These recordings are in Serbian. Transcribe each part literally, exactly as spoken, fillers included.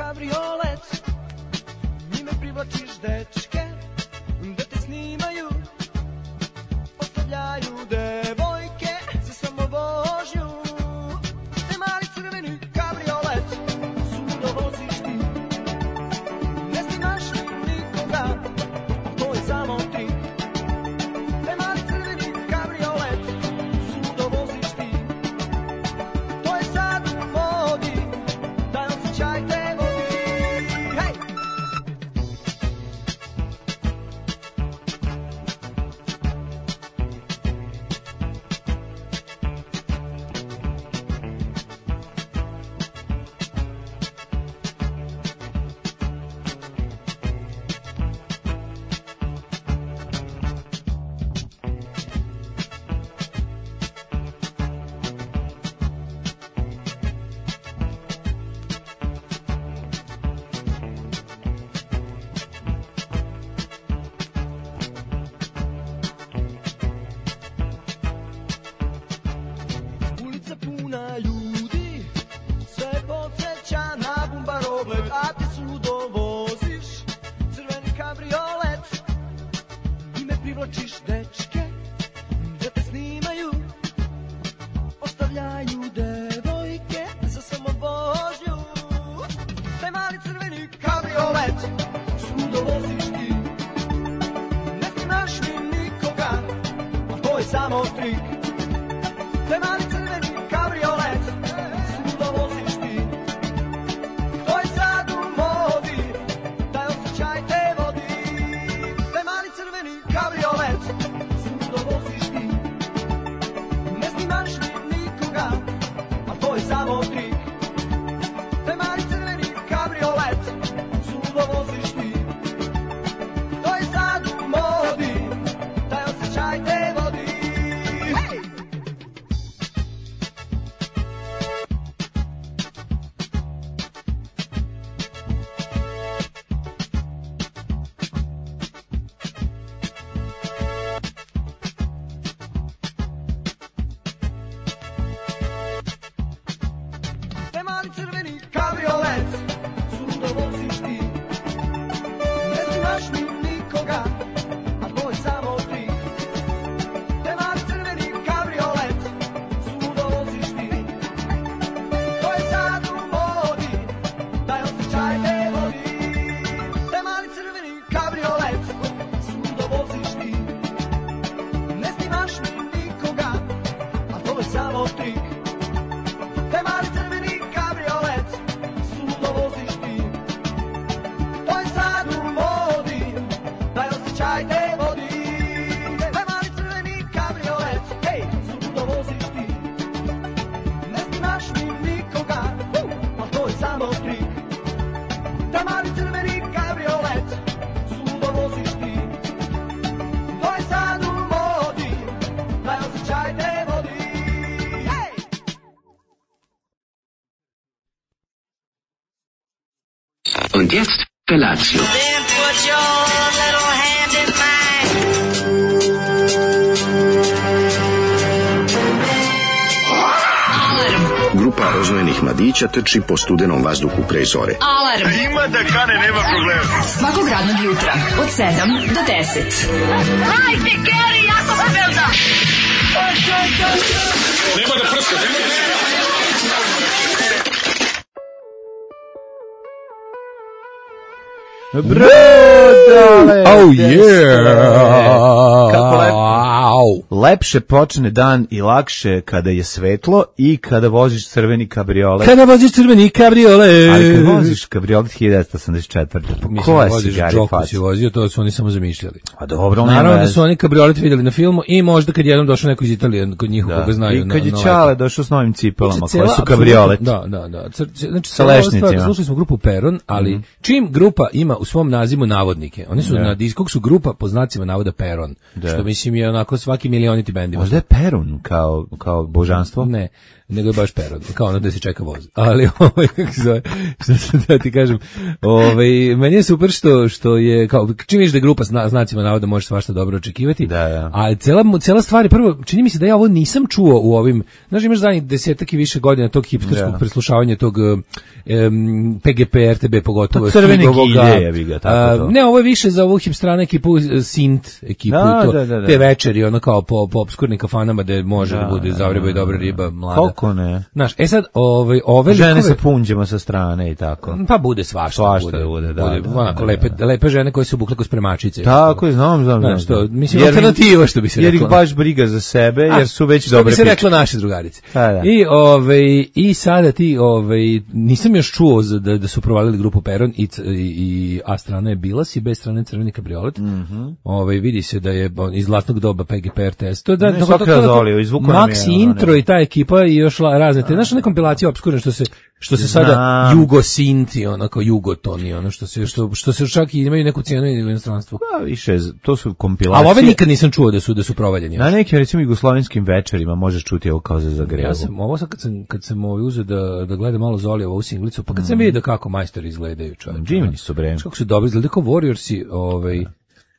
kabriolet, njime privlačiš dečke, da te snimaju, ostavljaju devojke za samo vožnju. Te mali crveni kabriolet, sudo voziš ti, ne snimaš nikoga, to je samo ti. Te mali crveni kabriolet, sudo voziš ti, to je sad u modi, taj osjećaj te vodi. Hej! Ulica puna ljudi, sve podsjeća na bumbaroglet, a ti sudo voziš crveni kabriolet, njime privlačiš dečke, da te snimaju, ostavljaju devojke za samo vožnju. Taj mali crveni kabriolet, sudo voziš ti, ne snimaš ni nikoga, a to je samo trik. Taj mali crveni kabriolet, sudo voziš ti, to je sad u modi, taj osjećaj te vodi. Taj mali crveni kabriolet, sudo voziš ti, ne snimaš ni nikoga, a to je samo trik. Taj mali crveni kabriolet, sudo voziš ti, to je sad u modi, taj osjećaj te vodi. Hej! Taj mali crveni kabriolet, sudo voziš ti, ne snimaš ni nikoga, a to je samo trik. Taj mali crveni kabriolet, sudo voziš ti, to je sad u modi, taj osjećaj te vodi. Taj mali crveni kabriolet, sudo voziš ti, ne snimaš ni nikoga, a to je samo trik. Taj mali crveni kabriolet, sudo voziš ti, to je sad u modi, taj osjećaj te vodi. Taj mali crveni kabriolet, hej, sudo voziš ti, ne snimaš ni nikoga, a to je samo trik. Taj mali crveni kabriolet, sudo voziš ti, to je sad u modi, taj osjećaj te vodi. Hej! Und jetzt Felatio. Then put your little hand in mine. Grupa roznojenih mladića trči po studenom vazduhu pre zore. Alarm. Ima da kane, nema problema. Svakog radnog jutra od sedam do deset. Hajde, Geri, jako se velda. Nema da prska, nema da prska. Brodale! Oh yeah! Kako lepo. Lepše počne dan i lakše kada je svetlo i kada voziš crveni kabriolet. Kada voziš crveni kabriolet. Ali kad voziš kabriolet hiljadu devetsto osamdeset četvrte. Pa koja si gari faca? Si vozio, to su oni samo zamišljali. A dobro, naravno da su oni kabriolet vidjeli na filmu i možda kad jednom došao neko iz Italije kod njih koga znaju. I kad je na, Čale došao s novim cipelama znači, koje su cela, kabriolet. Da, da, da. Znači, sa lešnicima. Slušali smo grupu Peron, ali mm. čim grupa ima u svom nazivu navodnike, oni su da. na diskog su grupa po znacima navoda Peron, da. Što mislim je onako svaki milioniti bend. Možda je Perun kao, kao božanstvo? Ne. nego je baš peron, kao ono da se čeka voz. Ali ovaj kako se zove, što sam da ti kažem, ovaj meni je super što što je kao čim vidiš da je grupa zna, znacima navoda može svašta dobro očekivati. Da, da. A cela cela stvar je prvo čini mi se da ja ovo nisam čuo u ovim, znaš imaš zadnjih desetak i više godina tog hipsterskog da. preslušavanja tog um, P G P R T B pogotovo pa crvene ovoga, gilje bi ga tako to. Uh, ne, ovo je više za ovu hipstrana ekipu uh, Sint ekipu da, i to da, da, da. te večeri ono kao po, po obskurnim kafanama da može da, da bude zavreba i dobra riba mlada. Koliko ne? Znaš, e sad ovaj ove žene likove, sa punđima sa strane i tako. Pa bude svašta, svašta bude, bude, da, bude, da, onako da, lepe, da. lepe žene koje se obukle kao spremačice. Tako je, znam, znam, znam. Znaš, to, mislim, jer, alternativa što bi se jer reklo. ih baš briga za sebe, jer su već što dobre bi se piče. reklo naše drugarice. A, da. I ovaj i sada ti ovaj nisam još čuo za, da, da su provalili grupu Peron i, i, i A strana je Bilas i B strana je Crveni kabriolet. Mhm. Mm ovaj vidi se da je iz zlatnog doba P G P R test. To da ne, to, to, to, izvuko nam je. Maxi intro i ta ekipa i još la, razne te, znaš, one kompilacije opskurne što se što se sada Znam. Jugo Sinti, onako Jugotoni, ono što se što što se čak i imaju neku cijenu u inostranstvu. Da, više, to su kompilacije. A ove nikad nisam čuo da su da su provaljeni. Na nekim recimo jugoslovenskim večerima možeš čuti ovo kao za Zagrebu. Ja sam ovo sad kad sam kad sam ovaj uzeo da da gledam malo Zolijevu ovu singlicu, pa kad sam vidio kako majstori izgledaju, čovječe. Divni su bre. Kako su dobri izgledaju kao Warriorsi, ovaj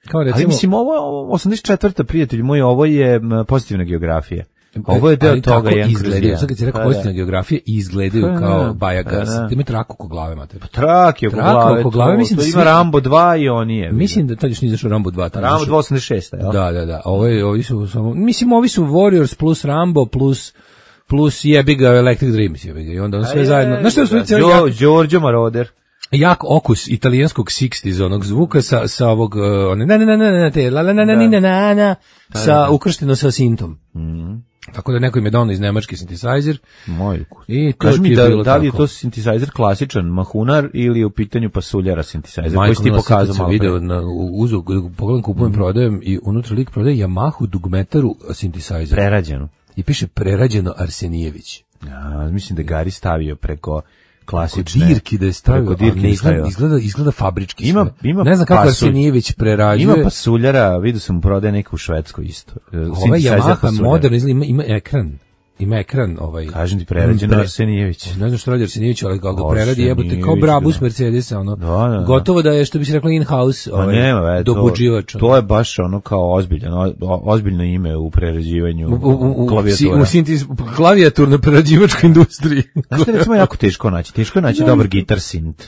kao recimo. Ali mislim ovo, ovo osamdeset četvrta prijatelj moj, ovo je m, pozitivna geografija. Ovo je deo ali toga tako jedan izgledaju, sad kad si rekao Pa, pozitivna geografija i izgledaju Pa, kao da, Bajagas, pa, da. da ima traku oko glave, mate. Trak je oko Traka glave. oko glave, to, mislim to da ima svi- Rambo dva i on je. Mislim da tad još nije izašao Rambo dva. tad Rambo izašao- dva osamdeset šest, jel? Da, da, da. Ovo je, ovi su samo, mislim, ovi su Warriors plus Rambo plus plus jebi ga Electric Dreams, jebi ga. I onda on sve zajedno. Znaš što je cijeli jak, Giorgio Moroder. jak okus italijanskog šezdesetih onog zvuka sa sa ovog uh, one ne ne ne ne ne te la la na na na na na sa ukršteno sa sintom. Mhm. Tako da neko im je donao iz nemački synthesizer. Moj ukus. I to Kaži ti mi je da, bilo da li je tako. to synthesizer klasičan mahunar ili je u pitanju pasuljara synthesizer koji Majko si ti Mila, sad kad pokazao sam malo video pre. na u- uzu, pogledam kupujem, prodajem i unutra lik prodaje Yamahu Dugmetaru synthesizer. Prerađeno. I piše prerađeno Arsenijević. Ja, mislim da Gari stavio preko Kod klasične. dirki da je stavio, preko ali dirki ne je izgleda, stavio. izgleda, izgleda fabrički Ima- sve. ima ne znam kako pasulj. Arsenijević prerađuje. Ima pasuljara, vidio sam mu prodaje neka u Švedskoj isto. Ovaj Synthesizer Yamaha pasuljara. modern izgleda, ima, ima ekran. Ima ekran ovaj. Kažem ti, prerađeno Pre- Arsenijević. Ne znam što radi Arsenijević, ali kako ga preradi jebote kao Arsenijević, Brabus da. Mercedesa, ono. Da, da, da. Gotovo da je, što bi se reklo, in-house, Pa ovaj, nema, ve, to, dobuđivač. ono. to je baš ono kao ozbiljan, o- ozbiljno ime u prerađivanju u, u, u, u, klavijatura. u sintis, klavijaturno prerađivačkoj industriji. Znaš što je recimo jako teško naći? Teško je naći dobar gitar synth.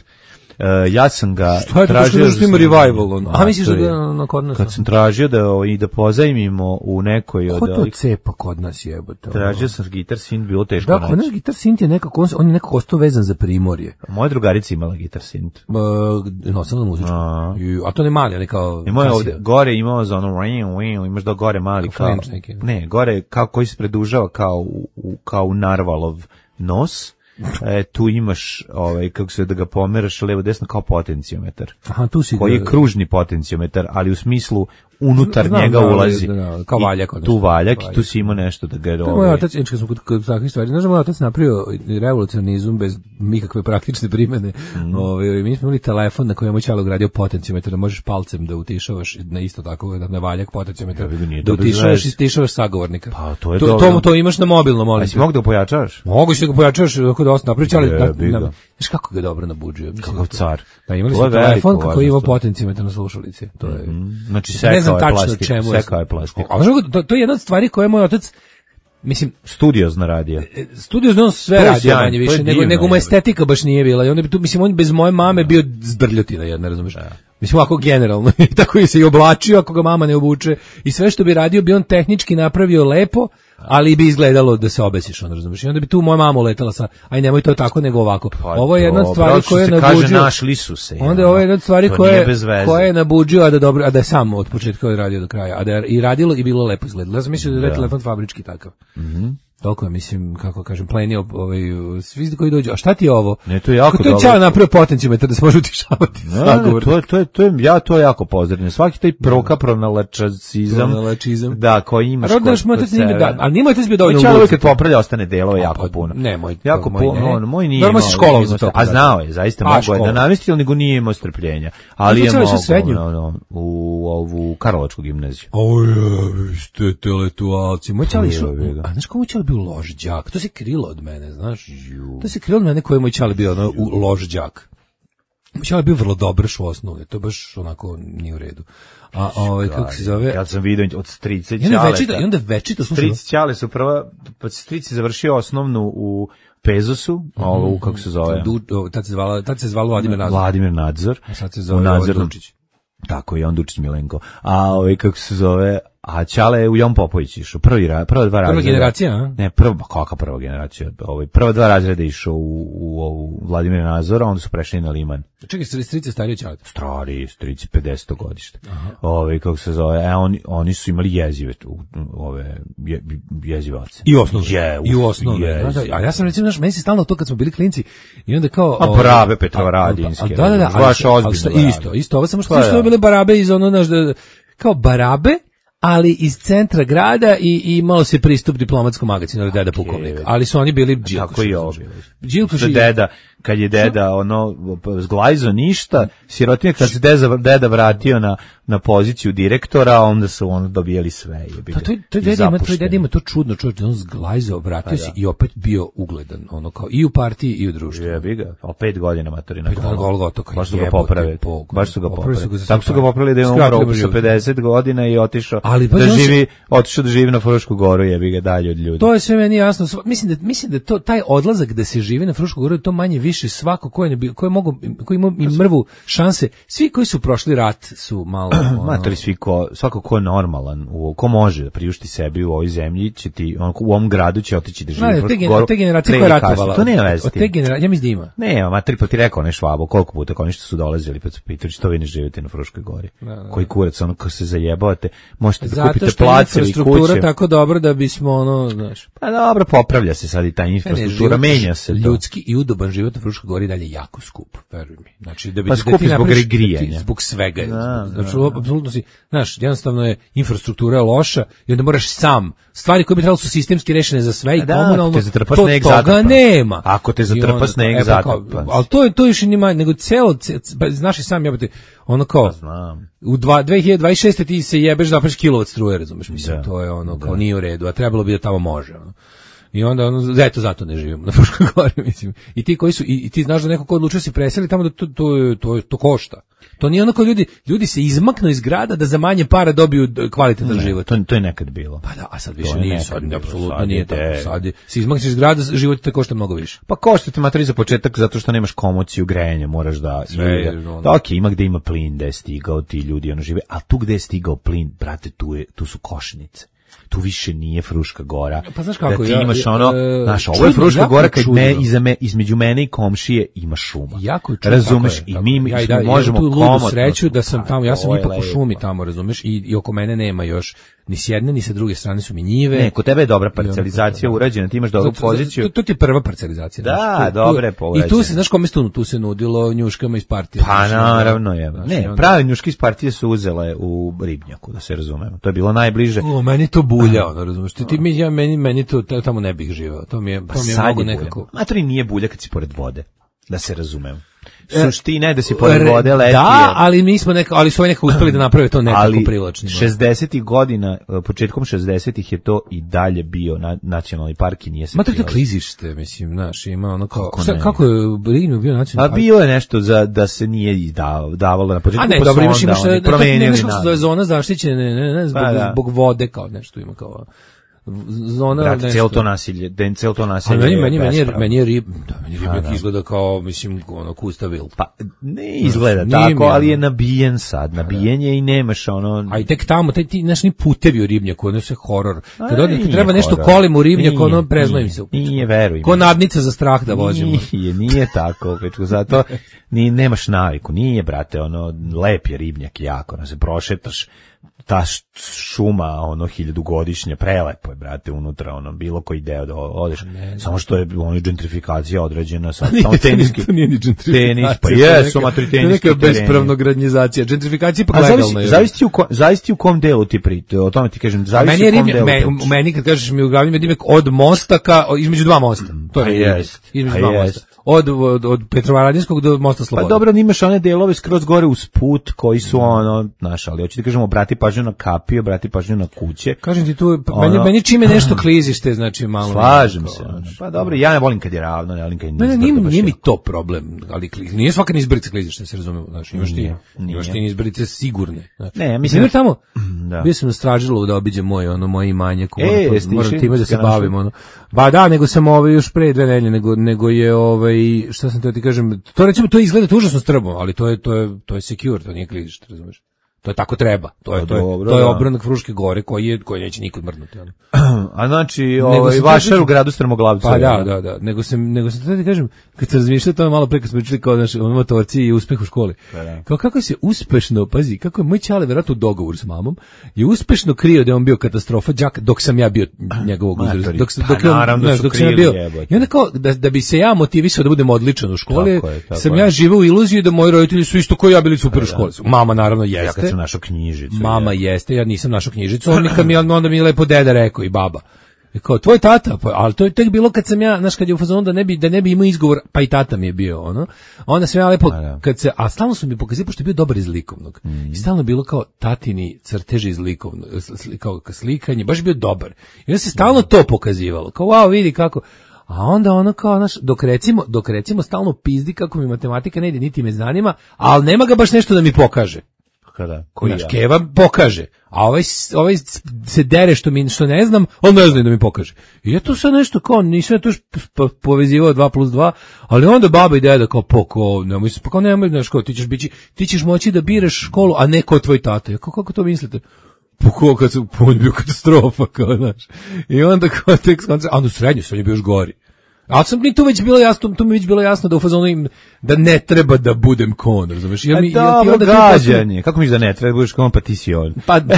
Uh, ja sam ga Šta je to tražio... što ima revival? On? A misliš to da je- ga na kod nas? Kad sam tražio da, o, i da pozajmimo u nekoj Ko od... to ovih- cepa kod nas jebote? Tražio sam gitar synth, bilo teško Da, kod naći. nas gitar synth je nekako, on, on je nekako ostao vezan za Primorje. Moja drugarica imala gitar synth. Uh, nosila muzičku. A. I- A to ne mali, ali kao... Imao je kasija. ovde, gore imao za ono, wing, wing, imaš da gore mali Kao kao, flange neki. ne, gore kao koji se predužava kao u, u- kao u narvalov nos, e, tu imaš, ovaj, kako se da ga pomeraš levo desno kao potencijometar, Aha, tu si... koji je kružni potencijometar, ali u smislu unutar Znam, njega da, ulazi. da, da, kao I valjak, odnosno. tu valjak, i tu Valjak. si imao nešto da ga... To je moj ovaj, otac, inače kad smo kod, kod takvih stvari, znaš da moj otac napravio revolucionizam bez nikakve praktične primene. Mhm. Ove, mi smo imali telefon na kojem je moj čalo ugradio potencijometar, da možeš palcem da utišavaš na isto tako, da na valjak potencijometar, Ja vidim, nije da to bez utišavaš veze. i stišavaš sagovornika. Pa, to je to, dobro. to, to imaš na mobilnom, molim A te. si mogu da pojačavaš? Mogu si da ga pojačaš kako da osnovno napravići, ali na, Jebi ga. na, znaš kako ga dobro nabuđuje. Mislim Kakav da to- car. Da, imali To smo je veliko telefon kako je imao važnost. potencijometar na slušalici. To je... Znači, ne sekao znam je tačno plastiku, čemu sekao je plastiku. A znaš kako, to, to je jedna od stvari koje je moj otac, mislim, Studiozno radio. studio znao sve To je radio sjajno, manje to je više, nego, divno, nego mu jebote. estetika baš nije bila. I onda bi tu, mislim, on bez moje mame bio zdrljotina jedna, razumiješ? Mislim, ovako generalno. I tako je se i oblačio ako ga mama ne obuče. I sve što bi radio bi on tehnički napravio lepo, ali bi izgledalo da se obesiš, on razumiješ? I onda bi tu moja mama uletala sa, aj nemoj to tako, nego ovako. Pa Ovo je jedna od dobro, stvari što koje je se kaže, nabuđio. našli su se. Onda je ovo jedna od stvari To koje, nije bez veze. koje je nabuđio, a da, dobro, a da je sam od početka radio do kraja. A da je i radilo i bilo lepo izgledalo. Ja sam mislio da je telefon fabrički takav. Mhm. Toliko je, mislim, kako kažem, plenio ovaj, svi koji dođu. A šta ti je ovo? Ne, to je jako Kako to je dobro. Ćao napravio potencijometar da se može utišavati. Ne, ne, to je, to je, to je, ja to jako pozdravljam. Svaki taj proka pronalačizam, Pronalačizam. da, koji imaš A rodnaš kod, moj kod otac nije sebe. da, ali nije moj otac bio dovoljno Moj čalo ugodan. kad popravlja ostane delove jako pa, puno. ne, moj- jako moj puno, ne. on, moj nije Dobro, imao. si školovao nije za to, imao- pa A da. znao je, zaista A, mogao je školovao. da namesti, ali nego nije imao strpljenja. Ali A je to mogao ćeš srednju? no, no, u ovu Karlovačku gimnaziju. Oj, ste intelektualci. Moj čali išao, Jebi ga. a znaš kako moj čali bio bio loš đak. To se krilo od mene, znaš. To se krilo od mene koji je moj ćale bio ono, u loš đak. Moj ćale bio vrlo dobar u osnovne, to baš onako nije u redu. A ovaj kako se zove? Ja sam vidio od strice ćale. I onda večito, i onda večito slušao. Strice ćale su prva, pa strici završio osnovnu u Pezosu, mm -hmm. ovo kako se zove. Tad se zvala, tad se zvalo Vladimir Nadzor. Vladimir Nadzor. A sad se zove Nadzor Dučić. Tako je on Dučić Milenko. A ovaj kako se zove? A Ćale je u Jon Popović išao, prvi ra, prva dva razreda. Prva generacija, a? Ne, prva, kakva prva generacija? Ovaj prva dva razreda išao u u, u Vladimira Nazora, onda su prešli na Liman. Čekaj, strice stariji Ćale. Stari, strici pedeseto godište. Ovaj kako se zove? E oni oni su imali jezive tu, ove je, jezivace. I osnovne. Je, I u osnovne. Da, da, a ja sam recimo naš meni se stalno to kad smo bili klinci i onda kao a Barabe Petrovaradinske. Da, da, da, baš ozbiljno. Isto, isto, ovo samo što su bile Barabe iz ono naš kao Barabe, ali iz centra grada i, i imalo se pristup diplomatskom magazinu, deda pukovnik. Ali su oni bili Đilkoši. Tako i ovo. Đilkoši. Deda, kad je deda ono zglajzo ništa, sirotinja kad se deda, deda vratio na na poziciju direktora, onda su ono dobijali sve. Je pa to to deda ima, to deda ima to čudno, čovjek, on zglajzo, vratio se i opet bio ugledan, ono kao i u partiji i u društvu. Jebi ga, al pet godina matorina. Pet godina gotovo. Baš su ga popravili. Baš su ga popravili. Tako su ga popravili da je umro sa pedeset godina i otišao da živi, otišao da živi na Frušku goru, jebi ga dalje od ljudi. To je sve meni jasno. Mislim da mislim da to taj odlazak da se živi na Frušku goru, to manje više svako ko je ko je mogao, ko ima i mrvu šanse, svi koji su prošli rat su malo ono, matori svi ko, svako ko je normalan, u, ko može da priušti sebi u ovoj zemlji, će ti, on, u ovom gradu će otići da živi na Frušku goru. Te generacije koja je ratovala. To nema veze. Od te generacije, ja mislim da ima. Ne, matori, pa ti rekao ne Švabo, koliko puta, kao ništa su dolazili, pa su pitali što vi ne živite na Fruškoj gori. Da, da. Koji kurac, ono, ko se zajebavate, možete da kupite place ili kuće. Zato što je infrastruktura tako dobro da bismo, ono, znaš. Pa dobro, popravlja se sad i ta infrastruktura, ne, ne, menja se. Ljudski i udoban život na Fruškoj gori dalje jako skup, veruj mi. Znači, da bi pa skup zbog grijanja. Zbog svega. Znači, apsolutno si, znaš, jednostavno je infrastruktura loša i onda moraš sam, stvari koje bi trebalo su sistemski rešene za sve i da, komunalno, to toga nema. Ako te zatrpa sneg, zatrpa. Ali to je to više nima, nego celo, znaš i sam jebate, ono kao, znam. U dve hiljade dvadeset šeste ti se jebeš da napraviš kilovat struje, razumeš, mislim, da, to je ono, kao da. Nije u redu, a trebalo bi da tamo može, ono. I onda ono, eto zato ne živimo na Fruškoj gori, mislim. I ti koji su, i, i ti znaš da neko ko odlučio se preseli tamo da to, to, to, to košta. To nije ono kao ljudi, ljudi se izmaknu iz grada da za manje para dobiju kvalitetan život. To, to je nekad bilo. Pa da, a sad više nije, sad apsolutno nije tako. Sad se izmakneš iz grada, život te košta mnogo više. Pa košta te materi za početak zato što nemaš komociju grejanja, moraš da... Sve, da, ok, ima gde ima plin, gde je stigao, ti ljudi ono žive, a tu gde je stigao plin, brate, tu, je, tu su košnice. Tu više nije Fruška gora. Pa znaš kako, da ti ja, imaš ono, e, znaš, ovo je Fruška gora kad me, iza me, između mene i komšije ima šuma. Jako čudno. Razumeš? Tako I tako. mi, ja, mi da, možemo komotno. Ja tu ludu sreću da sam tamo, ja sam ipak u šumi tamo, razumeš? I, i oko mene nema još ni s jedne, ni sa druge strane su mi njive. Ne, kod tebe je dobra parcelizacija urađena, ti imaš dobru poziciju. To, to ti je prva parcelizacija. Da, dobre povređene. I tu se, znaš kome tu, tu se nudilo njuškama iz partije. Pa naravno je. Ne, prave njuške iz partije su uzele u Ribnjaku, da se razumemo. To je bilo najbliže. O, meni to bulja, ono, razumeš? Ti, mi, ja, meni, meni to, tamo ne bih živeo. To mi je, to mi je mnogo nekako... Matri nije bulja kad si pored vode, da se razumemo. Suština je da si pored vode leti. Da, ali mi smo neka, ali su oni nekako uspeli da naprave to nekako privlačno. šezdesetih godina, početkom šezdesetih je to i dalje bio na, nacionalni park i nije se. Ma to je klizište, mislim, znaš, ima ono kao kako, šta, kako je Ribnjak bio nacionalni park? A bio je nešto za da se nije davalo na početku. A ne, dobro, imaš imaš nešto zona zaštićene, ne, ne, ne, zbog, zbog vode kao nešto ima kao zona. Brate, cijelo to nasilje, den cijelo to nasilje. Meni, meni, meni, je, meni je rib, da, meni Ribnjak da. Izgleda kao, mislim, ono, Kustavil. Pa, ne izgleda no, tako, ali je nabijen sad, nabijen je i nemaš ono... A i tek tamo, taj, ti, znaš, ni putevi u Ribnjaku, ono se horor. Kad odete, treba nešto kolim u Ribnjaku, ono, preznojim se. Nije, veruj. Ko nadnica za strah da vozimo. Nije, nije tako, pečku, zato ni, nemaš naviku, nije, brate, ono, lep je Ribnjak jako, ono, se prošetaš, ta šuma, ono, hiljadugodišnja, prelepo je, brate, unutra, ono, bilo koji deo da odeš, ne, samo što je, ono, gentrifikacija određena, sad, samo teniski, to nije ni gentrifikacija, tenis, pa jesu, matri teniski tereni. To je neka bespravno gradnjizacija, gentrifikacija pa legalna je. Zavisi u, kom, zavisi u kom delu ti prite, o tome ti kažem, zavisi u kom delu. Meni, meni kad kažeš mi u glavi, me dimek od mosta ka, između dva mosta, to je jest, između dva mosta. od, od, od Petrovaradinskog do Mosta Slobode. Pa dobro, imaš one delove skroz gore uz put koji su ono, znaš, ali hoću ti kažemo, obrati pažnju na kapije, obrati pažnju na kuće. Kažem ti tu, Ono- meni, meni čime nešto klizište, znači malo... Slažem nekako, se. znaš. Pa dobro, ja ne volim kad je ravno, ne volim kad je Ne, ne, nizbrdo nije, baš nije mi jako. to problem, ali kli- nije svaka nizbrica klizište, se razumemo, znači imaš ti, Nije, nije. imaš ti nizbrice sigurne. Znači. Ne, mislim Primjer da- tamo, Da. bio sam na Stražilu da obiđem moje, ono, moje imanje, ko E, moram, to- jesi moram išli time da se na našu? bavim, ono. Ba da, nego sam ovaj još pre dve nedelje, nego, nego je, ovaj, šta sam teo ti kažem, to recimo, to izgleda to užasno strmo, ali to je, to je, to je secure, to nije klizište, razumeš? To je tako treba. To je Pa to je, dobro, to je da. obronak Fruške gore koji je koji neće nikad mrnuti, ono. A znači, Nego ovaj, sam vašar teo u gradu Strmoglavcu. Pa da, da, da. Nego sam, nego sam to ti kažem, kad sam razmišljao to malo pre kad smo pričali kao naši ono motorci i uspeh u školi. da. Kao kako se uspešno, pazi, kako je moj ćale verovatno u dogovoru s mamom, je uspešno krio da je on bio katastrofa đak dok sam ja bio njegovog uzrasta. Matori, Dok, sam- pa dok, je on, naravno znaš, su dok sam ja krili, bio. jebote. I onda kao da, da bi se ja motivisao da budem odličan u školi, Tako je, tako sam je. ja živeo u iluziji da moji roditelji su isto kao ja bili super u školi. Mama naravno jeste. Ja kad sam našao knjižicu. Mama jeste, ja nisam našao knjižicu, on mi kad mi onda mi je lepo deda rekao i baba. I kao tvoj tata, pa ali to je tek bilo kad sam ja, znaš, kad je u fazonu da ne bi da ne bi imao izgovor, pa i tata mi je bio, ono. Onda sam ja lepo da. kad se, a stalno su mi pokazali pošto je bio dobar iz likovnog. I stalno je bilo kao tatini crteži iz likovnog, sli- kao slikanje, baš je bio dobar. I onda se stalno to pokazivalo. Kao wow, vidi kako. A onda ono kao, znaš, dok recimo, dok recimo stalno pizdi kako mi matematika ne ide, niti me zanima, ali nema ga baš nešto da mi pokaže. Kada? Koji Znaš, ja? Keva pokaže, a ovaj, s- ovaj s- se dere što mi što ne znam, on ne zna da mi pokaže. I ja tu sad nešto kao, nisam ja tu još p- p- povezivao dva plus dva, ali onda baba i deda kao, po, kao, nemoj se, pa kao nemoj, znaš, kao, ti ćeš, bići, ti ćeš moći da biraš školu, a ne kao tvoj tata. Ja kao, kako to mislite? Po ko, kad su, po, on je bio katastrofa, kao, znaš. I onda kao, tek skontra, a onda u srednju, srednju bio još gori. Ali sam mi tu već bilo jasno, tu mi već bilo jasno da u fazonu im da ne treba da budem kon, razumeš? Ja A mi ja ti dobro, onda tu postane- gađanje. Kako misliš da ne treba, budeš kao on, pa ti si on. Pa da,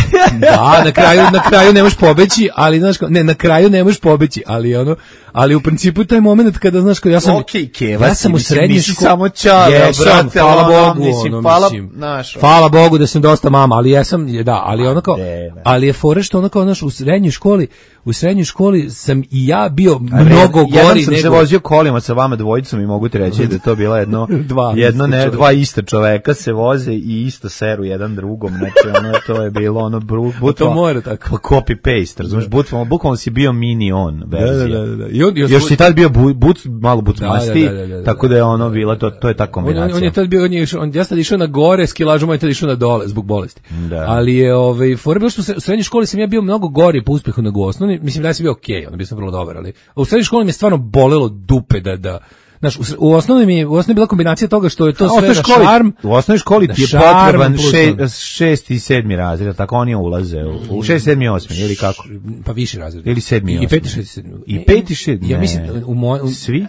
na kraju na kraju ne možeš pobeći, ali znaš kao, ne, na kraju ne možeš pobeći, ali ono, ali u principu taj momenat kada znaš kao ja sam Okej, Keva ja si, sam u mislim, srednjoj nisi školi samo čale, Jesam, brate, hvala ono, Bogu, mislim, ono, hvala, mislim, znaš, ono. hvala Bogu da sam dosta mama, ali jesam, je, da, ali ono kao, ne, ne. ali je fora što ono kao, znaš, u srednjoj školi, u srednjoj školi sam i ja bio A mnogo red- Jednom gori sam se nego vozio kolima sa vama dvojicom i mogu ti reći da je to bila jedno, Dva jedno ista ne, čoveka. dva ista čoveka se voze i isto seru jedan drugom, znači ono, to je bilo ono, bru, bukvalno, mora tako. pa copy paste, razumiješ, bukvalno, bukvalno si bio mini on verzija. Da, da, da, da. I on, Još si tad bio bu, but, malo bucmasti, Da, da, da, da, da. tako da je ono bila, to, to je ta On, kombinacija. on, on je tad bio, on je, išao- on, ja sam tad išao na gore, skilažom, on je tad išao na dole zbog bolesti. Da. Ali je, ovaj, fora bilo što u sre- u srednjoj školi sam ja bio mnogo gori po uspehu nego u osnovni, mislim da ja sam bio okej, onda bio sam vrlo dobar, ali u srednjoj školi mi je stvarno bolelo dupe da, da, znaš, u, sre- u osnovni mi, je- u osnovni je bila kombinacija toga što je to A, sve osnovnoj na školi, šarm, u osnovnoj školi na ti je šarm potreban plus še, on. šesti i sedmi razred, tako oni ulaze u, u šest, sedmi, osmi, ili kako? pa viši razred. Ili sedmi, I, i osmi. peti, šesti, sedmi. I peti, šesti, Ja ne. mislim, u moj, u, Svi?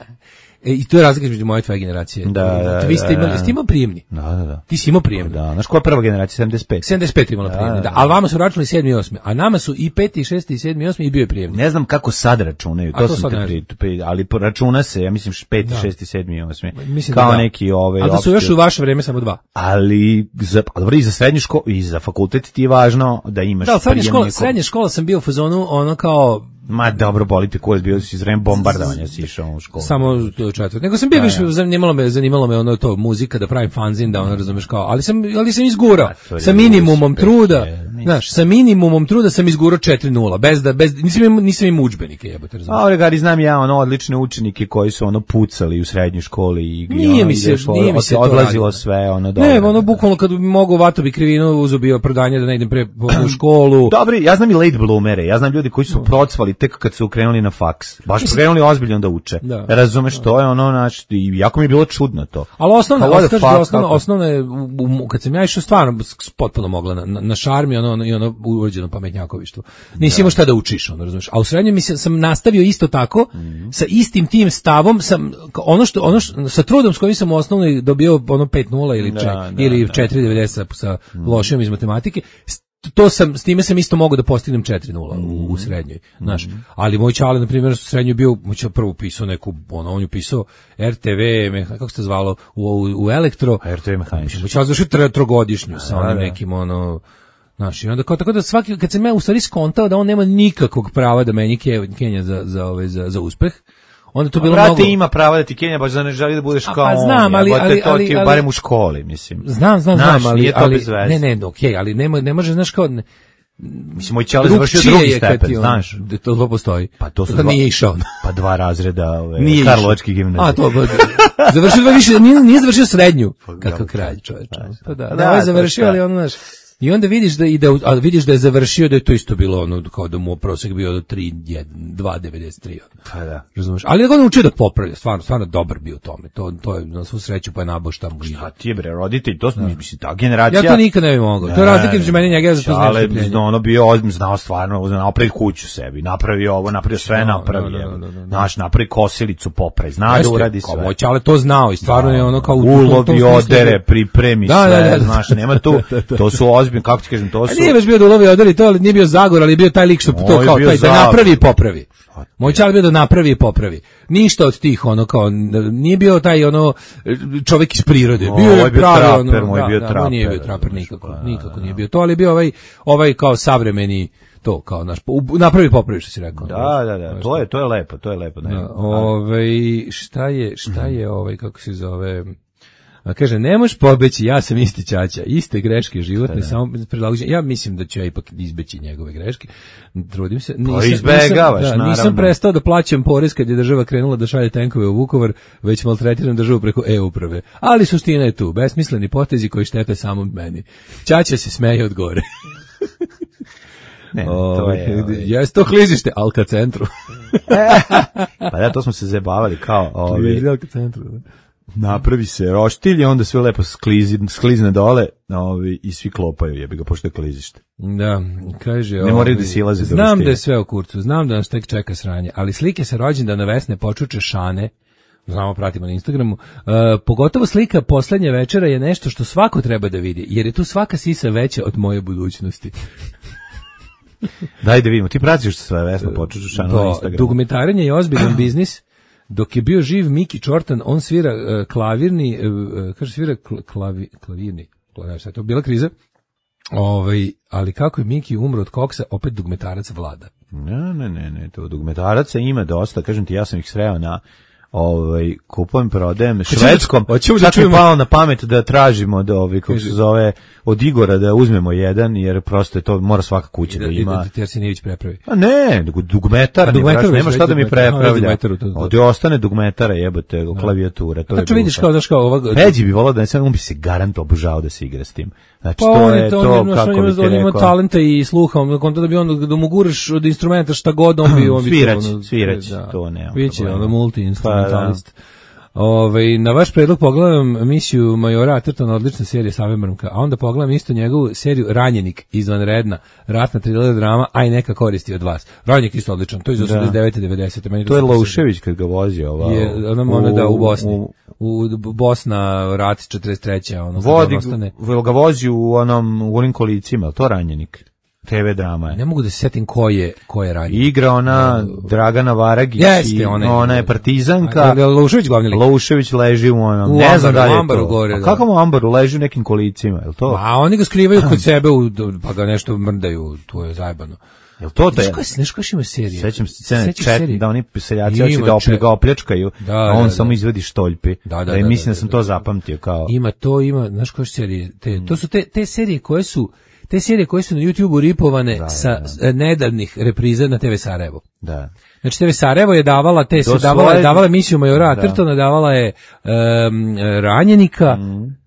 E, I to je razlika između moje i tvoje generacije. Da, da, Vi ste da, imali, da. ste imali prijemni. Da, da, da. Ti si imao prijemni. Da, znaš koja je prva generacija, sedamdeset pet? sedamdeset pet imala prijemni, da. Ali vama su računali sedmi i osmi, a nama su i peti, i šesti, i sedmi, i osmi i bio je prijemni. Ne znam kako sad računaju, A to, to sam sad te ne pri, pri, ali po- računa se, ja mislim peti, Da. šesti, sedmi, osmi, Mislim kao da da. neki ove... A da su opšte- još u vaše vreme samo dva. Ali, za, a dobro, i za srednju školu, i za fakultet ti je važno da imaš Da, ali srednja škola, prijemni ko- srednja škola sam bio u fazonu ono kao Ma dobro, boli te kurac, bio si iz vreme bombardovanja, si išao u školu. samo četvrt. Nego sam bio Da, više ja. zanimalo me, zanimalo me ono to muzika da pravim fanzin da ono razumeš kao, ali sam ali sam izgurao to je sa minimumom uspeh, truda. je, mislim. Znaš, sa minimumom truda sam izgurao četiri nula, bez da bez nisam imao nisam imao udžbenike, jebote, razumeš. A ove gari znam ja ono odlične učenike koji su ono pucali u srednjoj školi i Nije ono, mi se- ideš, nije mi se to odlazilo radilo. sve ono dobro. Ne, ono bukvalno kad bi mogao vato bi krivinu uzeo bio opravdanje da ne idem pre po- u školu. Dobri, ja znam i late bloomere, ja znam ljudi koji su procvali tek kad su krenuli na faks. Baš krenuli ozbiljno da uče. Da. Razumeš, to je ono, znači, i jako mi je bilo čudno to. Ali osnovna, Pa what the osnovna, fuck, osnovna, kako? osnovna je, u- u- kad sam ja išao stvarno s- potpuno mogla na, na, na šarmi, ono, ono, i ono urođeno pametnjakovištvo. Nisi imao šta da učiš, ono, razumiješ. A u srednjem mi se, sam nastavio isto tako, Mhm. sa istim tim stavom, sam, kao ono što, ono što, sa trudom s kojim sam u osnovnoj dobio ono pet nula ili, Da, če, da, ili da. Mhm. četiri devedeset sa, sa lošijom iz matematike, s- to sam, s time sam isto mogao da postignem četiri nula u, u srednjoj, znaš. Mhm. Ali moj čale, na primjer, u srednjoj bio, moj čale prvo upisao neku, ono, on je upisao R T V, meha- kako se to zvalo, u, u, u elektro, R T V mehaničar. moj čale završio tro- trogodišnju sa onim da. nekim, ono, znaš, i onda kao, tako da svaki, kad sam ja u stvari skontao da on nema nikakvog prava da meni ke- Kenja za, za, ovaj, za, za uspeh, onda to bilo Brate, mnogo... ima pravo da ti Kenja baš da ne želi da budeš A, kao pa on. znam, ali- jebote, ali- to ali- ti ali- barem u školi, mislim. Znam, znam, Znaš, znam, ali, nije to ali bez veze. ne, ne, okej, ali nema, ne može, znaš kao, ne, Mislim, moj ćale završio drugčije drugi je kad stepen, ti on- znaš. da to, to postoji. Pa to su Da dva- nije išao. Pa dva razreda ove, Nije išao. Karlovačke gimnazije. A, to god. Završio dva više, nije, nije završio srednju. Kakav kralj, čoveče. Pa da, Da, da, ovaj je to završio, šta. ali ono, znaš, i onda vidiš da ide, a vidiš da je završio, da je to isto bilo ono, kao da mu prosjek bio do tri dva devedeset tri. Pa da. Razumeš? Ali je ga naučio da popravlja, stvarno, stvarno dobar bio u tome. To, to je na svu sreću pa je nabao šta mu ide. A ti je bre, roditelj, to su, mislim, ta generacija... Ja to nikad ne bih mogao. To je razlika između mene i njega, ja za to znam Ale, strpljenje. zna, ono bio ozbiljno, znao stvarno, znao napravi kuću sebi, napravio ovo, napravio sve, Da, napravi, da, da, evo. da, da, da. Znaš, napravi kosilicu, popravi, zna da Jeste, uradi kao sve. moj čale to znao i stvarno je ono kao u tom- tom ulovi, smislu- odere, pripremi Da, sve, da, da, da. znaš, nema tu, to su ozbiljno, kako ti kažem, to A su... nije baš bio da ulovi odari to, ali nije bio Zagor, ali je bio taj lik što to Moj kao bio taj da Zagor. napravi i popravi. Moj čale bio da napravi i popravi. Ništa od tih ono kao nije bio taj ono čovjek iz prirode. O, Bio ovaj je je bio pravi traper, ono, moj da, bio da, traper, nije bio traper znaš, nikako, pa, nikako nije bio to, ali je bio ovaj ovaj kao savremeni to kao naš u- napravi i popravi što si rekao. Da, da, da, to je, to je lepo, to je lepo. Ne, Da, ovaj šta je šta je ovaj kako se zove. A kaže, ne možeš pobeći, ja sam isti ćaća, iste greške životne, samo prilagođen. Ja mislim da ću ja ipak izbeći njegove greške. Trudim se. Nisam, izbegavaš, nisam, da, nisam naravno. prestao da plaćam porez kad je država krenula da šalje tenkove u Vukovar, već maltretiram državu preko e-uprave. Ali suština je tu, besmisleni potezi koji štete samo meni. Ćaća se smeje od gore. ne, to Ovaj, je... ovaj, Jes to klizište, Alka centru. Pa da, to smo se zabavali kao... Ovaj, Alka centru. da. napravi se roštilj i onda sve lepo sklizi, sklizne dole ovaj, i svi klopaju, jebi ga, pošto je klizište. Da, kaže... Ne moraju ovaj, da silaze do znam roštilja. da je sve u kurcu, znam da nas tek čeka sranje, ali slike sa rođendana Vesne Počuče Šane, znamo, pratimo na Instagramu, uh, pogotovo slika poslednje večera je nešto što svako treba da vidi, jer je tu svaka sisa veća od moje budućnosti. Daj da vidimo, ti pratiš sve Vesna Počučušanu na To, Instagramu. dugmetarenje je ozbiljan biznis. Dok je bio živ Miki Čortan, on svira uh, klavirni, uh, kaže svira kl- klavi, klavirni, klavirni, šta je to bila kriza. Ovaj, ali kako je Miki umro od koksa, opet dugmetarac vlada. Ne, ne, ne, ne, to dugmetaraca ima dosta, kažem ti, ja sam ih sreo na ovaj kupujem, prodajem švedskom. hoćemo da Čak mi je čujemo. palo na pamet da tražimo od ovih, kako se zove, od Igora da uzmemo jedan, jer prosto je to, mora svaka kuća da ima. Da Tersinijević prepravi. A ne, nego dugmetar, A ne, dugmetar braš, već, nema šta već da mi dugmetar, aha, već prepravlja. dugmetaru, to- to- Ovdje ostane dugmetara, jebote, klavijatura, to je. Znači vidiš glupo. kao daš kao ovog Peđi bi volao da ne sam, on bi se garant obožao da se igra s tim. Znači, pa to on je je to, to, on, kako on, bi ti on ima rekao. talenta i sluha, on konta da bi on da mu guraš od instrumenta šta god on bi on bi Svirać, to, ono, svirać, da. to nema Biće problema. ono multi-instrumentalist. Pa, Ovaj, na vaš predlog pogledam misiju Majora Athertona, odlična serija Save Mrmka, a onda pogledam isto njegovu seriju Ranjenik, izvanredna, ratna thriller drama, aj neka koristi od vas. Ranjenik isto odličan, to je iz osamdeset devete devedesete Meni To je super serija. Laušević kad ga vozi ova. Je, ona, ona da, u Bosni. u- U, Bosna, rat četrdeset treće ono, kad Vodi, on ostane. vel ga vozi u onom, u onim kolicima, je li to Ranjenik? Te ve drama je. Ne mogu da se setim ko je, ko je ranjen. Igra ona Dragana Varagić Jeste, i ona je- ona je partizanka. A, je li Laušević glavni lik? Laušević leži u onom, U ne znam ambaru, da li je u ambaru to. gore, A da. kako mu ambaru leži u nekim kolicima, je li to? A oni ga skrivaju kod sebe, u, pa ga nešto mrdaju, to je zajebano. Je li to Znaš te? koja, znaš koja ima serija? Sećam se scene Sećaš čet, serije? da oni seljaci Ima hoće da čet- oplja- ga opljačkaju, Da, a on da, samo da. izvadi štoljpi. Da, da, E, da, mislim da, da sam da, to da. zapamtio kao. Ima to, ima, znaš koje serije? Te, to su te, te serije koje su, te serije koje su na YouTubeu ripovane sa s- nedavnih repriza na te ve Sarajevo. Da. Znači te ve Sarajevo je davala te Do davala je svoje- davala emisiju Majora Da. Athertona, davala je em, Ranjenika,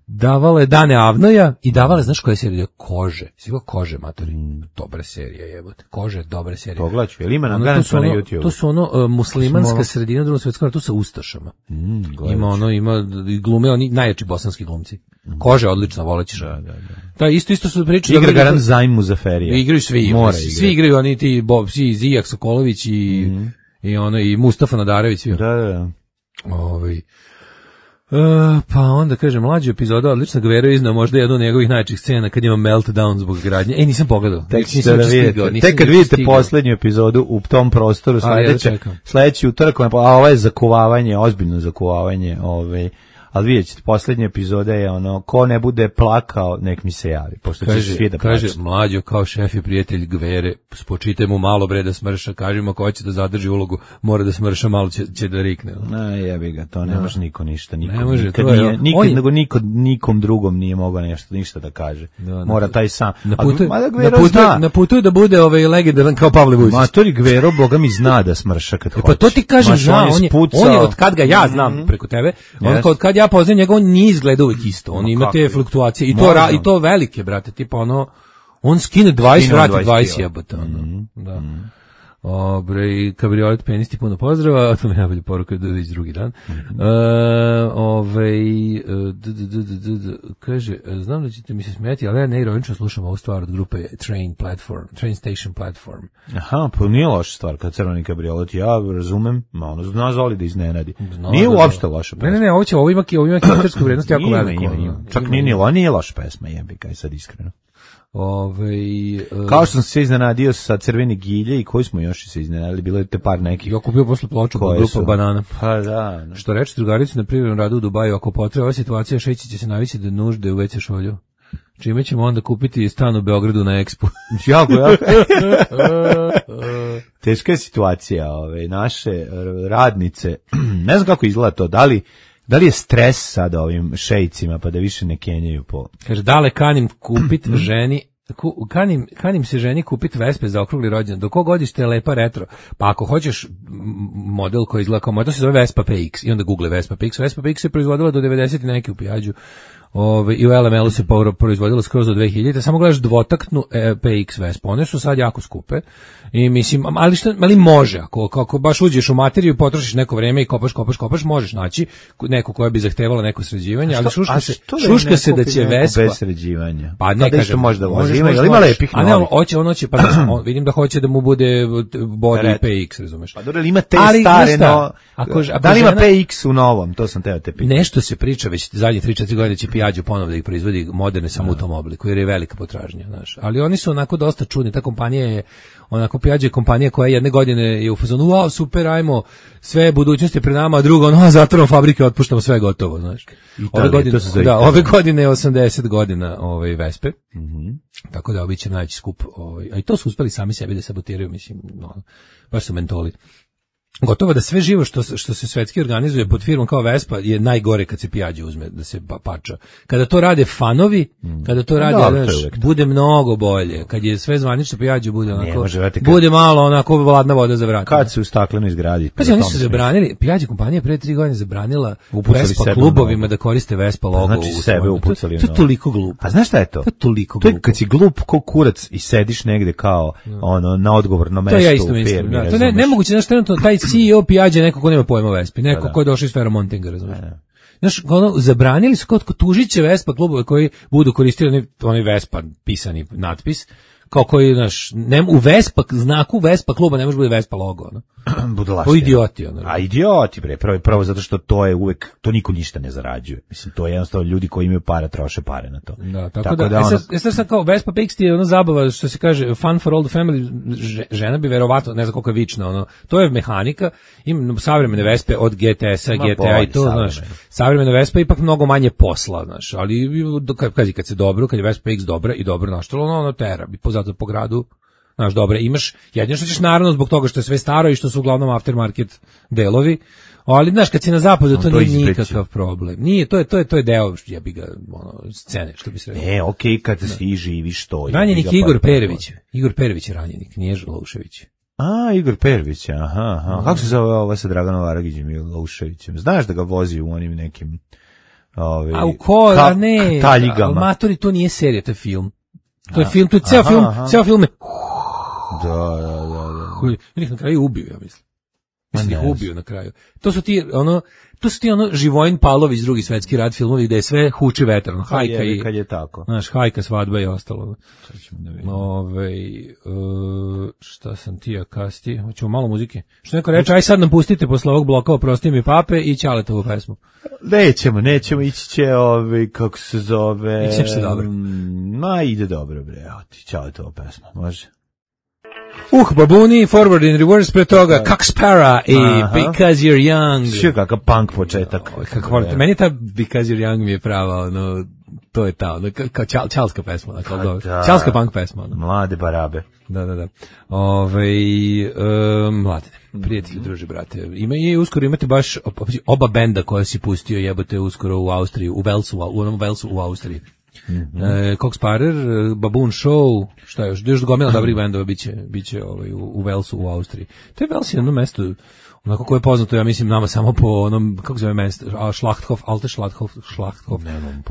davala je Dane Avnoja i davala je, znaš koja je serija? Kože. Sigurno Kože, matori. Dobre serije, jebote. Kože, dobre serije. Pogledaću, jel ima na Ono, to garant su na ono, YouTubeu? to su ono uh, muslimanska Smo- sredina drugog svjetskog rata, tu sa ustašama. Mm, gledat Ima ću. ono, ima i glume, oni najjači bosanski glumci. Kože odlično, volećeš. Da, da, da. Da, isto isto su pričali. Igra garant Zajm Muzaferija. Igraju svi, Mora svi igrati. igraju oni ti Bob, svi Zijak Sokolović i i ono i Mustafa Nadarević svi. Da, da, da. Ovaj Uh, pa onda kaže mlađa epizoda odlična, Gvero je iznao možda jednu od njegovih najjačih scena kad ima meltdown zbog gradnje. E, nisam pogledao. Tek, nisam ćete da uopšte vidite. stigao, nisam Tek kad uopšte vidite stigao. poslednju epizodu u tom prostoru A, ja sledeće, čekam. sledeći utorak, a ovo je zakuvavanje, ozbiljno zakuvavanje, ovaj, ali vidjet ćete, posljednja epizoda je ono, ko ne bude plakao, nek mi se javi, pošto će Kaže, svi da kaže plaću. mlađo kao šef i prijatelj Gvere, spočitaj mu malo bre da smrša, kaži mu ako hoće da zadrži ulogu, mora da smrša, malo će, će da rikne. Na, jebi ga, to ne Da. može niko ništa, nikom, Ne može, nikad to je- nije, nikad, on je- nego niko, nikom drugom nije mogao nešto, ništa da kaže. Da, Mora na- taj sam. Na A putu, mada na Gvero putu, zna. na putu je da bude ovaj legendaran kao Pavle Vujčić. Matori Gvero, boga mi zna da smrša kad hoće. Pa to ti kažem, Maš, zna, on je, spucao. on je od kad ga ja znam preko tebe, on Yes. od kad ja poznajem njega, on nije izgleda uvijek isto, on Ma ima kako te je? fluktuacije i to, Možda. ra, i to velike, brate, tipa ono, on skine dvadeset, Skine vrati dvadeset dvadeset kila. jebote, ono, da. Obre, i kabriolet penisti, puno pozdrava, to mi je najbolja poruka da već drugi dan. Mhm. E, ove, e, d, d, d, d, d, d, kaže, e, znam da ćete mi se smijeti, ali ja neironično slušam ovu stvar od grupe Train Platform, Train Station Platform. Aha, pa nije loša stvar kad crveni kabriolet, ja razumem, ma ono zna Zoli da iznenadi. Zna Nije da- uopšte loša Ne, pesma. ne, ne, ovo će, ovo ima, ovo ima kintersku vrednost jako Ima, veliku. ima, ono. ima. Čak Ima, nije, ima. nije, nije loša pesma, jebi kaj sad iskreno. Ove, e, Kao što sam se iznenadio sa crvene gilje i koji smo još se iznenadili, bilo je te par nekih. ja kupio posle ploču Koje grupa su? Banana. Pa da, da. Što reče drugaricu na privrednom radu u Dubaju, ako potreba ova situacija, Šeći će se navići da nužde u ve ce šolju. Čime ćemo onda kupiti stan u Beogradu na Expo. Jako, jako. Teška je situacija, ove, naše r- radnice, ne znam kako izgleda to, da li, da li je stres sada ovim šejcima, pa da više ne kenjaju po... Kaže, dale kanim kupit ženi, ku, kanim, kanim se ženi kupit Vespe za okrugli rođendan. Do kog godište je lepa retro? Pa ako hoćeš m, model koji izgleda kao model, to se zove Vespa P X i onda google Vespa P X. Vespa P X se proizvodila do devedeset i neki u Pijađu. Ove, i u L M L-u se povro- proizvodilo skroz do dve hiljade. Samo gledaš dvotaktnu e, P X Vespa. One su sad jako skupe. I mislim, ali što, ali može, ako, ako baš uđeš u materiju, potrošiš neko vreme i kopaš, kopaš, kopaš, možeš naći neko koja bi zahtevalo neko sređivanje, ali šuška se, šuška se da će Vespa bez sređivanja. pa ne kažem, možda možeš, vozi, ima, možeš, ali ima možeš. lepih A ne, novih. hoće, on hoće, pa znači, on, vidim da hoće da mu bude body Red. P X, razumeš? Pa dobro, ali ima te Ali, stare, znaš šta, no, ako ž- ako da li ima žena- P X u novom, to sam teo te pitati. Nešto se priča već zadnje tri četiri godine će Piaggio ponovo da ih proizvodi moderne samo u tom obliku, jer je velika potražnja, znaš. Ali oni su onako dosta čudni, ta kompanija je onako Piaggio je kompanija koja jedne godine je u fazonu, wow, super, ajmo, sve budućnosti pred nama, a drugo, ono, zatvorimo fabrike, otpuštamo sve gotovo, znaš. Ove Italija, godine, to se zove da, Italija. ove godine je osamdeset godina ovaj Vespe. Mhm. Tako da obično najveći skup, ovaj, a i to su uspeli sami sebi da sabotiraju, mislim, no, baš su mentoli. Gotovo da sve živo što, se- što se svetski organizuje pod firmom kao Vespa je najgore kad se Piaggio uzme da se pa, pača. Kada to rade fanovi, kada to rade, dobro, to je znaš, uvek tako. bude mnogo bolje. Kad je sve zvanično Piaggio bude onako, može, vrati, kad- bude malo onako vladna voda za vrat. Kad se u staklenoj zgradi. Pazi, oni su zabranili, Piaggio kompanija pre tri godine zabranila Upucali Vespa sebe u klubovima nogu. da koriste Vespa logo. Znači u sebe svojim- upucali u To, to je nogu. toliko glupo. A znaš šta je to? To je toliko To je glupo. kad si glup ko kurac i sediš negde kao ono na odgovornom To mestu ja isto u mislim. firmi. Da, to ne, razumeš? nemoguće, znaš, trenutno taj C E O Piaggio je neko ko nema pojma o Vespi, neko da. ko je došao iz Ferromontinga, razumiješ. Znaš, ono, zabranili su kod tužit će Vespa klubove koji budu koristili onaj, onaj Vespa pisani natpis, kao koji, znaš, ne, u Vespa, znaku Vespa kluba ne može bude Vespa logo, ono. Budalaštine. O idioti, ono. A idioti, bre, prvo, prvo zato što to je uvek, to niko ništa ne zarađuje. Mislim, to je jednostavno ljudi koji imaju para, troše pare na to. Da, tako, da, da, e sad, e sad sad kao Vespa P X ti je ono zabava, što se kaže, fun for all the family, Ž- žena bi verovatno, ne znam koliko je vična, ono, to je mehanika, ima savremene Vespe od G T S-a, Ma G T A i bolje, to, znaš, savremene. savremena Vespa je ipak mnogo manje posla, znaš, ali kad, kad, kad se dobro, kad je Vespa P X dobra i dobro naštalo, ono, ono tera, bi pozato po gradu, znaš, dobre, imaš, jedino što ćeš naravno zbog toga što je sve staro i što su uglavnom aftermarket delovi, ali znaš, kad si na zapadu, to to nije izbeći. nikakav problem. Nije, to je, to je, to je deo, jebi ga, ono, scene, što bi se rekao. E, okej, kad si živiš to. Ranjenik jebi ga, Igor pa- Perević. Igor Perević je ranjenik, nije Žalušević. A, Igor Perović, aha, aha. Kako se zove ova sa Draganom Varagićem i Lauševićem? Znaš da ga vozi u onim nekim Ove, A u ko, ka- a ne, taljigama. ali matori, to nije serija, to je film. To je A, film, to je ceo aha, film, aha. ceo film je, Da, da, da, da. koji, ili ih na kraju ubio, ja mislim. Mislim, Ma ih ne ubio na kraju. To su ti, ono, to su ti, ono, Živojin Pavlović, drugi svetski rat filmovi, gde je sve huči vetar, ono, hajka Jebi, i, kad je tako. znaš, hajka, svadba i ostalo. Sad ćemo da vidimo. Ove, uh, šta sam ti, a kasti, hoćemo malo muzike. Što neko reče, aj sad nam pustite posle ovog bloka, oprosti mi pape i Ćaletovu pesmu. Nećemo, nećemo, ići će ovi, kako se zove... Ići će se dobro. mm, Ma, ide dobro, bre, evo ti, čao je to pesma, može. Uh, Babuni, Forward and Reverse, pre toga, Kakspara i Aha. Because You're Young. Što kakav punk početak. Oj, kako volim, meni je ta Because You're Young mi je prava, ono, to je ta, ono, kao čal, čalska pesma, ono, kao dobro. Da. Čalska punk pesma, ono. Mlade barabe. Da, da, da. Ove, um, mladine, prijatelji, druži, brate. Ima i uskoro imate baš oba benda koja si pustio, jebote, uskoro u Austriji, u Velsu, u onom Velsu u Austriji. Mm-hmm. E, Cox Parer, Baboon Show, šta još, još gomila dobrih bendova biće, biće ovaj, u, u Velsu u Austriji. To je Vels jedno mesto, onako koje je poznato, ja mislim, nama samo po onom, kako se zove mesto, Schlachthof, Alte Schlachthof, Schlachthof.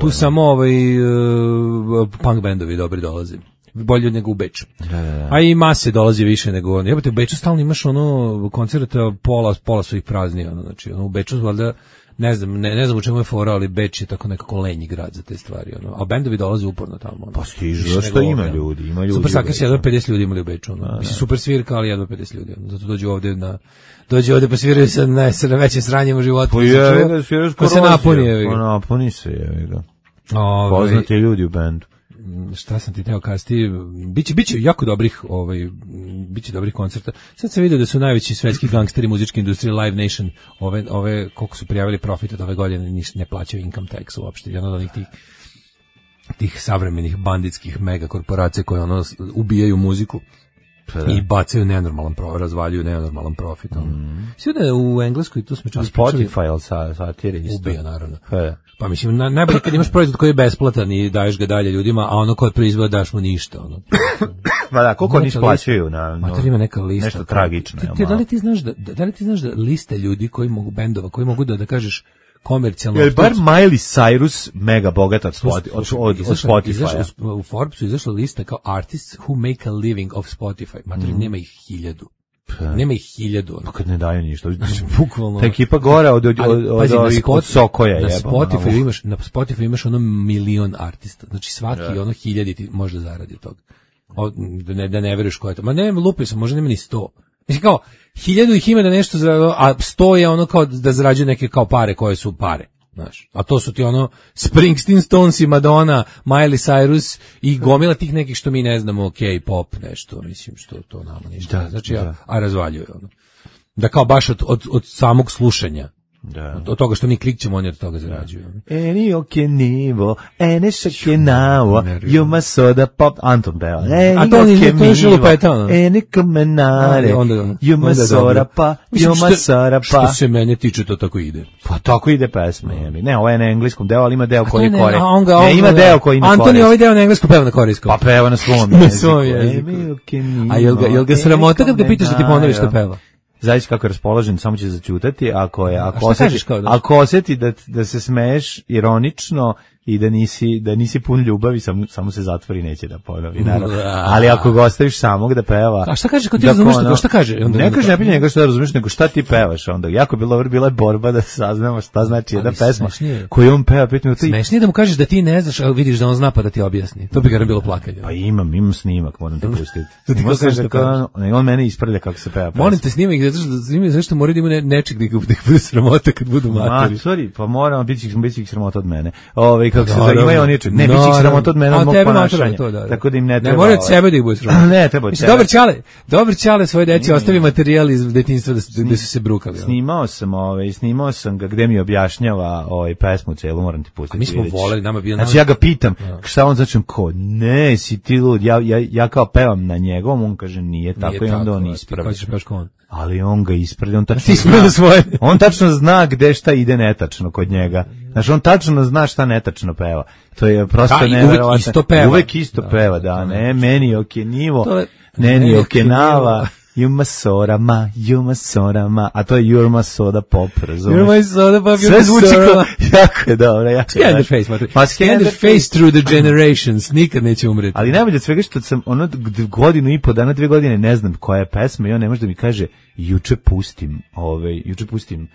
Tu samo ovaj, uh, punk bendovi dobri dolaze. Bolje nego u Beču. Da, da, da. A i mase dolazi više nego ono. Jebote, u Beču stalno imaš ono koncerta, pola, pola su ih prazni, ono, znači, ono, u Beču, valjda, ne znam, ne, ne znam u čemu je fora, ali Beč je tako nekako lenji grad za te stvari, ono. A bendovi dolaze uporno tamo, ono. Pa stižu, zašto ima ovdje, ljudi, ima ljudi. Super Sakers, u Beču. jedva pedeset ljudi imali u Beču, ono. Mislim, super svirka, ali jedva pedeset ljudi, ono. Zato dođu ovdje na, dođu ovdje pa sviraju sa najvećim sranjem u životu. Pa je, ga, sviraš ko se napuni, je Pa napuni se, je ga. Ove, Poznati ljudi u bendu. Šta sam ti teo kazati, biće biće jako dobrih, ovaj biće dobrih koncerta. Sad sam vidio da su najveći svetski gangsteri muzičke industrije Live Nation, ove ove koliko su prijavili profit od ove godine, ni ne plaćaju income tax uopšte, jedan od onih tih tih savremenih banditskih mega korporacija koje ono ubijaju muziku. Da. I bacaju nenormalan profit, razvaljuju nenormalan profit. Mm. Sve da je u Engleskoj, tu smo čuli Spotify, ali sa, satire isto. Ubija, naravno. Da. Pa mislim, na, najbolje kad imaš proizvod koji je besplatan i daješ ga dalje ljudima, a ono koje proizvod daš mu ništa. Ono. Pa da, koliko oni plaćaju na... No, mater ima neka lista. Nešto tragično. Ti, ti, da, li ti znaš da, da li ti znaš da liste ljudi koji mogu, bendova, koji mogu da, da kažeš, komercijalno... Je bar Miley Cyrus mega bogat od, Spoti, od, od, od Spotify. U Forbesu izašla lista kao artists who make a living of Spotify. Mater, mm. nema ih hiljadu. Pa. Nema ih hiljadu. Pa kad ne daju ništa. Bukvalno. Ta ekipa gore od, od, od, od, pazi, od, spot, od Sokoja. Na jeba, Spotify ono. imaš, na Spotify imaš ono milion artista. Znači svaki Ja. ono hiljadi ti može zaradi od toga. O, da, ne, da ne veruješ ko je to. Ma ne, lupio sam, možda nema ni sto. Mislim kao, hiljadu ih ima da nešto zaradi, a sto je ono kao da zarađuje neke kao pare koje su pare. Znaš, a to su ti ono Springsteen, Stones i Madonna, Miley Cyrus i gomila tih nekih što mi ne znamo, K-pop, nešto, mislim, što to nama ništa. Da, znači, da. a, a razvaljuje ono. Da kao baš od, od, od samog slušanja. Da. Od, od toga što mi klikćemo, oni od toga zarađuju. Eni okenivo, ene šakenavo, juma soda pop, Anton peva. A to nije, to je šilupeta. Eni kamenare, juma soda pa, juma soda pa. Što se mene tiče, to tako ide. Pa tako ide pesma, jemi. Ne, ovo je na engleskom deo, ali ima deo koji je ne, kore. a on ga- Ne, on ima ga- deo koji ima kore. Antoni ovaj deo na engleskom peva na korejskom. Pa peva na svom Na jeziku. svom jeziku. Eni okenivo, A jel ga, jel ga sramota kad ga pitaš da ti ponoviš što peva? Zavisi kako je raspoložen, samo će zaćutati, ako je, ako šta osjeti, kažeš kao da- ako osjeti da, da se smeješ ironično i da nisi, da nisi pun ljubavi, samo, samo se zatvori, neće da ponovi, naravno. Ali ako ga ostaviš samog da peva... A šta kaže, kad ti da razumeš ono- što- šta kaže? Onda- ne kaže, ne pitanje njega šta razumeš, nego šta ti pevaš onda. Jako je bilo dobro, bila je borba da saznamo šta znači jedna Ali pesma smešnije. koju on peva, pitanje ti... Smešnije da mu kažeš da ti ne znaš, a vidiš da on zna pa da ti objasni. To bi ga bilo plakanje. Pa imam, imam snimak, moram te pustiti. Da ti Moram kažeš da da kao, on, on mene ispravlja kako se peva pesma. Molim te snimaj ih, zato što snimaj zašto moraju da ima ne, nečeg da ih, da ih bude sramota kad budu Ma, materi. sorry, pa moramo biti biti sramota od mene. Ovaj kako se Naravno. zove, imaju oni čeg. Ne, biti Naravno. sramota od mene A od mog tebe ponašanja. matura, to da, da. Tako da im ne treba. Ne mora od ovaj. sebe da ih bude sramota. Ne, treba od Mislim, sebe. dobar čale, dobar čale svoje deci ostavi materijal iz detinjstva da, su- da su se brukali. ono. Snimao sam, ovaj, snimao sam ga gde mi objašnjava ovaj pesmu celu, moram ti pustiti. A mi smo vidjet ćeš. voleli, nama bio- Znači ja ga pitam, šta on začne ko? Ne, si ti lud. Ja ja ja kao pevam na njegovom, on kaže nije tako Nije i onda tako, on ti ispravi. hoćeš pevaš kao on. Ali on ga ispravi, on tačno Ti ispravlja zna. svoje. On tačno zna gde šta ide netačno kod njega. Znači on tačno zna šta netačno peva. To je prosto Da, i uvek neverovatno. isto peva. Uvek isto Da, peva, to- da, to ne, meni okenivo, To je- ne ni meni okenava, okenivo. Yuma sorama, Yuma sorama, a to je Yuma soda pop, razumeš? You're my soda pop, Sve you're zvuči my kao, soda. jako je dobro, jako je Scan the dobro. face, matri. Pa Scan the face through the generations. Nikad neće umreti. Ali najbolje od svega što sam ono d- godinu i po dana, dve godine ne znam koja je pesma i on ne može da mi kaže juče pustim, ovaj, juče pustim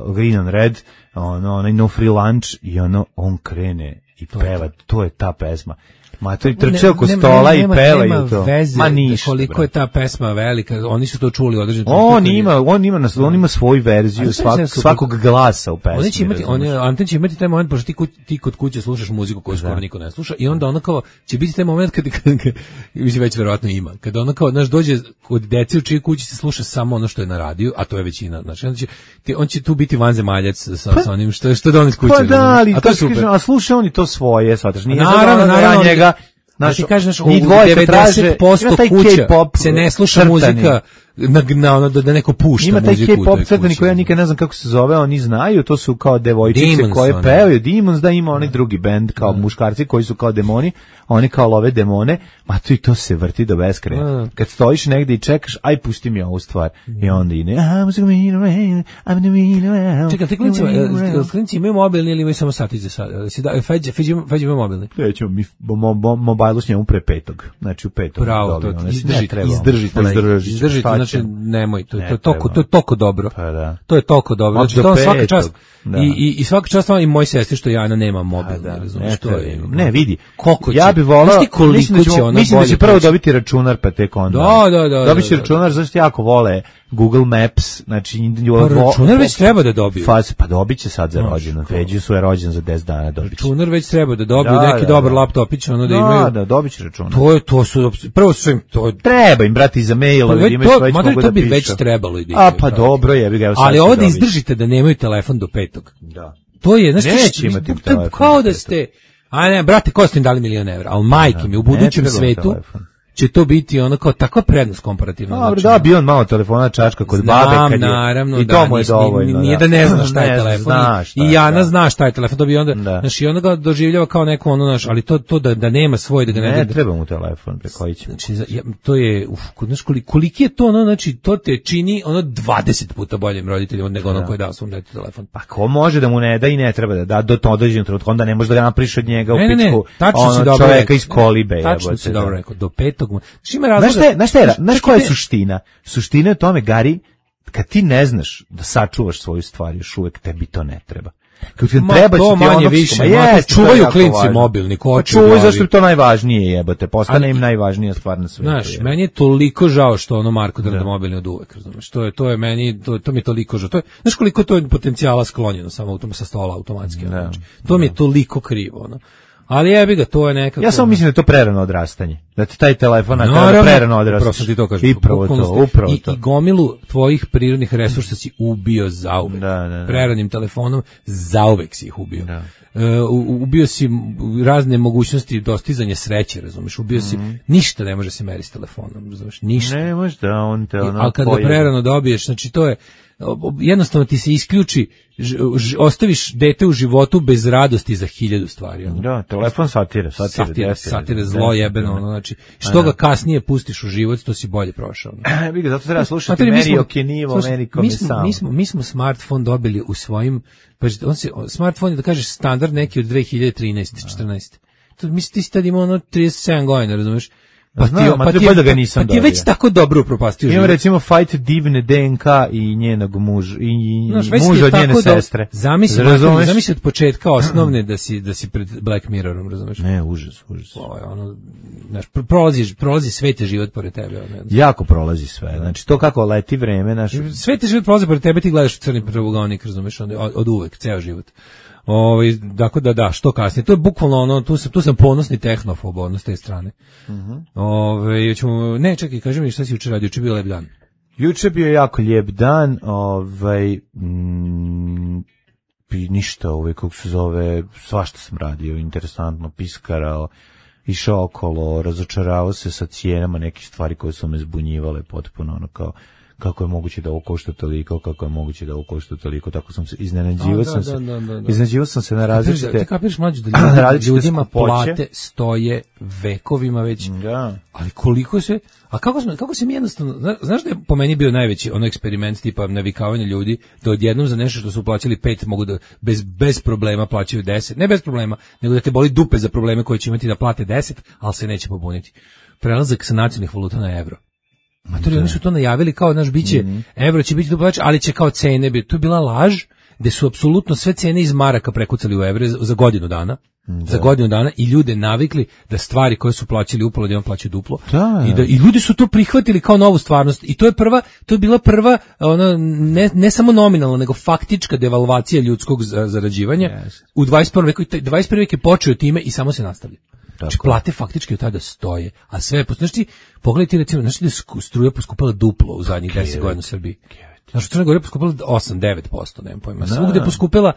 uh, Green on Red, ono, onaj No Free Lunch i ono, on krene i To je peva, to. to je ta pesma. Ma to i Ne- trče oko nema- stola i nema- pevaju nema to. veze Ma ništa. koliko brate. je ta pesma velika, oni su to čuli određeno. On ima, on ima, nas- on ima svoju verziju Ali svak, sve se- svakog glasa u pesmi. Oni će imati, oni, razumeš? Anten će imati taj moment, pošto ti, kuć, ti kod kuće slušaš muziku koju skoro niko ne sluša, i onda ono kao, će biti taj moment kad, kad, kad mislim već verovatno ima, kada ono kao, znaš, dođe kod dece u čiji kući se sluša samo ono što je na radiju, a to je većina, znači, on će, ti, on će tu biti vanzemaljac sa, sa onim što, što dones kuće. Pa da, ali a to to je super. kažem, a sluša on i to svoje, shvataš, nije Naravno, sad ono da naravno, ja njega, Znaš, ti kažeš, u njih dvoje kad traže, devedeset posto ima taj kuća K-pop se ne sluša crtani. muzika na, na ono da, da neko pušta Ima taj muziku u toj K-pop kući. crtani koji ja nikad ne znam kako se zove, oni znaju, to su kao devojčice Demons, koje oni. pevaju, Demons, da ima onaj drugi bend kao muškarci koji su kao demoni, oni kao love demone, ma to i to se vrti do beskraja. Da. Kad stojiš negde i čekaš, aj pusti mi ovu stvar. I onda ide, I'm so mean around, I'm the mean around. Čekaj, ti klinci, jel klinci imaju mobilni ili imaju samo satić za sad? Si da, Feđa, Feđa ima Feđa ima mobilni. Krećemo mi mo, mo, mobilu s njemu pre petog. Znači u petog. Bravo, to dobijemo. Ne izdržite, treba. izdržite, Izdržite, izdržite, šta znači ćemo? nemoj, to, Ne to je toko, treba. to je toko dobro. Pa da. To je toko dobro. Od Znači do to svaka petog, čast. da. I i i svaka čast vam i moj sestri što Jana nema mobil, Da, razumeš, ne, to treba. je. Ne, vidi. Koliko će? Ja bih volao, Znaš ti koliko mislim da, će ćemo, ona mislim da će bolje prvo proći? dobiti računar pa tek onda. Da, da, da, Dobit će da, da. računar, zašto jako vole Google Maps, znači Pa računar već treba da dobiju. Faz, pa dobit će sad za Znaš, rođendan. kao- Feđi su je rođen za deset dana, dobit će. Računar već treba da dobiju, Da, neki da, dobar da. laptopić, ono da Da, imaju. da, dobit će računar. To je, to su, prvo su im, to je, Treba im, brati, za mailove, da već, imaju to, sve, već mada mogu to da bi pišu. već trebalo i da A, imaju, pa brate. dobro, jebi ga, evo sad Ali će ovo da dobiti. izdržite da nemaju telefon do petog. Da. To je, znači, Neće imati to je telefon kao do da petog. ste, a ne, brate, ko ste im dali milion evra, ali majke mi, u budućem treba svetu telefon. će to biti ono kao takva prednost komparativno. Dobro, znači, da bi on malo telefona čačka kod Znam, babe kad je. naravno, I da, to mu je nis- dovoljno. Nije da ne zna šta je Ne zna, telefon. zna šta I je, Jana da. zna šta je telefon, to bi onda, Da. znači, onda ga doživljava kao neko ono, znaš, ali to, to da, da nema svoj, da ga ne, Ne da, treba mu telefon, preko koji će. Znači, za- ja, to je, uf, kod- znaš, koliko, koliki je to, ono, znači, to te čini, ono, dvadeset puta boljim roditeljima nego ono koji je dao svom detetu telefon. Pa ko može da mu ne da i ne treba da da do to određenog trenutka, onda ne može da ga napriš od njega u Ne, ne, ne, pičku. tačno si ono, dobro čoveka rekao. iz kolibe. Tačno jebote, si da. dobro rekao, do petog. Znači, ima razloga. Znaš šta je, znaš šta je, znaš koja je ti- suština? Suština je u tome, Gari, kad ti ne znaš da sačuvaš svoju stvar, još uvek tebi to ne treba. Kad ti Ma, treba to će ti manje ono, više, ma ma, to jeste, čuvaju to je jako klinci važno. mobilni, ko Pa hoće u čuvaju glavi. zašto je to najvažnije, jebote, postane Ali- im najvažnija stvar na svetu. Znaš, jebote. meni je toliko žao što ono Marko drnda mobilni od uvek, razumeš? To je to je meni to, to mi je toliko žao. To je, znaš koliko to je potencijala sklonjeno samo autom sa stola automatski, ono, Da, znači. To mi je toliko krivo, ono. Ali jebi ga, to je nekako. Ja samo mislim da je to prerano odrastanje. Da ti taj telefon na Naravno, prerano upravo odrastaš. sam ti to kažem. I upravo Bukvalno to, ste- upravo i, to. I gomilu tvojih prirodnih resursa si ubio zauvek. Da, da, da. Preranim telefonom zauvek si ih ubio. Da. E, u- ubio si m- razne mogućnosti dostizanja sreće, razumeš? Ubio si, ništa ne može se meriti s telefonom, razumeš? Ništa. Ne, možda on te ono... Ali kad ga pojede. prerano dobiješ, znači to je, o- jednostavno ti se isključi, ž- ž- ostaviš dete u životu bez radosti za hiljadu stvari. ono. Da, telefon satire, satire. Satire, definitivno. satire, zlo Definitivno. jebeno, ono, znači, što ga kasnije pustiš u život, to si bolje prošao. ono. Vidi, zato treba slušati Materi, mi meni smo- okenivo, slušaj, meni mi kome smo, sam. mi smo, mi smo smartphone dobili u svojim, pa on se, smartphone je da kažeš standard neki od dve hiljade trinaeste četrnaeste To, mislim, ti si tad imao ono trideset sedam godina, razumeš? Pa Znam, ti, ma pa to je ti, bolje da ga nisam pa ti je već dobio. tako dobro upropastio Imamo život. recimo Fight divne D N K i njenog muža, i, i Znaš, već ti muža je od njene tako da- sestre. Zamisli, Razumeš? zamisli od početka osnovne da si, da si pred Black Mirrorom, razumeš? Ne, užas, užas. Ovo je ono, znaš, pr- prolazi, prolazi sveti život pored tebe. Ono, Jako prolazi sve. Znači, to kako leti vreme, naš... sveti život prolazi pored tebe, ti gledaš u crni pravogalnik, razumeš, od, od uvek, ceo život. Ovaj, dakle da da, što kasnije. To je bukvalno ono, tu sam, tu sam ponosni tehnofob, ono, s te strane. Ovaj, ćemo, ne, čekaj, kaži mi šta si juče radio, juče je bio lep dan. Juče bio jako lijep dan, ovaj, mm, i ništa, ovaj, kako se zove, svašta sam radio, interesantno, piskarao, išao okolo, razočaravao se sa cijenama nekih stvari koje su me zbunjivale potpuno, ono kao, kako je moguće da ovo košta toliko, kako je moguće da ovo košta toliko, tako sam se, iznenađivao A, da, sam da, se, da, da, da. iznenađivao sam se na Ti različite, kapiraš mlađu da ljudi, različite ljudima skupoće. plate stoje vekovima već. da, Ali koliko se, a kako smo, kako se mi jednostavno, zna- znaš da je po meni bio najveći ono eksperiment tipa navikavanja ljudi da odjednom za nešto što su plaćali pet mogu da bez, bez problema plaćaju deset, ne bez problema, nego da te boli dupe za probleme koje će imati da plate deset, ali se neće pobuniti. Prelazak sa nacionalnih valuta na evro. Matori, oni su to najavili kao, naš, biće, evro će biti duplač, ali će kao cene biti. To je bila laž, gde su apsolutno sve cene iz maraka prekucali u evre za za godinu dana. za godinu dana i ljude navikli da stvari koje su plaćali upola da on plaća duplo. Da. I da i ljudi su to prihvatili kao novu stvarnost i to je prva to je bila prva ona ne, ne samo nominalna nego faktička devalvacija ljudskog zarađivanja yes. u dvadeset prvom veku. dvadeset prvi vek je počeo time i samo se nastavlja. Znači plate faktički od tada stoje, a sve znači pogledajte recimo znači da je struja poskupela duplo u zadnjih deset godina u Srbiji. Znači, Crna Gora je poskupila osam do devet posto, nemam pojma. Svugde je poskupila,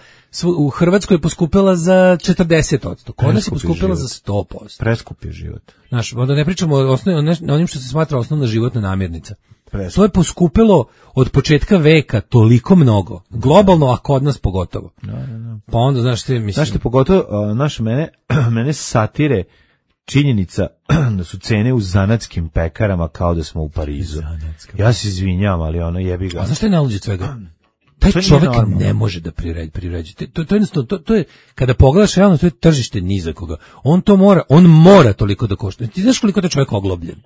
u Hrvatskoj je poskupila za četrdeset posto. Kod nas je poskupila za sto posto. Preskup je život. Znaš, onda ne pričamo o osnovnim, onim što se smatra osnovna životna namirnica. Preskup. To je poskupilo od početka veka toliko mnogo. Globalno, a kod nas pogotovo. Da, da, da. Pa onda, znaš, te mislim... Znaš te pogotovo, znaš, mene, mene satire činjenica da su cene u zanatskim pekarama kao da smo u Parizu. Ja se izvinjam, ali ono jebi ga. A znaš šta je najluđe svega? Taj čovjek ne može da priređi, priređi. To, to, to, to, to je, kada pogledaš realno, to je tržište nizakoga. On to mora, on mora toliko da košta. Ti znaš koliko je čovjek oglobljen?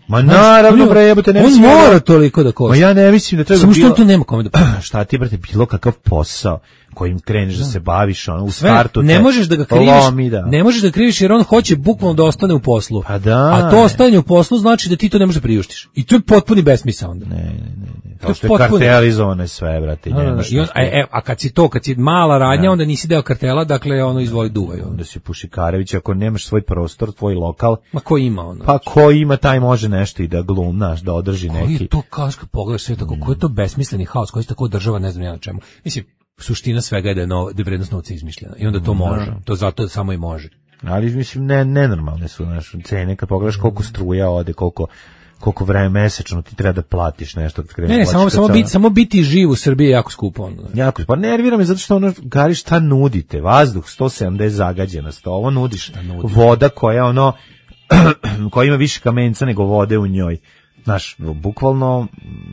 Ma naravno, bre, jebote, ne on mislim. On mora toliko da košta. Ma ja ne mislim da treba samo bilo. Samo što on to nema kome da pa. Šta ti, brate, bilo kakav posao kojim kreneš da se baviš, ono, u sve, startu te ne možeš da ga kriviš, lomi, da. Ne možeš da ga kriviš jer on hoće bukvalno da ostane u poslu. Pa da. A to ostanje u poslu znači da ti to ne možeš da priuštiš. I to je potpuni besmisao onda. Ne, ne, ne. ne. Kao što je kartelizovano je sve, brate. No, no, no. I on, a, e, a kad si to, kad si mala radnja, ja. onda nisi deo kartela, dakle, ono, izvoli duvaj. Onda si Pušikarević, ako nemaš svoj prostor, tvoj lokal. Ma ko ima ono? Pa ko ima, taj može nešto i da glum, naš, da održi neki. Koji je to, kao što pogledaš sve tako, mm. koji je to besmisleni haos, koji se tako država, ne znam ja na čemu. Mislim, suština svega je da je, no, da je vrednost novca izmišljena i onda to može, no. to zato samo i može. Ali mislim ne nenormalne su naše cene kad pogledaš koliko struja ode, koliko koliko vreme mesečno ti treba da platiš nešto kad kreneš. Ne, ne samo samo biti samo biti živ u Srbiji je jako skupo ono. Jako, pa nervira me zato što ono Gari šta nudite? Vazduh sto sedamdeset zagađenost, ovo nudiš. Nudi? Voda koja ono koja ima više kamenca nego vode u njoj. Znaš, bukvalno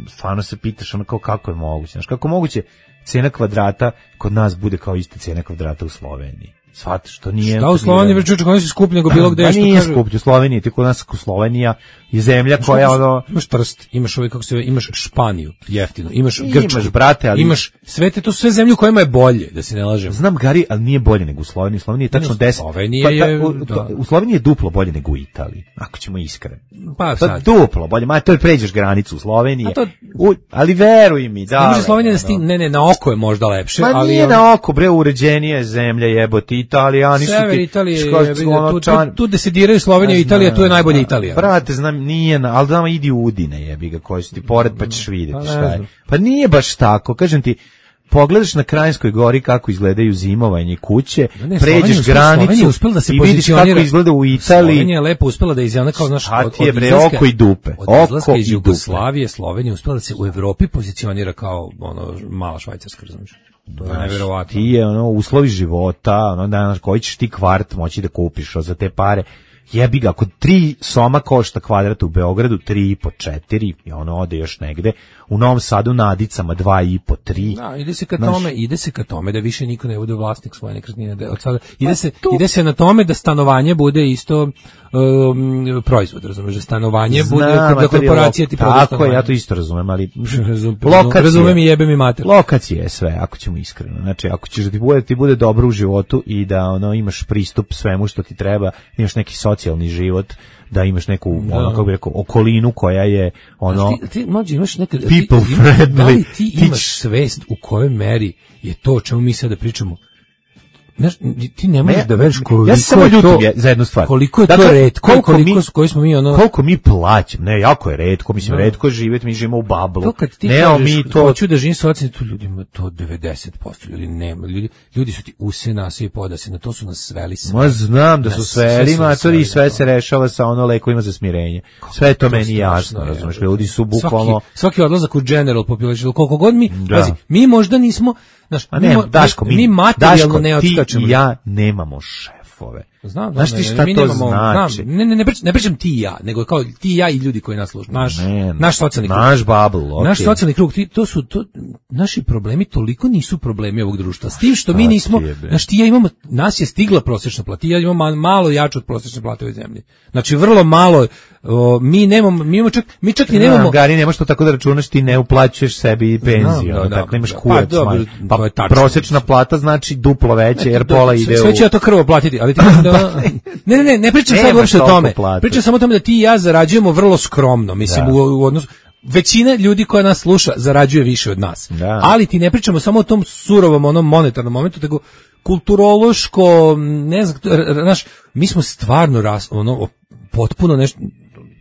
stvarno se pitaš ono kao kako je moguće, znaš, kako moguće cena kvadrata kod nas bude kao ista cena kvadrata u Sloveniji. Svataš, što nije... Šta u Sloveniji, već čuče, oni su skuplji nego bilo gde. Pa nije skuplji u Sloveniji, ti kod nas u Slovenija je zemlja koja ono... Imaš Trst, imaš ovaj, kako se zove, imaš Španiju, jeftino, imaš Grčku, imaš, brate, ali... imaš sve te, to sve zemlje u kojima je bolje, da se ne lažem. Znam, Gari, ali nije bolje nego u Sloveniji. U Sloveniji je tačno deset... Slovenija je... Pa, u, da. u Sloveniji je duplo bolje nego u Italiji, ako ćemo iskreno. Pa sad. Duplo bolje, ma to je pređeš granicu u Sloveniji. To... U, ali veruj mi, da. Ne može Slovenija da sti... ne, ne, na oko je možda lepše, ma ali... nije na oko, bre, uređenije zemlja jebote, Italijani su Sever Italije, tu, tu, tu gde se diraju Slovenija i Italija, tu je najbolja Italija. Brate, znam, nije, ali da idi u Udine, jebi ga, koji su ti pored, pa ćeš vidjeti šta je. Pa nije baš tako, kažem ti, pogledaš na Kranjskoj gori kako izgledaju zimovanje kuće, ne, pređeš granicu da se i vidiš kako izgleda u Italiji. Slovenija je lepo uspela da izjavna kao znaš od, od bre, oko i dupe. Od izlaska iz Jugoslavije, Slovenija uspela da se u Evropi pozicionira kao ono mala Švajcarska, razumiješ? To je neverovatno. Ti je ono uslovi života, ono danas koji ćeš ti kvart moći da kupiš za te pare. Jebi ga, ako tri soma košta kvadrat u Beogradu, tri i po, četiri, i ono ode još negde. U Novom Sadu na Adicama dva i po, tri. Da, ide se ka tome, ide se ka tome da više niko ne bude vlasnik svoje nekretnine. Da od sada ide se pa ide se na tome da stanovanje bude isto um, proizvod, razumeš, da stanovanje Znam, bude da korporacija ti prodaje. Tako je, ja to isto razumem, ali lokacije, razumem i jebe mi mater. Lokacije je sve, ako ćemo iskreno. Znači, ako ćeš da ti bude, ti bude dobro u životu i da ono imaš pristup svemu što ti treba, imaš neki socijalni život, da imaš neku da. ono kako bih rekao okolinu koja je ono ti, ti mlađi imaš neka people ti, friendly da li ti imaš ti... svest u kojoj meri je to o čemu mi sada pričamo. Znaš, ti ne možeš da veriš koliko ja samo je to za jednu stvar. Koliko je dakle, to retko, koliko, koliko mi, koji smo mi ono koliko mi plaćamo. Ne, jako je retko, mislim da. retko živjeti, mi živimo u bablu. To kad ti ne, kažeš, mi to hoću da živim socijalno, tu ljudima to devedeset posto ljudi nema. Ljudi, ljudi su ti use nas i podase, na to su nas sveli sve. Ma znam da su sveli, ma to i sve se rešava sa ono lekovima za smirenje. Sve je to meni jasno, razumeš, ljudi su bukvalno svaki, svaki odlazak u general population, koliko god mi, pazi, mi možda nismo. Znaš, a ne, mi, Daško, mi, mi materijalno Daško, ne odskačemo. Ti i ja nemamo šefove. Znam, Znaš da, ti ne, šta mi to nemamo, znači? Znam, ne, ne, ne, pričam, ne pričam ti i ja, nego kao ti i ja i ljudi koji nas slušaju. Naš, Ne, naš socijalni krug. Naš bubble, okej. Naš socijalni krug, ti, to su, to, naši problemi toliko nisu problemi ovog društva. S tim što mi nismo, znaš, ti i ja imamo, nas je stigla prosječna plata, ti i ja imamo malo jače od prosječne plate u ovoj zemlji. Znači, vrlo malo, o, mi nemamo, mi imamo čak, mi čak i nemamo... Znam, Gari, nemaš to tako da računaš, ti ne uplaćuješ sebi penziju, Znam, da, tako da, imaš da. kurac. Pa, dobro, man. to je tačno. prosječna plata znači duplo veće, jer pola ide sve u... će ja to krvo platiti, ali ti kažem da... Ne, ne, ne, ne pričam sad Nemaš uopšte o toliko tome. plate. Pričam samo o tome da ti i ja zarađujemo vrlo skromno, mislim, Da. u, u odnosu... Većina ljudi koja nas sluša zarađuje više od nas. Da. Ali ti ne pričamo samo o tom surovom, onom monetarnom momentu, nego kulturološko, ne znam, r- r- znaš, mi smo stvarno ras, ono, potpuno nešto...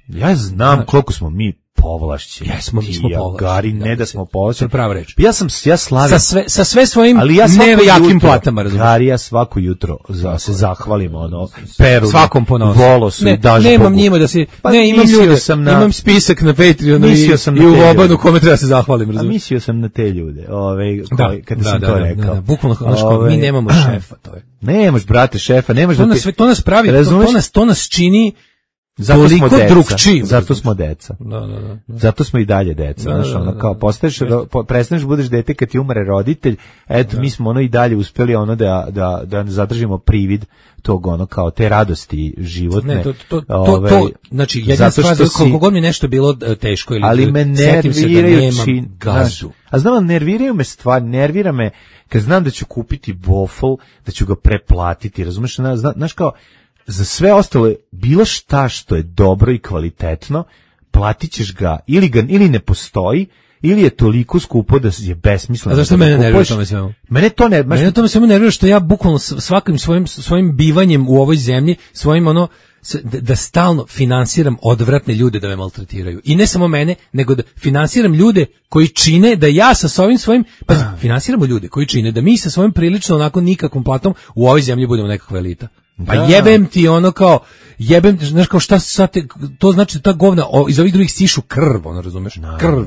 Ja znam koliko smo mi povlašćeni. Jesmo, mi Ti smo i ja, povlašćeni, Gari, da, ne da mislim, smo to povlašćeni. je prava reč. Ja sam, ja slavim. Sa sve, sa sve svojim Ali ja svako nejakim jutro, platama, razumiješ. Gari, ja svako jutro za, se zahvalim, ono, Peru, Svakom ponosu. Volosu Ne, i daš nemam Bogu. njima da se, Pa ne, imam mislio ljude, sam na- imam spisak na Patreonu i, Mislio sam na i u te Vobanu ljude. kome treba se zahvalim, A razumiješ. mislio sam na te ljude, ove, Da, koji, kad da, sam da, to da, rekao. da, da, bukvalno, znaš kao, Ove, mi nemamo šefa, to je. Nemaš, brate, šefa, nemaš To da nas, ti... sve- to nas pravi, to, Razumeš? to, nas, to nas čini Zato smo toliko deca. drugčijim. Zato smo deca. Da, da, da. da. Zato smo i dalje deca, Da, znaš, da, da, ono, da. kao, postaješ, ro- po- prestaneš budeš dete kad ti umre roditelj, eto, mi smo ono i dalje uspeli ono da, da, da zadržimo privid tog, ono, kao, te radosti životne. Ne, to, to, to, Ovaj, to, znači, jedna zato stvar, što si- koliko god mi nešto bilo e, teško ili ali me setim se da nerviraju nemam čin, znaš, gazdu. a znam, nerviraju me stvari, nervira me kad znam da ću kupiti waffle, da ću ga preplatiti, razumeš, na- zna- znaš kao, za sve ostale, bilo šta što je dobro i kvalitetno, platit ćeš ga, ili ga, ili ne postoji, ili je toliko skupo da je besmisleno. A zašto da ga mene nervira kupuješ. tome svemu? Mene to ne, baš, Mene to me samo nervira što ja bukvalno s- svakim svojim svojim bivanjem u ovoj zemlji, svojim ono s- da, da stalno finansiram odvratne ljude da me maltretiraju. I ne samo mene, nego da finansiram ljude koji čine da ja sa svojim svojim pa finansiramo ljude koji čine da mi sa svojim prilično onako nikakvom platom u ovoj zemlji budemo nekakva elita. Pa Da. jebem ti ono kao jebem ti, znaš kao šta sad te, to znači da ta govna o, iz ovih drugih sišu krv, ono razumeš? Krv.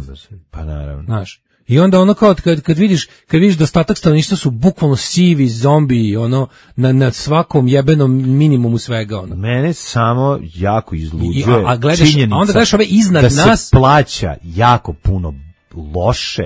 pa naravno. Znaš. I onda ono kao kad, kad vidiš kad vidiš da ostatak stanovništva su bukvalno sivi zombi ono na, na svakom jebenom minimumu svega ono. Mene samo jako izluđuje I- a- a gledaš- činjenica a onda gledaš ove iznad da nas- se plaća jako puno loše,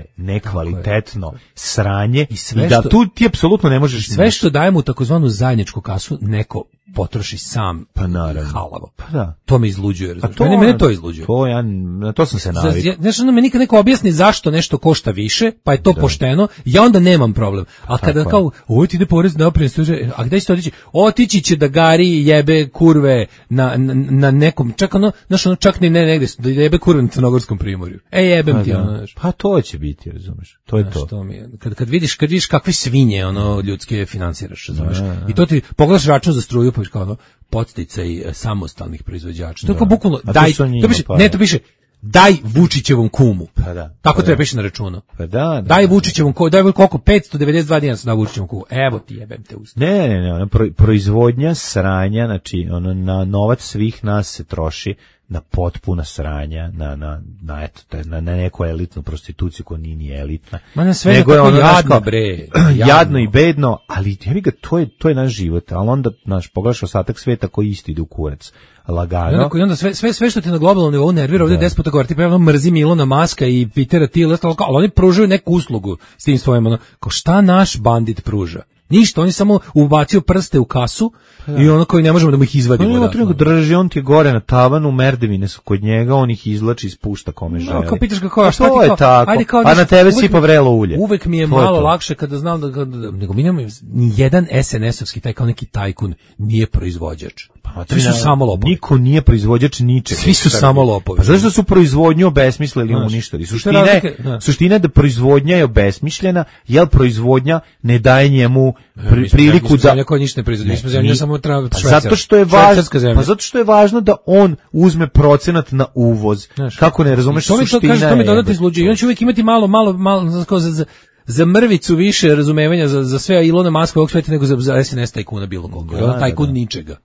nekvalitetno sranje i, sve da što- tu ti apsolutno ne možeš Sve što dajemo u takozvanu zajedničku kasu neko potroši sam Pa naravno. halavo. Pa da. To me izluđuje, razumiješ? to, Mene, mene to izluđuje. To ja, na to sam se Znaš, navikao. znaš, onda me nikad neko objasni zašto nešto košta više, pa je to pošteno, ja onda nemam problem. A kada Tako je. kao, ovo ti ide porez na doprinos, a gde će to otići? Otići će da gari jebe kurve na, na, na nekom, čak ono, znaš, ono, čak ni ne negde, da jebe kurve na Crnogorskom primorju. E, jebem Pa ti, da. ono, znaš. Pa to će biti, razumeš. To je Znaš, to. to mi je. Kad, kad vidiš, kad vidiš kakve svinje ono ljudske finansiraš, razumeš? I to ti pogledaš račun za struju, pa vidiš kao ono podsticaj e, samostalnih proizvođača. To je kao bukvalno A to daj, su njima, to piše, pa ne, da. to piše daj Vučićevom kumu. Pa da, Tako pa treba da. piše na računu. Pa da, da. Daj Vučićevom kumu, daj koliko petsto devedeset dva dinara na Vučićevom kumu. Evo ti jebem te usta. Ne, ne, ne, ono, pro, proizvodnja sranja, znači, ono, na novac svih nas se troši na potpuna sranja, na, na, na, eto, taj- na, na neku elitnu prostituciju koja nije ni elitna. Ma na sve je Nego je tako ono, znaš, jadno, kao- bre. Jadno i bedno, ali jebi ga, to je, to je naš život, ali onda, znaš, pogledaš ostatak sveta koji isto ide u kurac. I Lagano. onda, i onda sve, sve, sve što ti na globalnom nivou nervira, ovdje deset puta govori, ti pravno mrzim Ilona Maska i Petera Thiela, ostalo kao, ali oni pružaju neku uslugu s tim svojim, ono, kao šta naš bandit pruža? Ništa, on je samo ubacio prste u kasu i ono koji ne možemo da mu ih izvadimo. On ima da, tu nego drži, on ti je gore na tavanu, merdevine su kod njega, on ih izlači i spušta kome želi. No, kao pitaš ga kao, a Pa šta ti to je kao, tako. ajde kao A na nešto, tebe uvek sipa mi- vrelo ulje. Uvek mi je To je malo to. lakše kada znam da, da nego mi nemamo ni jedan es en esovski taj kao neki tajkun nije proizvođač. Pa, Svi su samo lopovi. Niko nije proizvođač ničega. Svi su u Srbiji. samo lopovi. Pa zašto su proizvodnju obesmislili i Znaš, uništili? što je Suština je, razlika- da. suština je da proizvodnja je obesmišljena, jer proizvodnja ne daje njemu pri- Mi smo priliku zemlja- mi smo da... zemlja koja ništa ne proizvodi. Mi smo zemlja ni- samo treba pa švajcar. zato što je važno, Švajcarska zemlja. pa zato što je važno da on uzme procenat na uvoz. Znaš, Kako ne razumeš, to mi to suština kaže, to mi je- dodatno izluđuje. I on će uvijek imati malo, malo, malo, znaš, kao za, za, za mrvicu više razumevanja za, za sve Ilona Maska ovog sveta nego za, za es en es tajkuna bilo koliko. Da, Da, da, tajkun da. ničega.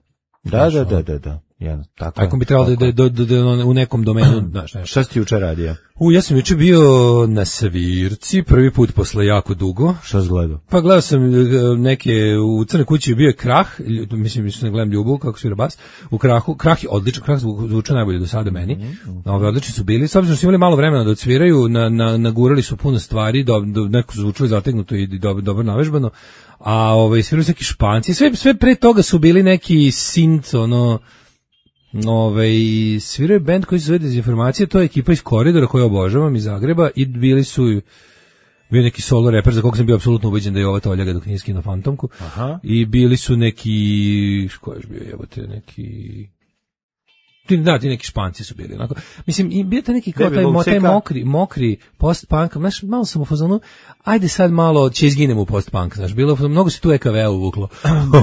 Da, da, da, da, da. Jedno, tako. Ako bi trebalo da, da, da, da u nekom domenu, znaš, nešto. Šta si ti juče radio? U, ja sam juče bio na svirci, prvi put posle jako dugo. Šta si gledao? Pa gledao sam neke, u Crnoj kući bio je Krah, mislim, mislim, ne gledam Ljubu, kako svira bas, u Krahu, Krah je odličan, Krah zvuče najbolje do sada meni, mm-hmm. Ove, odlični su bili, s obzirom su imali malo vremena da odsviraju, na, na, nagurali su puno stvari, do, do, neko su zvučili zategnuto i dobro, dobro navežbano, a ovaj, svirali su neki Španci, sve, sve pre toga su bili neki synth, ono, Ove, sviraju band koji se zove Dezinformacija, to je ekipa iz Koridora koju obožavam iz Zagreba i bili su bio neki solo reper za kog sam bio apsolutno ubeđen da je ova toljaga dok nije skinuo Fantomku. Aha. I bili su neki, ko je bio jebote, neki da, ti neki Španci su bili onako. Mislim, i bio taj neki kao taj, mo, taj mokri, mokri post-punk, znaš, malo sam u fazonu, ajde sad malo će izginem u post-punk, znaš, bilo, mnogo se tu E K V uvuklo.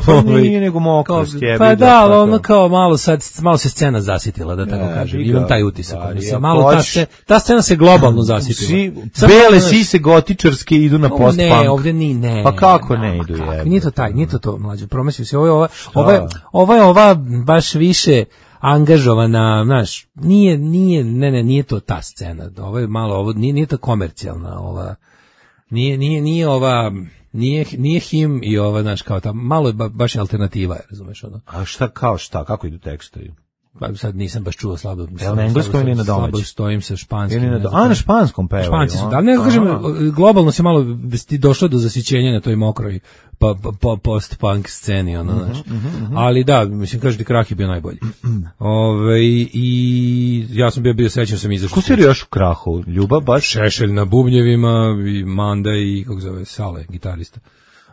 Pa nije nego mokrost, jebi. Pa da, ali ono kao malo sad, malo se scena zasitila, da tako kažem, imam taj utisak. Mislim, malo ta, se, ta scena se globalno zasitila. Bele sise gotičarske idu na post-punk. Ne, ovdje ni, ne. Pa kako ne idu, jebi. Nije to taj, nije to to, mlađe, promislio se, ovo je ova, ova je ova baš više angažovana, znaš, nije, nije, ne, ne, nije to ta scena, ovo je malo, ovo, nije, nije to komercijalna, ova, nije, nije, nije ova, nije, nije him i ova, znaš, kao ta, malo je ba, baš alternativa, razumeš, ono. A šta, kao šta, kako idu tekstovi? Pa sad nisam baš čuo slabo. Jel na engleskom ili na domaćem? Slabo stojim sa španskim. Na do... A, na španskom pevaju. Španci su, da, ne kažem, globalno se malo ti došlo do zasićenja na toj mokroj pa, pa, post-punk sceni, ono, znaš. Uh-huh, uh-huh. Ali da, mislim, kažeš ti Krah je bio najbolji. Ove, i ja sam bio bio srećan, sam izašao. Ko si još u Krahu? Ljubav baš? Šešelj na bubnjevima, i Manda i, kako zove, Sale, gitarista.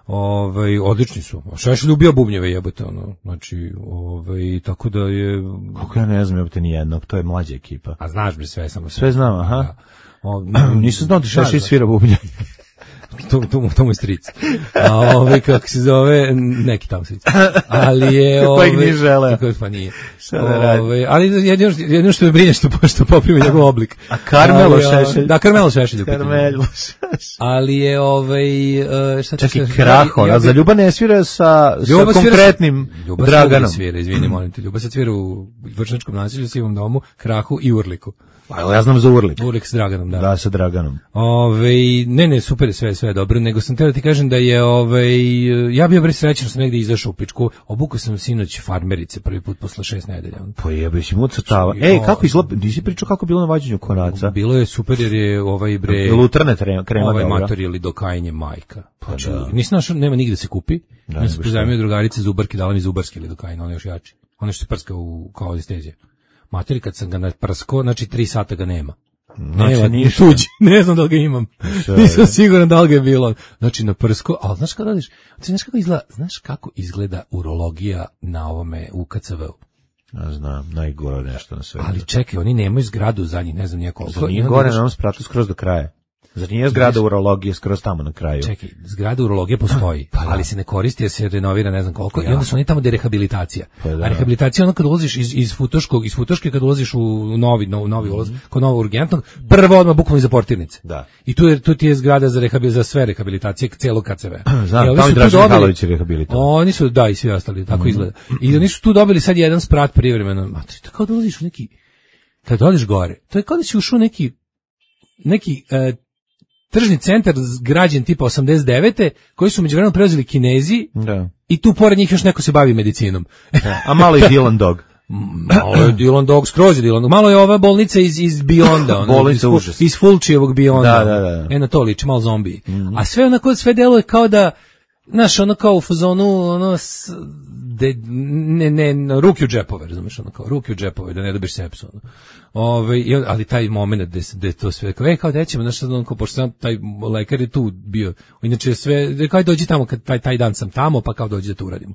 Ovaj odlični su. Šešelj ubio bubnjeve, jebote, ono. Znači, ovaj tako da je kako ja ne znam jebote ni jednog, to je mlađa ekipa. A znaš bi sve, samo sve znam, aha. Da. O, nisam znao da Šešelj svira bubnje. to to to mu stric. A ovaj kako se zove, neki tamo stric. Ali je ovaj koji ni želeo. Kako pa nije. Ovaj, ali jedino jedino što me brine što pošto poprimi njegov oblik. A Karmelo Šešelj. Da, Karmelo Šešelj. Karmelo Šešelj. Ali je ovaj šta će se Kraho, a za Ljuba ne svira sa sa konkretnim Draganom. Svira, izvini, molim te. Ljuba se svira u Vršačkom naselju, Sivom domu, Krahu i Urliku. Pa ja znam za Urlik. Urlik s Draganom, da. Da, sa Draganom. Ove, ne, ne, super je sve, sve dobro, nego sam teo da ti kažem da je, ove, ja bio bre srećan što sam negdje izašao u pičku, obukao sam sinoć Farmerice prvi put posle šest nedelja. Pa jebe, si mu crtava. Ej, kako izgleda, nisi pričao kako bilo na vađenju konaca? Bilo je super jer je ovaj bre... Lutrne krema ovaj dobra. mator ili dokajanje majka. Pa znači, da. Nisam našao, nema nigde se kupi. Da, ja sam pozajmio drugarice Zubarke, dala mi Zubarski ili dokajanje, on je još jači. On je što se prska u, kao anestezija. Mater, kad sam ga naprskao, znači tri sata ga nema. Znači, nema, ništa. Tuđi, ne znam da li ga imam. Nisam siguran da li ga je bilo. Znači, naprskao, ali znaš kada radiš, znaš kako izgleda, znaš kako izgleda urologija na ovome u K C V-u? Ja znam, najgore nešto na svetu. Ali čekaj, oni nemaju zgradu za njih, ne znam nije koliko. Zar nije gore na onom spratu skroz do kraja? Zar nije zgrada urologije skroz tamo na kraju? Čekaj, zgrada urologije postoji, pa, ali se ne koristi jer se renovira ne znam koliko, ja. I onda su oni tamo gde je rehabilitacija. Pa, a rehabilitacija je ono kad ulaziš iz, iz Futoškog, iz Futoške kad ulaziš u novi, novi, novi ulaz, mm. kod novog urgentnog, prvo odmah bukvalno iza portirnice. Da. I tu je, tu ti je zgrada za, rehabil, za sve rehabilitacije, celog K C V. Znam, tamo i Dražen Mihajlović je rehabilitovan. Oni su, da, i svi ostali, tako mm. izgleda. I oni su tu dobili sad jedan sprat privremeno. A to kao da ulaziš u neki, kad odeš gore, to je kao da si ušao neki, neki, uh, tržni centar građen tipa osamdeset devete koji su međuvremeno preuzeli Kinezi, da. I tu pored njih još neko se bavi medicinom. Da, a malo je Dylan Dog. Malo je Dylan Dog, skroz je Dylan Dog. Malo je ova bolnica iz, iz Beyonda. Bolnica užas. Iz Fulčijevog Beyonda. Da, da, da. E, na to liči, malo zombiji. Mm-hmm. A sve onako, sve deluje kao da, znaš, ono kao u fazonu, ono, s, de, ne, ne, ruki u džepove, razumiješ, ono kao, ruki u džepove, da ne dobiš sepsu, ono. Ove, ali taj moment gde, gde to sve, kao, e, kao da ćemo, znaš, ono, kao, pošto sam, taj lekar je tu bio, inače sve, kao dođi tamo, kad taj, taj dan sam tamo, pa kao dođi da to uradimo.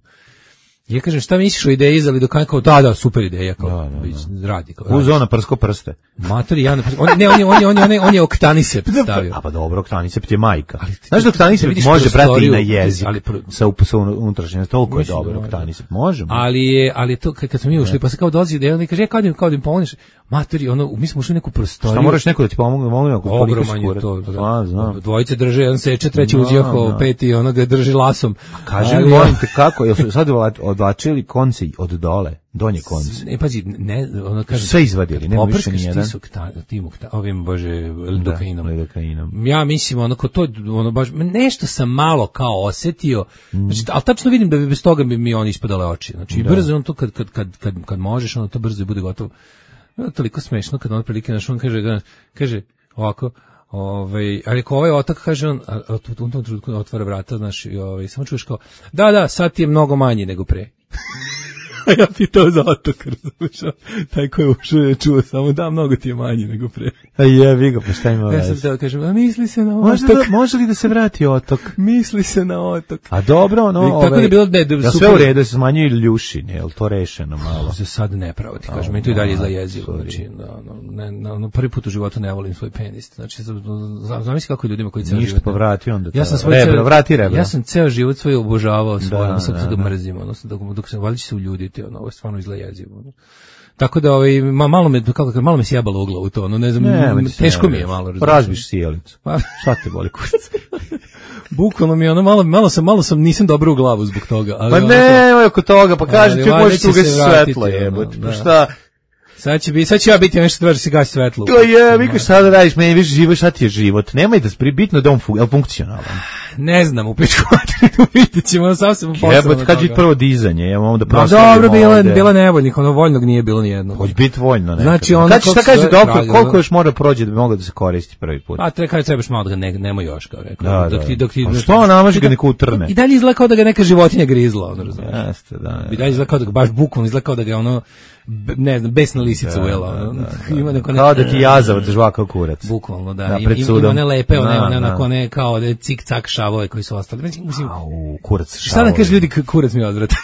Ja kažem, šta misliš o ideji, izali do kao, da, da, super ideja, kao, da, da, da. Radi. Kao, uz ona prsko prste. Matori, ja, on, ne, on je, on je, on je, on je, on je oktanisept stavio. A pa dobro, oktanisept je majka. Znaš da oktanisept može brati i na jezik, ali, sa, sa unutrašnjem, toliko je dobro, oktanisept, možemo. Ali je, ali to, kad smo mi ušli, pa se kao dolazi ideja, on kaže, ja kao da im, kao da im pomoniš, Matori, ono, mi smo ušli u neku prostoriju. Šta moraš neko da ti pomogne, mogu ako ogroman je to. Da. A, znam. Dvojice drže, jedan seče, treći No, uzjaho, no. peti ono ga drži lasom. Kaži mi, Ali- molim te, kako, jel su sad odlačili konce od dole, donje konce? Ne, pazi, ne, ono kaže... Sve izvadili, nema više poprskaš ni jedan. ti sukta, ti mukta, ovim, bože, lidokainom. lidokainom. Ja mislim, ono, ko to, ono, baš, nešto sam malo kao osetio, Mm. znači, ali tačno vidim da bi bez toga bi mi on ispadale oči. Znači, i brzo on to, kad, kad, kad, kad, kad možeš, ono, to brzo bude gotovo. No, toliko smešno kad on prilike naš, on kaže, kaže, ovako, ovaj, ali ako ovaj otak, kaže on, a, a, u tom trenutku otvara vrata, znaš, i ovaj, samo čuješ kao, da, da, sad ti je mnogo manji nego pre. A ja pitao za otok, razumiješ, taj ko je ušao je čuo samo, da, mnogo ti je manji nego pre. A jebi ga, pa šta ima Ja sam veze? teo kažem, a misli se na Može, otok, da, može li da se vrati otok? misli se na otok. A dobro, ono, I tako ovaj, da je bilo, ne, da, ja sve super- u redu, da se smanjuju ljušine, je li to rešeno malo? Za sad ne pravo ti kažem, meni to i dalje izgleda jezivo, znači, da, ono, ne, na, ono, prvi put u životu ne volim svoj penis, znači, znam- zamisli kako je ljudima koji ceo Ništa, život... pa vrati onda to. Ja sam svoj rebro, ceo- vrati rebro. Ja sam ceo život svoj obožavao svoj, Da, ono, sad da, sad ga da. mrzim, odnosno dok, dok sam valjda će se uljuditi, ono, ovo je stvarno izgleda jezivo. Ono. Tako da ovaj ma, malo me kako kažem, malo me sjebalo u glavu to, ono, ne znam, Ne, m, ma ti se teško ne mi je veruješ. malo. Pa razbiš sjelicu. Pa- Šta te boli kurac? Bukvalno mi je ono malo malo sam malo sam nisam dobro u glavu zbog toga, ali Pa ono, ne, oko toga, pa kaži Ali ti valjda možeš će tu se gasi vratiti, svetlo, ono, jebote. da. Pa šta? sad će biti sad će ja biti nešto tvrđe se gasi svetlo. To je, vi šta da radiš, meni više život, šta ti je život? Nemoj da spri, bitno da on fu, je li funkcionalan. Ne znam, u pičku materinu vidjet ćemo, ono sam se posao. Jebote, kad će prvo dizanje, ja mam da Pa proslavimo dobro, bilo je ovde. bilo nevoljnih, ono voljnog nije bilo ni jedno. Hoće biti voljno nekako. Znači, ono Kad će, šta kako kaže sve doktor, radi, koliko ono- još mora prođe da bi mogao da se koristi prvi put? A treba kaže trebaš malo da ga ne, nema još kao rekao. Da, dok da. ti dok ti A što namaže ga I da- neko utrne? I dalje izgleda kao da ga neka životinja grizla, ono razumiješ. Jeste, da. I dalje izgleda kao da ga baš bukvalno izgleda kao da ga je ono b- ne znam, besna lisica ujela. ono. Ima neko ne- Kao da ti jazavac žvakao kurac. Bukvalno, da. Da, Ima, pred ima sudom. one lepe, one, Da, one, da. onako, one kao da cik-cak šavove koji su ostali. Mislim, mislim, Au, kurac šta da šavovi. kaže ljudi, k- kurac mi je odvratan.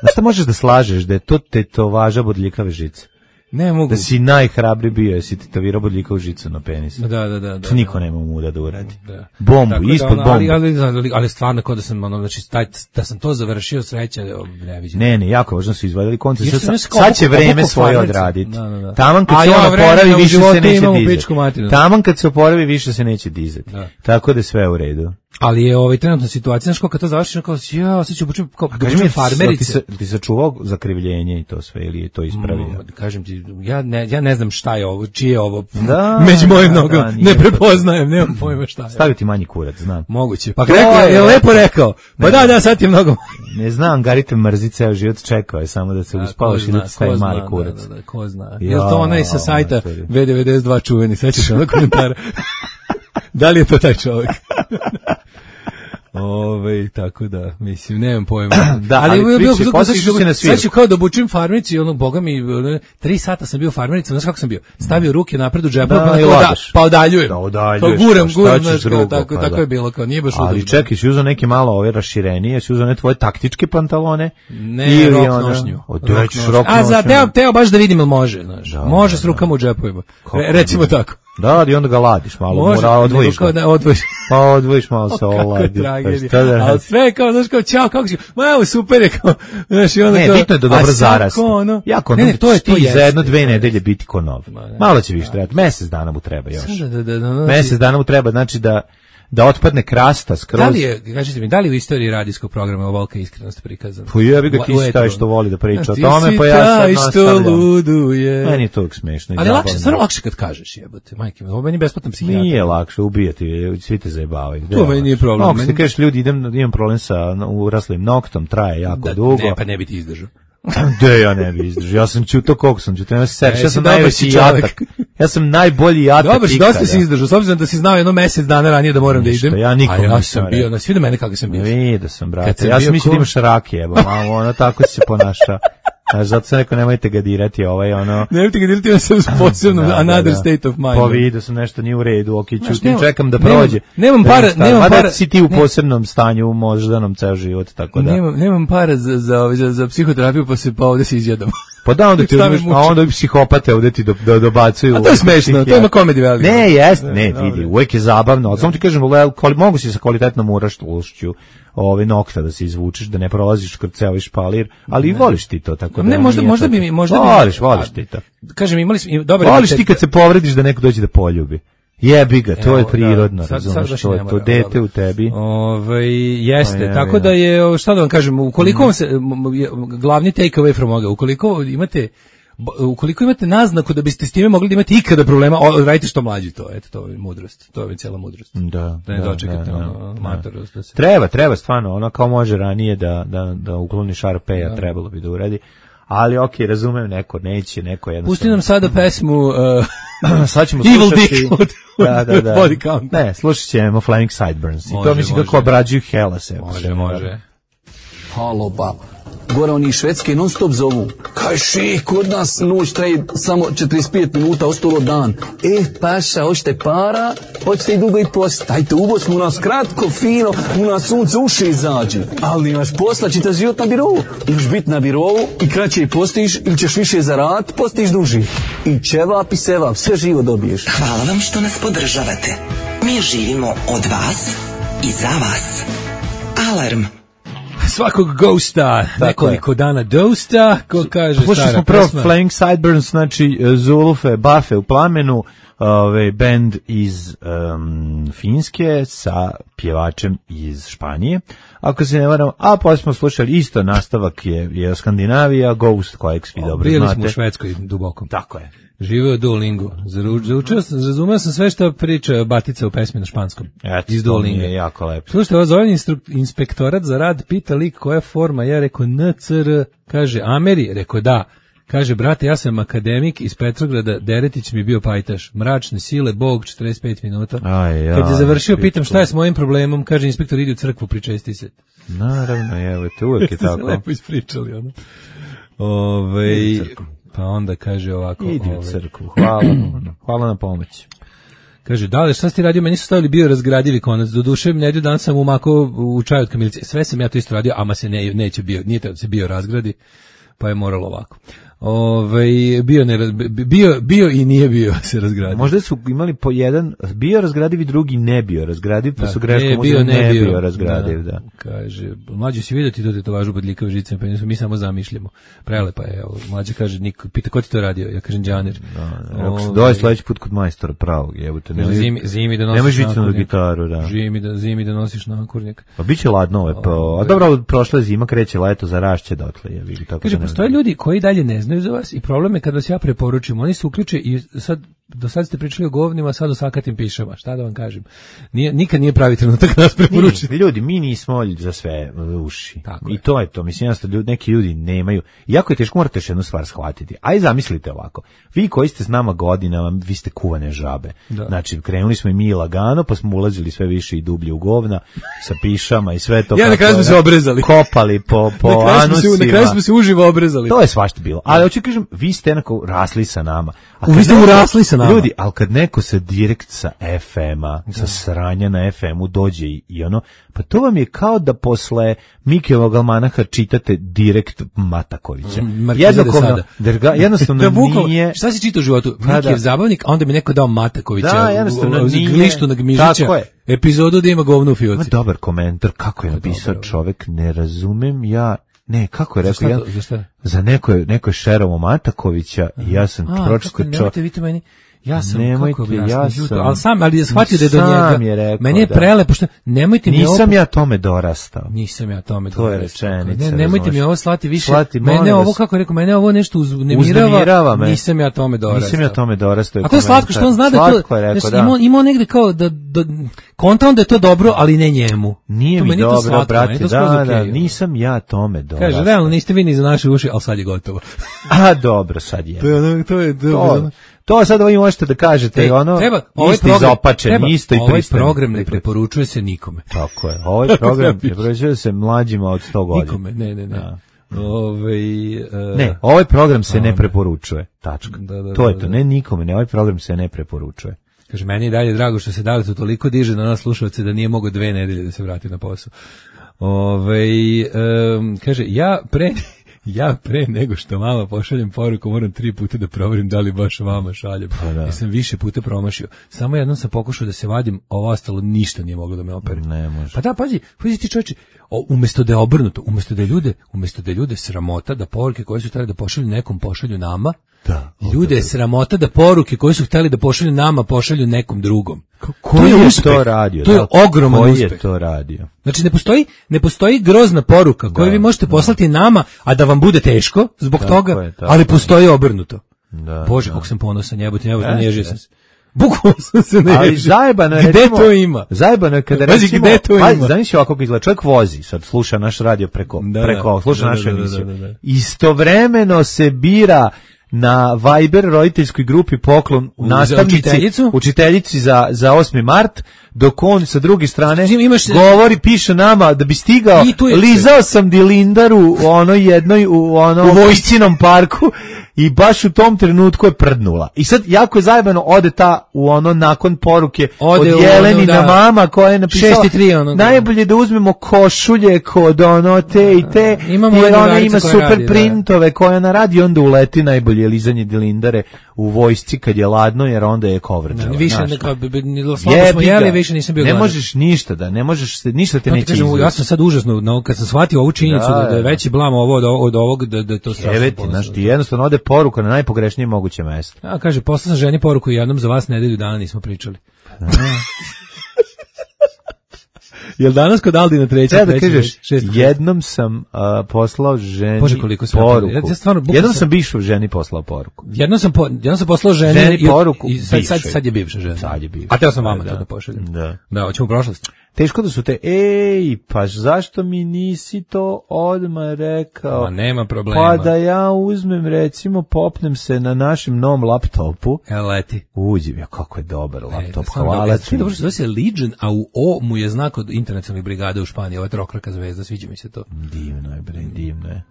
Znaš šta možeš da slažeš, da je to tetovaža bodljikave žice? Ne mogu. Da si najhrabri bio, jesi tetovirao bodljikavu žicu na penisu. Da, da, da. da To niko nema muda da uradi. Da. Bombu, Tako da, ispod ono, bombu. ali, ali, ali, ali stvarno kao da sam, ono, znači, taj, da sam to završio sreća, ne vidim. Ne, ne, jako važno su izvadili konce. Jer Sad, sam ja kao sad će obuko- vreme obuko svoje farmerce. odraditi. Da, da, da. Taman kad A se ja on vremena oporavi, u više životu se neće imam u dizati. pičku materinu. Taman kad se oporavi, više se neće dizati. Da. Tako da je sve u redu. Ali je ovaj trenutna situacija, znaš, kao kad to završiš, kao, ja, sad ću obučem, kao, da Kaži obučem mi, farmerice. ti, sa- ti sačuvao zakrivljenje i to sve, ili je to ispravio? Mm, kažem ti, ja ne, ja ne znam šta je ovo, čije je ovo, Da, među mojim da, nogama, da, nije ne to- prepoznajem, nemam pojma šta je. Staviti manji kurac, znam. Moguće. Pa To rekao, je, je- je lepo rekao. Pa da, da, sad ti je mnogo. Ne znam, Gari te mrzi ceo život, čekao je samo da se Da, uspavaš ko i da zna, ti stavi ko mali zna, kurac. Da, da, da, ko zna. Ja, Je li to onaj sa sajta mater. V devedeset dva čuveni, sećaš onog komentara? Da li je to taj čovjek? Ove, tako da, mislim, nemam pojma. Da, ali je bilo- priči, bilo- posjećaš bilo- se na svirku. Sad ću kao da obučim farmericu i ono, boga mi, ono, tri sata sam bio farmerica, znaš kako sam bio? Stavio ruke napred u džepu, Da, pa, i kao ladaš. pa odaljujem. Da, odaljuješ, Pa guram, pa šta guram, ćeš znaš, kao, drugo, tako, pa tako da. je bilo, kao, nije baš Ali udobno. čekaj, si uzao neke malo ove raširenije, si uzao ne tvoje taktičke pantalone? Ne, ili rok ono- nošnju. Od Rok rećeš nošnju. rok A za nošnju. teo, teo baš da vidim ili može, znaš. Da, može da, s rukama u džepovima. Re, Kako recimo bi- tako. Da, i onda ga ladiš malo, Može, mora odvojiš nego kao ga. da odvojiš. Pa odvojiš malo se Kako oladi. tragedija. Šta da Ali sve kao, znaš, kao, čao, kako si, ma evo, super je, kao, znaš, i onda Ne, kao, bitno je da a dobro sad zarasti. kao ono- Jako, ne, ne, to je, to ti jeste. za jedno, dve nedelje biti ko nov. ne. Malo će više trebati, mesec dana mu treba još. Da, da, da, da, da, Mesec dana mu treba, znači da da otpadne krasta skroz. Da li je, kažete mi, da li u istoriji radijskog programa ovolika iskrenost prikazana? Pa jebi ga, ti U si etru. taj što voli da priča o Ti tome, si pa ja sad taj što nastavljam. luduje. Meni je to uvijek smešno. i Ali zabavno. lakše, stvarno lakše kad kažeš, jebote, majke mi, ovo meni je besplatan psihijatar. Nije lakše ubijati, svi te zajebavaju. To meni nije problem. Ako ti Meni- kažeš ljudi, idem, imam problem sa uraslim noktom, traje jako Da, dugo. ne, pa ne bi ti izdržao. De, ja ne bi izdržao. Ja sam čuto koliko sam čuto, nema se seriš. E, Ja si sam dobar najveći si čovek. jatak. Ja sam najbolji jatak Dobro, si ikada. dosta si izdržao, s obzirom da si znao jedno mesec dana ranije da moram Ništa, da idem. ja nikom a ja nisam sam bio, rekao. na svi do mene kako sam bio. Vidio sam, Kad brate. sam Ja bio sam mislio da ko- imaš rake, jebo, malo, ono, tako si se ponašao. Znaš, zato sam rekao, nemojte ga dirati, ovaj, ono... Nemojte ga dirati, ja sam s posebnom Da, da, another da. state of mind. Pa vidio sam nešto nije u redu, ok, Znaš, čutim, nemam- čekam da nemam- prođe. nemam Da para- vidim šta- nemam mada para- si ti u ne. posebnom stanju, moždanom ceo život, tako da. Nemam, nemam para za, za, za, za psihoterapiju, pa se pa ovde se izjedam. Pa da, onda ti Šta me uzmeš, a muči? onda i psihopate ovde ti do, do, dobacuju. A to je smešno, to ima comedy value. Ne, jest, ne, dobro. vidi, uvek je zabavno, ali samo ti kažem, le- kvali- mogu si sa kvalitetnom uraštošću ove nokta da se izvučeš, da ne prolaziš kroz ceo ovaj špalir, ali i voliš ti to, tako da Ne, možda- nije možda tako- bi mi- možda bi- voliš, voliš ti to. Kažem, imali smo i- dobar Voliš imitet- ti kad se povrediš da neko dođe da poljubi. Jebi ga, to je Evo, prirodno, da, sad- sad razumeš, baš to ne je to mora, dete dobro. u tebi. Ovaj jeste, Pa je, tako je. da je, o, šta da vam kažem, ukoliko vam se, m, m, je- glavni take away from ovoga, ukoliko imate b- ukoliko imate naznaku da biste s time mogli da imate ikada problema, o, radite što mlađi to, eto, to je mudrost, to je cijela mudrost. Da, Da ne da, dočekate da, ono, da. matorost, da se... Treba, treba stvarno, ono kao može ranije da, da, da ukloni šarpeja, trebalo bi da uradi. Ali okej, razumem, neko neće, neko jednostavno. Pusti nam sada pesmu uh, Sad ćemo Evil slušati... Dick od, od da, da, da. Body Count. Ne, slušat ćemo Flaming Sideburns. I Može, to mislim može. kako obrađuju Hellas. evo. Može, može. Halo, bab. Gore oni iz Švedske non stop zovu. Kaj še, kod nas noć traje samo četrdeset pet minuta, ostalo dan. E, paša, hoćete para, hoćete i dugo i post. Dajte u Bosnu, u nas kratko, fino, u nas sunce uši izađe. Ali imaš posla, čitaš život na birovu. Imaš biti na birovu i kraće i postiš, ili ćeš više zaraditi, postiš duži. I ćevap i sevap, sve živo dobiješ. Hvala vam što nas podržavate. Mi živimo od vas i za vas. Alarm. Svakog ghosta, nekoliko dana dosta, ko kaže Slušali stara smo prvo pesma. Flaming Sideburns, znači Zulufe, Bafe u plamenu, ovaj bend iz um, Finske sa pjevačem iz Španije. Ako se ne varam, a pa smo slušali isto nastavak je, je Skandinavija, Ghost, kojeg svi dobro Bili znate. smo u Švedskoj duboko. Tako je. Živeo Duolingo. Zaru- Zaučio sam, razumeo sam sve što priča Batica u pesmi na španskom. Eto, Iz to mi Duolinga. je jako lepo. Slušajte, ovo zove instru- inspektorat za rad, pita lik koja je forma, ja rekao N C R, kaže Ameri, rekao da. Kaže, brate, ja sam akademik iz Petrograda, Deretić mi je bio pajtaš. Mračne sile, Bog, četrdeset pet minuta. Aj, aj, Kad je završio, pičku. pitam šta je s mojim problemom, kaže inspektor, idi u crkvu, pričesti se. Naravno, evo te, uvijek je Ste se tako. lepo ispričali, ono. Ove, pa onda kaže ovako. Idi u ovaj, crkvu, hvala, hvala na pomoći. Kaže, da li, šta ste radio? Meni su stavili bio razgradivi konac. Do duše, nedelju dan sam umakao u čaj od kamilice. Sve sam ja to isto radio, ama se ne, neće bio, nije da se bio razgradi, pa je moralo ovako. Ove, bio, ne, raz- bio, bio i nije bio se razgradio. Možda su imali po jedan bio razgradiv i drugi ne bio razgradiv, pa su greškom ne, uzeli ne bio razgradiv, da. Kaže, mlađe si vidio ti to tetovažu bodljikav žicem, pa mi samo zamišljamo. Prelepa je, evo, mlađe kaže, niko, pita ko ti to radio? Ja kažem, Đaner. Ako se dođe sledeći put kod majstora pravog, jebote, Ne, zimi, zimi da nosiš nemoj žicanu nakurnik. gitaru, da. Zimi da, zimi da nosiš nakurnik. Pa biće ladno ovo, pro... a dobro, prošla je zima, kreće leto, zarašće dotle, ja vidim tako. Kaže, da ne postoje znam. ljudi koji dalje ne znaju za vas i problem je kad vas ja preporučim, oni se uključe i sad, do sad ste pričali o govnima, sad o sakatim pišama, šta da vam kažem. Nije, nikad nije pravi trenutak nas preporučiti. Mi, ljudi, mi nismo za sve uši. Tako I je. to je to. Mislim, jednostavno, ljudi, neki ljudi nemaju. Jako je teško, morate još jednu stvar shvatiti. Aj zamislite ovako. Vi koji ste s nama godinama, vi ste kuvane žabe. Da. Znači, krenuli smo i mi lagano, pa smo ulazili sve više i dublje u govna, sa pišama i sve to. Ja, na kako kraju smo je, se obrezali. Kopali po, po na, kraju smo se, anusima. na kraju smo se uživo obrezali. To je svašta bilo. Ali hoću kažem, vi ste jednako rasli sa nama. A Vi kad ste neko- urasli sa nama. Ljudi, ali kad neko sa direkt sa F M-a, sa sranja na F M-u dođe i, i ono, pa to vam je kao da posle Mikijevog almanaha čitate direkt Matakovića. Markiza de Sada. Drga, jednostavno Da, bukvalno, nije... šta si čitao u životu? Pa Mikijev da. zabavnik, a onda mi neko dao Matakovića. Da, jednostavno u- u- nije. Glištu na Gmižića. Tako je. Epizodu da ima govno u Ima fioci. dobar komentar, kako je napisao dobro. čovek, ne razumem ja... Ne, kako je Za rekao, šta ja, to- za šta? za neko je, neko je šerovo Matakovića i ja sam A, pročitao kako, čovek. nemojte vi to meni. Ja sam, Nemojte, kako bi jasno, ja ljuto, sam- ali sam, ali je shvatio da je do Sam njega. je rekao, meni je da. prelepo što, nemojte mi ovo... Nisam ja tome dorastao. Nisam ja tome To je dorastao. rečenica, Ne, nemojte razumeš. mi ovo slati više. Slati, molim mene ovo, vas. kako je rekao, mene ovo nešto uznemirava. Uznemirava me. Nisam ja tome dorastao. Nisam ja tome dorastao. A to je slatko što on zna da to... Slatko je rekao, znaš, da. Imao, imao negde kao da... da konta on da je to dobro, ali ne njemu. Nije To mi meni je to dobro, slatko, meni brate, je to da, skroz da, okej. nisam ja tome dorastao. Kaže, realno, niste vi ni za naše uši, ali sad je gotovo. A, dobro, sad je. To je ono, to je... To, to sad vi možete da kažete, Ej, ono, treba, ovaj isto program, izopačen, treba, isto i ovaj pristan. program ne preporučuje se nikome. Tako je, ovaj program ne preporučuje se mlađima od sto godina. Nikome, ne, ne, ne. Da. Ovaj, e, Ne, ovaj program se ne preporučuje, tačka. Da, da, To je da, to, da. ne nikome, ne, ovaj program se ne preporučuje. Kaže, meni je dalje drago što se dali to toliko diže na nas slušalce da nije mogao dve nedelje da se vrati na posao. Ove, um, kaže, ja pre, Ja pre nego što mama pošaljem poruku moram tri puta da proverim da li baš mama šalje. Pa da. Ja sam više puta promašio. Samo jednom sam pokušao da se vadim, a ovo ostalo ništa nije moglo da me opere. Ne može. Pa da, pazi, pazi ti čovječe, o, umesto da je obrnuto, umesto da je ljude, umesto da je ljude sramota da poruke koje su htjeli da pošalju nekom pošalju nama, Da, ljude je sramota da poruke koje su htjeli da pošalju nama pošalju nekom drugom. Koji je uspeh. to radio? To je Da, ogroman koji uspeh. je to radio? Znači ne postoji ne postoji grozna poruka koju Da, vi možete poslati nama, a da vam bude teško zbog Tako toga, je, tako ali je. postoji obrnuto. Da, Bože, da. kako sam ponosan, jebote, jebote, Jeste, nežio sam jeste. se. Bukvalno sam se nežio. Ali zajebano je, Gde recimo, to ima? Zajebano je kada Pazi, recimo, gde to pa, ima? znaš ovako kako izgleda, čovjek vozi, sad sluša naš radio preko, Da, preko da, sluša da, našu da, da, emisiju. da, da, da. Istovremeno se bira na Viber roditeljskoj grupi poklon U- nastavnici, za učiteljicu? učiteljici za, za osmi mart, dok on sa druge strane Znači, imaš- govori, piše nama da bi stigao, I tu je- lizao sam dilindaru u onoj jednoj, u ono, U vojscinom parku i baš u tom trenutku je prdnula. I sad jako je zajebano, ode ta u ono nakon poruke Ode od u Jelenina ono, da. mama koja je napisala Šest i tri, ono, da. najbolje da uzmemo košulje kod ono te i te, Imamo jer jednu ona drugaricu ima koja super radi, da. printove koje ona radi i onda uleti najbolje lizanje dilindare u vojsci kad je ladno, jer onda je kovrđava. Više znaš. ne kao bi- bi- ni- slabo Jebi smo jeli, ga. više nisam bio Ne gladan. možeš ništa da, ne možeš se, ništa te To ti neće kažem, ja izvući. sam sad užasno, no, kad sam shvatio ovu činjenicu Da, da, da je da. veći blam ovo od, od ovog, da, da je to strašno. Eveti, ponosno. znaš, ti jednostavno ode poruka na najpogrešnije moguće mesto. A kaže, poslao sam ženi poruku i jednom za vas nedelju dana nismo pričali. Jel danas kod Aldina treća? Treba da treća, kažeš, šesta, jednom sam a, poslao ženi Bože, koliko sam- poruku. ja- ja stvarno bukvalno jednom sam- sam bivšu ženi poslao poruku. Jednom sam, po, jednom sam poslao ženi, Ženi i, poruku i sad, sad, bivšoj. sad je bivša žena. Sad je bivša. A teo sam vama Da, to da. da pošaljem. Da. Da, hoćemo u prošlost. Teško da su te, ej, pa zašto mi nisi to odmah rekao? Ma nema problema. Pa da ja uzmem, recimo, popnem se na našem novom laptopu, Evo leti. uđem, ja kako je dobar laptop, E, stvarno hvala dobro. ti. Sve dobro što zove se Legion, a u O mu je znak od internacionalnih brigada u Španiji, ova trokraka zvezda, sviđa mi se to. Divno je, bre, divno je.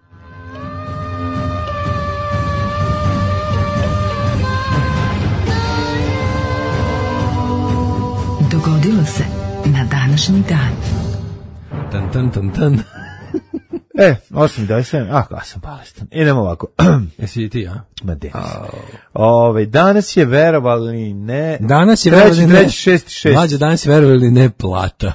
Dogodilo se na današnji dan. Tan, tan, tan, tan. E, osam dvadeset sedam, ah, ja sam bolestan. Idemo ovako. Jesi i ti, a? Ma de. Ove, danas je verovali ne. Danas je treći, verovali ne. treći, šesti, šesti. Mlađe, danas je verovali ne plata.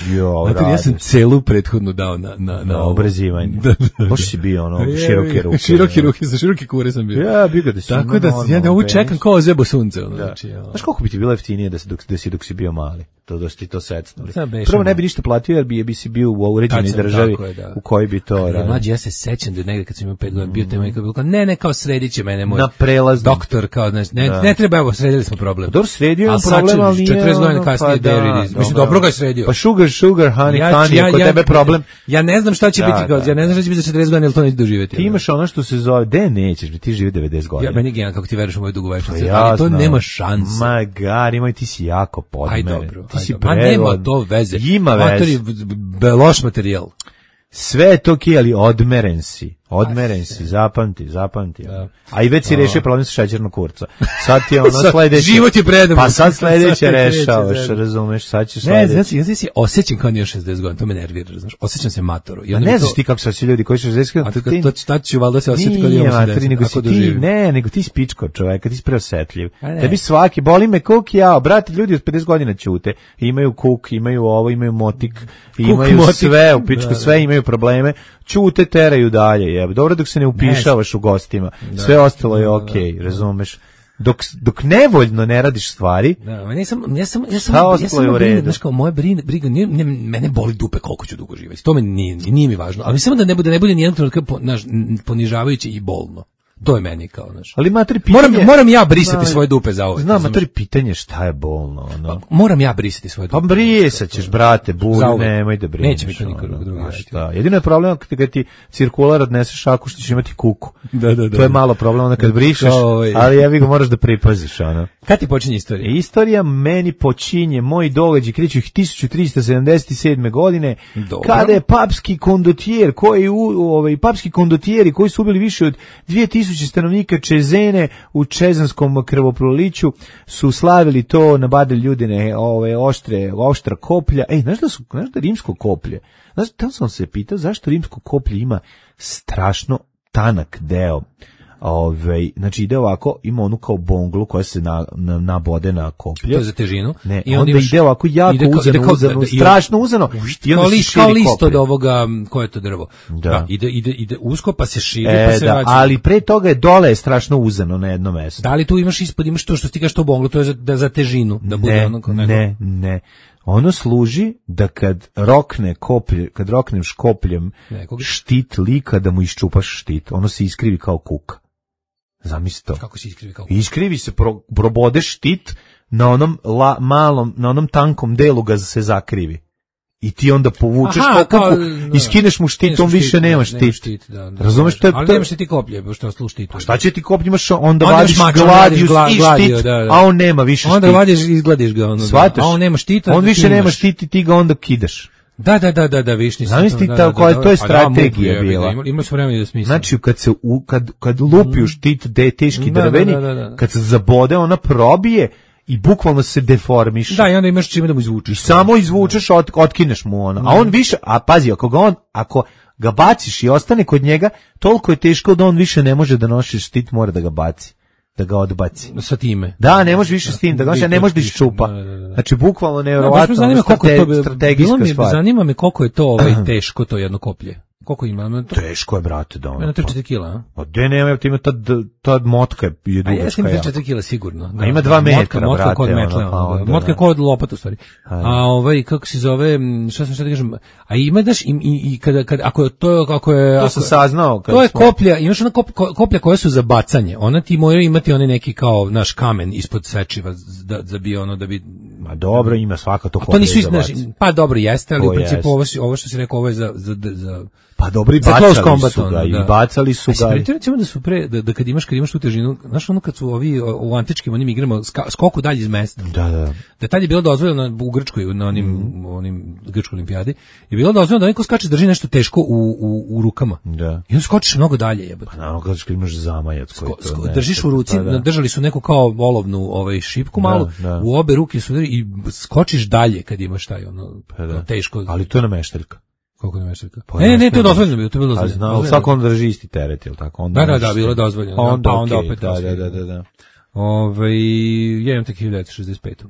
Jo, Mater, ja sam radi. celu prethodnu dao na, na, na, Na ovo. obrazivanje. Da, da, da. Baš si bio ono, Je, široke je, ruke. Široke ruke, za široke kure sam bio. Ja, bio ga da si Tako imao da ja normalno ovu penis. čekam kao zebo sunce. Ono, Da. znači, ono. Znaš koliko bi ti bilo jeftinije da, se dok, da si dok si bio mali? To da si ti to secnuli. Sad bešamo. Prvo ne bi ništa platio jer bi, bi si bio u uređenoj Tad sam, državi tako je, da. u kojoj bi to Ja, radio. mlađi, ja se sećam da negde kad sam imao pet godina bio tema i kao bilo kao, ne, ne, kao sredit će mene moj Na prelaznom. doktor, kao, znači, ne, Da. ne treba, evo, sredili smo problem. Dobro, sredio je Ali sad problem, će- ali nije četrdeset godina ono, kasnije, pa there da, it is. Mislim, dobro ga je sredio. Pa sugar, sugar, honey, honey, ako tebe problem. Ja ne znam šta će Da, biti, kao, da. ja ne znam šta će biti za četrdeset godina, jer to neće doživjeti. Ti imaš ono što se zove, de nećeš, ti živi devedeset godina. Ja, meni je genijalno kako ti veruješ u moju dugovečnost, Pa ali to jasno. nema šanse. Ma gari, moj, ti si jako podmeren. Aj dobro, Ti aj si dobro. Ma nema prevod. to veze. Ima Mater veze. je b- b- loš materijal. Sve je to okej, ali odmeren si. Odmeren si, zapamti, zapamti. A i već si rešio problem sa šećernog kurca. Sad ti je ono Sad, sledeće. život je predan. Pa sad sledeće Sad kreće, rešavaš, da. razumeš, sad ćeš Ne, sledeće. znači, ja se osjećam kao nije šezdeset godina, to me nervira, znaš. Osjećam se matoro. I A onda ne mi znaš to- ti kako se ljudi koji su šezdeset A to, to, to, to ću valjda se osjetiti kad Nije, imam materi, osamdeset, nego si ako ti, doživim. ne, nego ti si pičko čoveka, ti si preosetljiv. A ne. Tebi svaki, boli me kuk ja, brate, ljudi od pedeset godina ćute, imaju kuk, imaju ovo, imaju motik, imaju motik. sve, u pičku Da, da. sve imaju probleme, ćute, teraju dalje, jebe. Dobro dok se ne upišavaš u gostima, sve ostalo je okej, razumeš. Dok, dok nevoljno ne radiš stvari, Da, ma nisam, ja sam, ja sam, Šta ja ostalo sam je u brine, redu? znaš kao, moja briga, briga nije, ne, mene boli dupe koliko ću dugo živjeti, to me nije, nije mi važno, ali samo da ne bude, ne bude nijednog trenutka po, naš, ponižavajuće i bolno. To je meni kao, znaš. ali materi pitanje... Moram, moram ja brisati Znam, svoje dupe za ovo. Znam, razumeš? materi pitanje šta je bolno, ono. Moram ja brisati svoje Pa dupe. brisat ćeš, brate, bulj, Zauvek. nemoj da brineš. Neće mi to niko ono, drugi znaš raditi. šta. Jedino je problem kada ti cirkular odneseš šaku što ćeš imati kuku. Da, da, da. To je malo problem onda kad brišeš, Kao, ovaj. ali ja ga moraš da pripaziš, ono. Kad ti počinje istorija? Istorija meni počinje, moji događaji kreću ih hiljadu tristo sedamdeset sedme godine, Dobro. kada je papski kondotjer, koji u, ovaj papski kondotjeri koji su ubili više od dvije tisuće stanovnika Čezene u čezanskom krvoproliću su slavili to, nabadili ljudine ove oštre, oštra koplja. Ej, znaš da su, znaš da rimsko koplje, znaš, tamo sam se pitao zašto rimsko koplje ima strašno tanak deo. Ove, znači ide ovako, ima onu kao bonglu koja se na, na, nabode na koplje. To je za težinu. Ne, i onda imaš, ide ovako jako ide kao, uzano, ide kao, uzano, da, strašno uzano. I onda kao, se list, širi kao list koplje. od ovoga, koje je to drvo. Da. Da, ide, ide, ide usko, pa se širi, E, pa se da, vraća. ali pre toga je dole je strašno uzano na jedno mesto. Da li tu imaš ispod, imaš to što ti kažeš to bonglu, to je za, da, za težinu. Da bude Ne, ono kao ne, ne. Ono služi da kad rokne koplje, kad rokneš kopljem Nekoga. štit lika da mu iščupaš štit. Ono se iskrivi kao kuka. Zamisli to. Kako se iskrivi kao Iskrivi se, pro, probodeš štit na onom la, malom, na onom tankom delu ga se zakrivi. I ti onda povučeš Aha, kao kao, kuku da. i skineš mu štit, on više nema štit. štit da, da, Razumeš, to je ali to- nemaš ti koplje, što ostalo u štitu. Pa šta će ti koplje, imaš onda Onda vadiš imaš mač, onda gladijus radiš i gla- štit, gladio, da, da. a on nema više Onda štit. ga vadiš i izgladiš ga. Ono, da. Shvataš? A on nema štita. On da više ti nema imaš. štit i ti ga onda kidaš. Da, da, da, da, da, viš nisam. Zamisli to, ta- da, da, koja- da, to je pa da, strategija muku, bila. Ima, ima su vremena da smisla. Znači, kad se u, kad, kad lupi u štit de, teški Da, da, drveni, da, da, da. kad se zabode, ona probije i bukvalno se deformiše. Da, i onda imaš čime da mu I izvučeš. samo izvučeš, ot, otkineš mu ono. A on više, a pazi, ako ga on, ako ga baciš i ostane kod njega, toliko je teško da on više ne može da nosi štit, mora da ga baci, da ga odbaci. Sa time. Da, ne može više s tim, da ga nosi, a ne može da iščupa. Da, da, da. Znači, bukvalno Da, baš me nevjerovatno, zanima ono, koliko je to strate- bilo strategijska mi, stvar. zanima me koliko je to ovaj teško to jedno koplje. Koliko ima? Ima to Teško je, brate, da ono. ima tri četiri kila, a? Pa gde nema, ti ima ta, ta motka je A dugačka. jesam tri jako. četiri kila sigurno. A ima dva Motka- metra, motka brate, kod metle, ono, pa ono, da. onda, Motka da. kod lopata u stvari. A ovaj kako se zove, m, šta sam šta da kažem? A ima daš i, i, i kada kad ako je to ako je To ako, sam saznao. kad to je smo- koplja, imaš ona kop, ko- koplja koja su za bacanje. Ona ti mora imati onaj neki kao naš kamen ispod sečiva da da bi ono da bi Ma dobro, ima svaka to A to koplje nisu za znaš, bacanje. pa dobro jeste, ali To u principu jeste. ovo, si- ovo što si rekao ovo je za za za Pa dobro, i za close bacali combat, su ga, ono, i da. bacali su A si ga. primetio, recimo da su pre, da, da kad imaš, kad imaš tu težinu, znaš ono kad su ovi o, u antičkim onim igrama ska, skoku dalje iz mesta, Da, da. da tad je bilo dozvoljeno u Grčkoj, na onim, Mhm. onim grčkoj olimpijadi, je bilo dozvoljeno da neko skače drži nešto teško u, u, u rukama. Da. I onda skočiš mnogo dalje, jebote. Naravno, kad imaš zamajac koji Sko- to sko- ne- držiš u ruci, pa da. držali su neku kao olovnu ovaj šipku malu, da. u obe ruke su udari i skočiš dalje kad imaš taj ono Pa da. kao teško. Ali to je nameštaljka. Koliko ne mešaljka? Pa Ne, ne, ne, to je nameštaljka. dozvoljeno bilo, to je bilo A dozvoljeno. znao, Dozvoljeno. svako on drži isti teret, jel tako? Onda Da, da, možeš da, bilo je se- dozvoljeno. Pa onda, Pa onda okej, opet da, da, dozvoljeno. da, da, da. Ovaj, ja imam tek hiljadu devetsto šezdeset pet.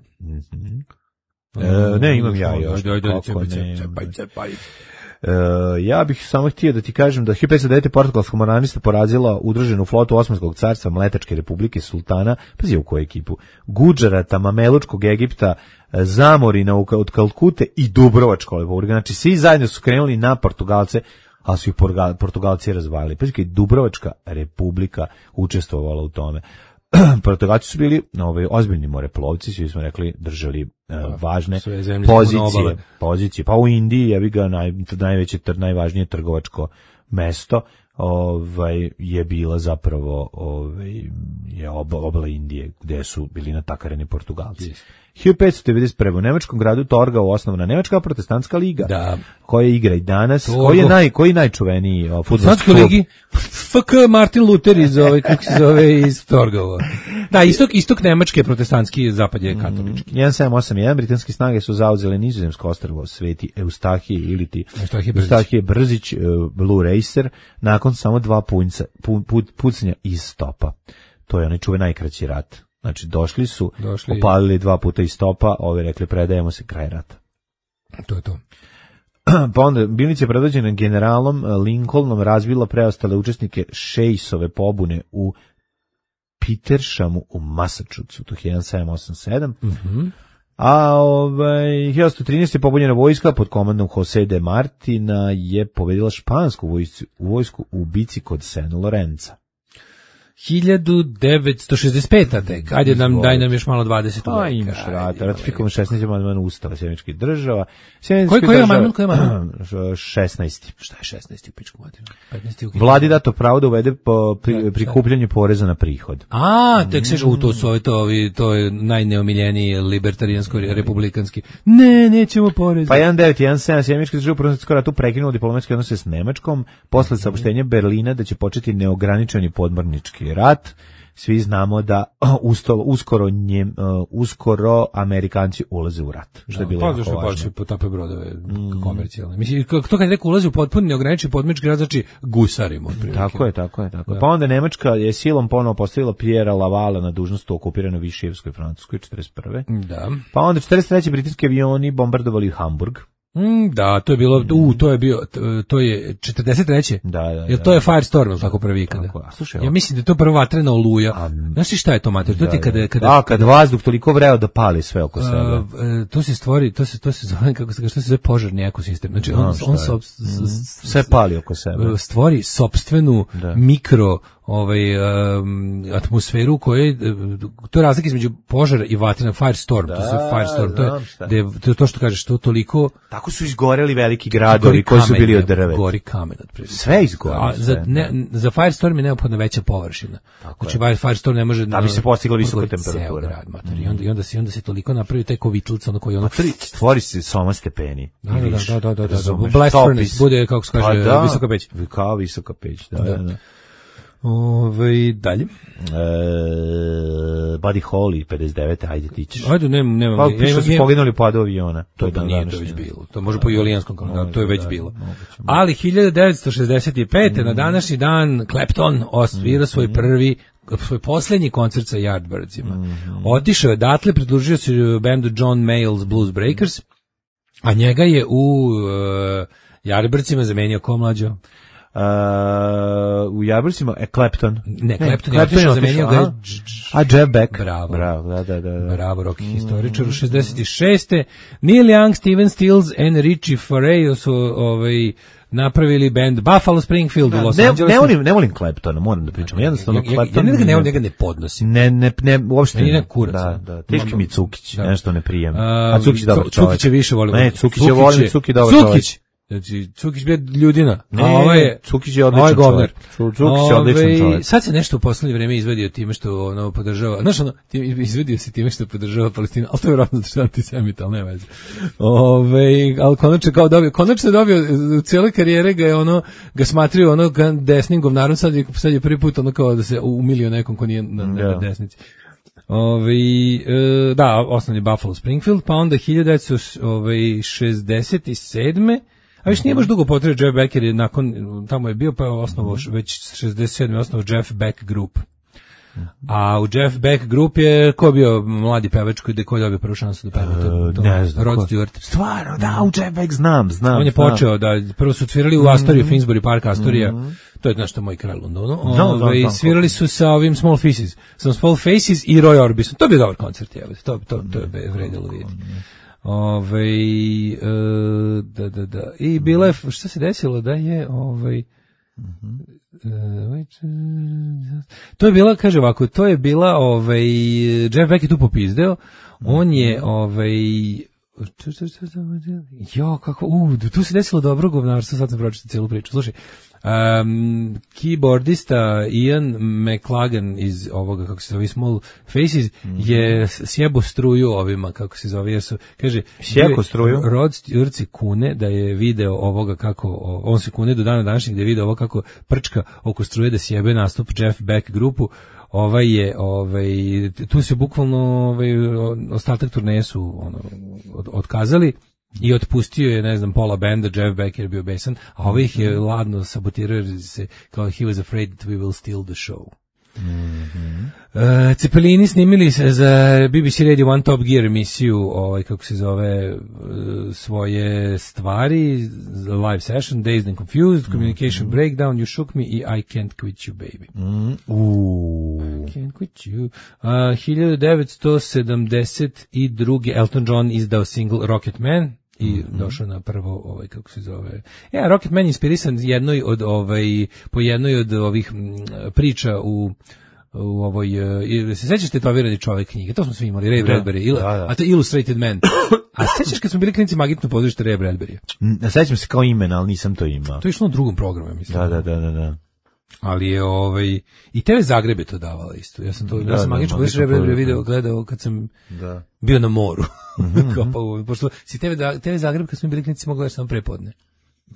E, ne, imam ja još. Ajde, ajde, Kako cepaj, ne, cepaj, imam. cepaj. E, ja bih samo htio da ti kažem da hiljadu petsto devet. portugalska moranista porazila udruženu flotu Osmanskog carstva Mletačke republike sultana, pazi u koju ekipu, Gudžarata, Mamelučkog Egipta, e, Zamorina u- od Kalkute i Dubrovačkog republike. Znači, svi zajedno su krenuli na Portugalce, ali su ih Portugal- Portugalci razvalili. Pazi, kad je Dubrovačka republika učestvovala u tome. Portugalci su bili ovaj, ozbiljni moreplovci, svi smo rekli, držali e, važne sve zemlje su na pozicije, obale. pozicije. Pa u Indiji je ga naj, najveće, tr, najvažnije trgovačko mesto ovaj, je bila zapravo ovaj, je ob, obala Indije, gde su bili natakareni Portugalci. hiljadu petsto devedeset prve. u nemačkom gradu Torgau osnovana Nemačka protestantska liga, Da. koja igra i danas. Torgau. Koji je, naj, koji je najčuveniji o, fudbalski Francuskoj klub? ligi F K Martin Luther iz ove, kako se zove, iz Torgova. Da, istok, istok Nemačke je protestantski, zapad je katolički. jedan sedam osam jedan. britanske snage su zauzele nizozemsko ostrvo Sveti Eustahije ili ti Eustahije Brzić. Eustahije Brzić, e, Blue Racer, nakon samo dva punca, pu, pu, pucnja iz stopa. To je onaj čuven najkraći rat. Znači, došli su, Došli. opalili dva puta iz stopa, ovi rekli, predajemo se, kraj rata. To je to. Pa onda, Bilnić je predvođena generalom Lincolnom razbila preostale učesnike Šejsove pobune u Petershamu u Massachusettsu, to je jedan sedam osam sedam. Mhm. A ovaj, hiljadu osamsto trinaeste. je pobunjena vojska pod komandom Jose de Martina je pobedila špansku vojsku, vojsku u bici kod San Lorenza. hiljadu devetsto šezdeset peta tek. Ajde nam, daj nam još malo dvadeset Pa veka. imaš Ajde, rata, ima ratifikovan šesnaesti. amandman Ustava Sjemeničkih država. Koji- koji je amandman, koji je šesnaesti. Šta je šesnaesti u pičku materiju? petnaesti u Vladi dato pravo da uvede po pri, Da, prikupljanje poreza na prihod. A, tek se u to su ovi, to, ovi, to je najneomiljeniji libertarijansko republikanski. Ne, nećemo porez. Pa jedan devet jedan sedam. Sjemeničke države u Prvom svjetskom ratu prekinulo diplomatske odnose s Nemačkom posle saopštenja Berlina da će početi neograničeni podmornički rat. svi znamo da usto, uskoro, njem, uh, uskoro Amerikanci ulaze u rat. Što je bilo pa, jako zašto važno. baš potape brodove mm. komercijalne. Mislim, to kad je neko ulazi u potpuno neograničen podmornički rat, znači gusarimo. Tako je, tako je, tako je. Pa onda Nemačka je silom ponovo postavila Pierre Lavala na dužnost u okupiranoj Višijevskoj Francuskoj četrdeset prve. Da. Pa onda četrdeset treće britanski avioni bombardovali Hamburg. Mm, da, to je bilo, u, to je bio, to je četrdeset treće. Da, da, da. Jer to je Firestorm, tako prvi kada. Tako, a slušaj, ja mislim da je to prva vatrena oluja. A, znaš ti šta je to, mater? To ti kada, kada, da, kad vazduh toliko vreo da pali sve oko sebe. Uh, to se stvori, to se, to se zove, kako se, što se zove požarni ekosistem. Znači, on, on sob, sve pali oko sebe. Stvori sopstvenu da. mikro ovaj um, atmosferu koje to je razlika između požara i vatrena, firestorm, da, to je firestorm, to je, to je to što kažeš, to toliko tako su izgoreli veliki gradovi koji su bili od drveta. Gori kamen otprilike. Sve izgori. A za ne, za firestorm je neophodna veća površina. Tako znači je. Firestorm ne može da bi se postigla visoka temperatura. Grad, mm. I onda i onda se onda se toliko napravi taj kovitlica ono koji ono stvori se soma stepeni. Da, da, da, da, da, da. Blast furnace bude kako se kaže da, visoka peć. Kao visoka peć, da, da. da. Ove, dalje. E, Buddy Holly, pedeset devet. Ajde ti ćeš. Ajde, nemam, nemam. Pa, ja, što su poginuli u padu aviona. To, to, nije, to već bilo. To može po julijanskom kalendaru, to je već da, bilo. Moguće, moguće. Ali hiljadu devetsto šezdeset pete. Mm. na današnji dan Clapton osvira svoj mm. prvi, svoj posljednji koncert sa Yardbirdsima. Mm. Otišao je odatle, pridružio se bendu John Mayall's Blues Breakers, a njega je u uh, Yardbirdsima zamenio ko mlađo? Uh, u Yardbirdsima e, Clapton. Ne, Clapton je otišao, zamenio ga je a Jeff Beck. Bravo. Bravo, da, da, da. Bravo, rock historičar. U šezdeset šeste. Neil Young, Steven Stills and Richie Farrell su ovaj napravili band Buffalo Springfield u Los ne, Angelesu. Ne volim, ne volim Claptona, moram da pričam. Jednostavno ja, Clapton. Ja, ja, ja, ja ne, ne podnosim. Ne, ne, ne, uopšte. Ne, ne kurac. Da, da. Teški mi Cukić, da. Nešto ne prijem. A, A Cukić dobar čovjek. Cukić je više volim. Ne, Cukić je volim, Cukić dobar čovjek. Cukić. Znači, Cukić bio ljudina, ne, a ovaj je, Cukić je odličan čovjek. Cukić je odličan čovjek. Sad se nešto u poslednje vreme izvedio time što ono podržava, znaš ono, izvedio se time što podržava Palestinu, ali to je vjerojatno što je antisemita, ali ne veze. Ove, ali konačno kao dobio, konačno je dobio, u cijele karijere ga je ono, ga smatrio ono desnim govnarom, sad je, sad je prvi put ono kao da se umilio nekom ko nije na, na desnici. Ove, e, da, osnovni Buffalo Springfield, pa onda hiljadu devetsto šezdeset sedme. A viš nije baš dugo potrebno, Jeff Beck je nakon, tamo je bio, pa je osnovo, već šezdeset sedme osnovo Jeff Beck Group. A u Jeff Beck Group je, ko je bio mladi pevač koji je dobio prvu šansu da peva? To, to, ne znam. Rod Stewart. Stvarno, da, u Jeff Beck znam, znam. On je znam. počeo da, prvo su svirali u Astoria, mm-hmm. Finsbury Park Astoria, mm-hmm. to je nešto moj kraj Londonu, no, ove, svirali su sa ovim Small Faces, sa Small Faces i Roy Orbison. To je bio dobar koncert, je, to, to, to je vredilo vidjeti. Ove, uh, da, da, da. I bila je, šta se desilo da je, ovaj, uh, to je bila, kaže ovako, to je bila, ovaj, Jeff Beck je tu popizdeo, on je, ovaj, jo, kako, u, tu se desilo dobro govnarstvo, sad sam pročitao cijelu priču, slušaj, Um, keyboardista Ian McLagan iz ovoga, kako se zove, Small Faces, mm-hmm. je sjebo struju ovima, kako se zove, jesu, kaže, sjeko struju? Rod Stewart se kune da je video ovoga kako, on se kune do dana današnjeg da je video ovo kako prčka oko struje da sjebe nastup Jeff Beck grupu. Ovaj je, ovaj, tu se bukvalno ovaj, ostatak turneje su ono, od, otkazali i otpustio je, ne znam, pola benda, Jeff Beck je bio besan, a ovaj ih je ladno sabotirao jer se, kao he was afraid that we will steal the show. Mm-hmm. Uh, Cepelini snimili se za B B C Radio One Top Gear emisiju, ovaj, kako se zove, uh, svoje stvari, live session, Dazed and Confused, Communication mm-hmm. Breakdown, You Shook Me i I Can't Quit You Baby. Mm-hmm. Uh. I Can't Quit You. Uh, hiljadu devetsto sedamdeset druge. Elton John izdao single Rocket Man i mm-hmm. došao na prvo, ovaj, kako se zove, ja, Rocket Man je inspirisan jednoj od, ovaj, po jednoj od ovih m, priča u u ovoj, uh, se sećaš tetovirani čovjek knjige, to smo svi imali, Ray Bradbury, il, da, da. A to je Illustrated Man. A sećaš kad smo bili klinici Magitno pozorište Ray Bradbury? Sećam se kao imen, ali nisam to imao. To je išlo na drugom programu, mislim. Da, da, da, da, da. Ali je ovaj i te ve Zagreb je to davala isto. Ja sam to, da, ja sam da, Magično pozorište Ray Bradbury video, gledao kad sam da. bio na moru. Mm-hmm. Kao, pošto si te ve Zagreb kad smo bili klinici mogli gledati samo prepodne.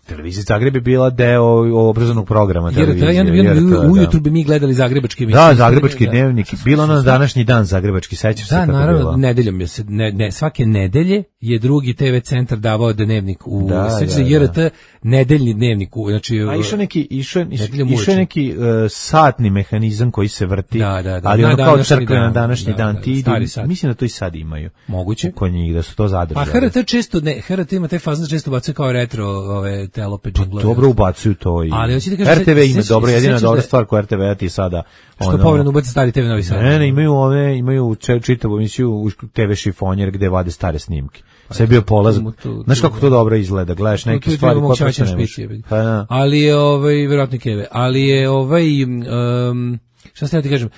Televizija Zagreb je bila deo obrazovnog programa televizije. Jer ja ujutru bi mi gledali zagrebački emisije. Da, zagrebački dnevnik. Bilo na današnji dan zagrebački, sećaš se da, kako naravno, bilo? Nedeljom je se, ne, ne, svake nedelje je drugi te ve centar davao dnevnik u, da, sećaš da, se J R T, nedeljni dnevnik u, znači... A išao neki, išao, išao je neki uh, satni mehanizam koji se vrti, da, da, da, ali na ono kao crkve dan, na današnji da, dan, da, ti idu, stari sat. mislim da to i sad imaju. Moguće. Kod njih, da su to zadržali. Pa H R T često, ne, H R T ima te fazne često bacaju kao retro, ove, telope džinglove. Pa dobro ubacuju to i... Ali, hoćete kažem, R T V ima sećaš- dobro, jedina sećaš dobra da- stvar koja R T V ti sada... Što ono- povremeno ubaci stari te ve Novi Sad. Ne, ne, imaju ove, imaju če- čitavu emisiju u te ve šifonjer gde vade stare snimke. Sve je bio polaz. tu- tu- Znaš kako tu- to dobro izgleda, gledaš Tu- tu neke je stvari bilo koje moguće prosto ne špici, možeš. jebi. Pa da. Ali je ovaj verovatno keve, ali je ovaj um, šta ste ja ti kažem,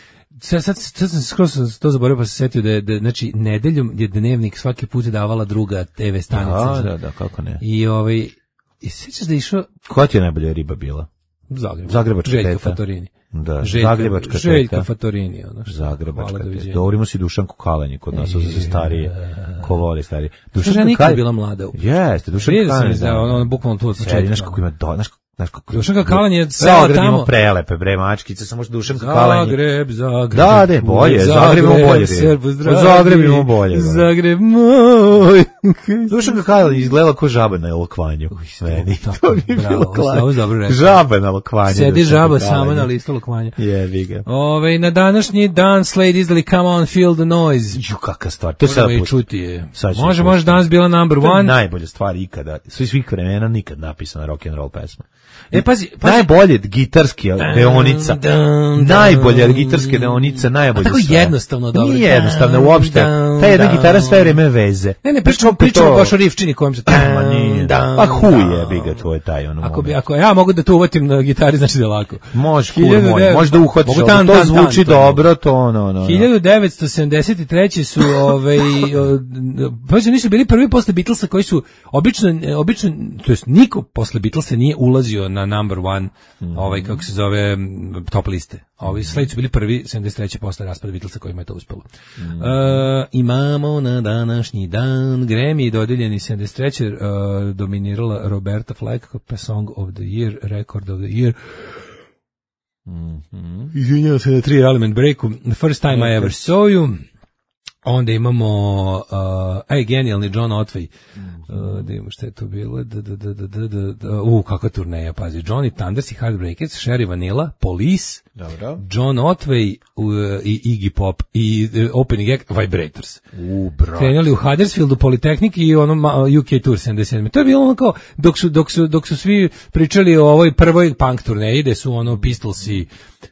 sad, sad, sad sam skroz to zaboravio pa se setio da je, da, znači nedeljom je dnevnik svaki put davala druga te ve stanica. Da, da, da, kako ne. I ovaj i sećaš da je išao Koja ti je najbolja riba bila? Zagreb. Zagrebačka Željka teta. Fatorini. Da, Željka, Zagrebačka Željka teta. Fatorini, ono što. Zagrebačka Hvala, teta. doviđenja. Govorimo si Dušanku Kalanji kod nas, su se starije, ko voli starije. Dušanka nikad bila mlada. Jeste, Dušanka Vidio sam Kalanji. da ono ono bukvalno tu od Sedi, početka. znaš kako ima, do, znaš, znaš kako... Dušanka Kalan je sela Zagreb ima tamo. prelepe, bre, mačkice, samo što Dušanka Kalanji. Zagreb, Zagreb. Da, de, bolje, Zagreb ima bolje. Srbu zdravi. Zagreb ima bolje. da. Zagreb moj. Dušanka Kalanji izgledala kao žaba na lokvanju. Meni. To bi bravo, bilo ovo klanje. si dobro rekao. Žaba na lokvanju. Sedi Dušanka žaba Kalanji. sama na listu lokvanja. Jebi ga. Ove, na današnji dan Slade izdali Come On Feel the Noise. Ju, kakva stvar. To je sada Možemo i pusti. čuti je. Sad ćemo Može, pustiti. može danas bila number To je one. najbolja stvar ikada. Svi svih vremena nikad napisana rock and roll pesma. E, pazi, pazi. Najbolje gitarski deonica. dam, Najbolja dam. gitarske deonica, najbolje A tako sve. jednostavno dobro. Nije jednostavno uopšte. Dam, Ta jedna dam. gitara sve vreme veze. Ne, ne, Znaš pričamo, kako je pričamo to- baš o rifčini kojem se... Ma nije. Dam, Pa huj dam. je, bi ga tvoj taj ono Ako bi, moment. ako ja mogu da to uvatim na gitari, znači da je lako. Može, kur hiljadu moj, devet- može da uhvatiš, mogu ali tan, to tan, zvuči tan, to dobro, to ono, ono. ono. hiljadu devetsto sedamdeset treće su ovaj pa su nisu bili prvi posle Beatlesa koji su obično obično to jest niko posle Beatlesa nije ulazio na number one ovaj kako se zove m, top liste. A ovi Slade su bili prvi sedamdeset treće posle raspada Beatlesa kojima je to uspelo. E, imamo na današnji dan Grammy dodeljeni sedamdeset treće e, dominirala Roberta Flack kao Song of the Year, Record of the Year. Izvinjavam se na tri element breaku. The first time I ever saw you. Onda imamo uh, aj, genijalni John Otway. Uh, da imamo šta je to bilo. Da, da, da, da, da, da, da. U, kakva turneja, pazi. Johnny Thunders i Heartbreakers, Sherry Vanilla, Police, Dobro. John Otway uh, i Iggy Pop i uh, opening act Vibrators. U, bro. Krenuli u Huddersfieldu, Politeknik i ono ma- U K Tour sedamdeset sedme. To je bilo ono kao, dok su, dok su, dok su svi pričali o ovoj prvoj punk turneji, gde su ono Pistolsi,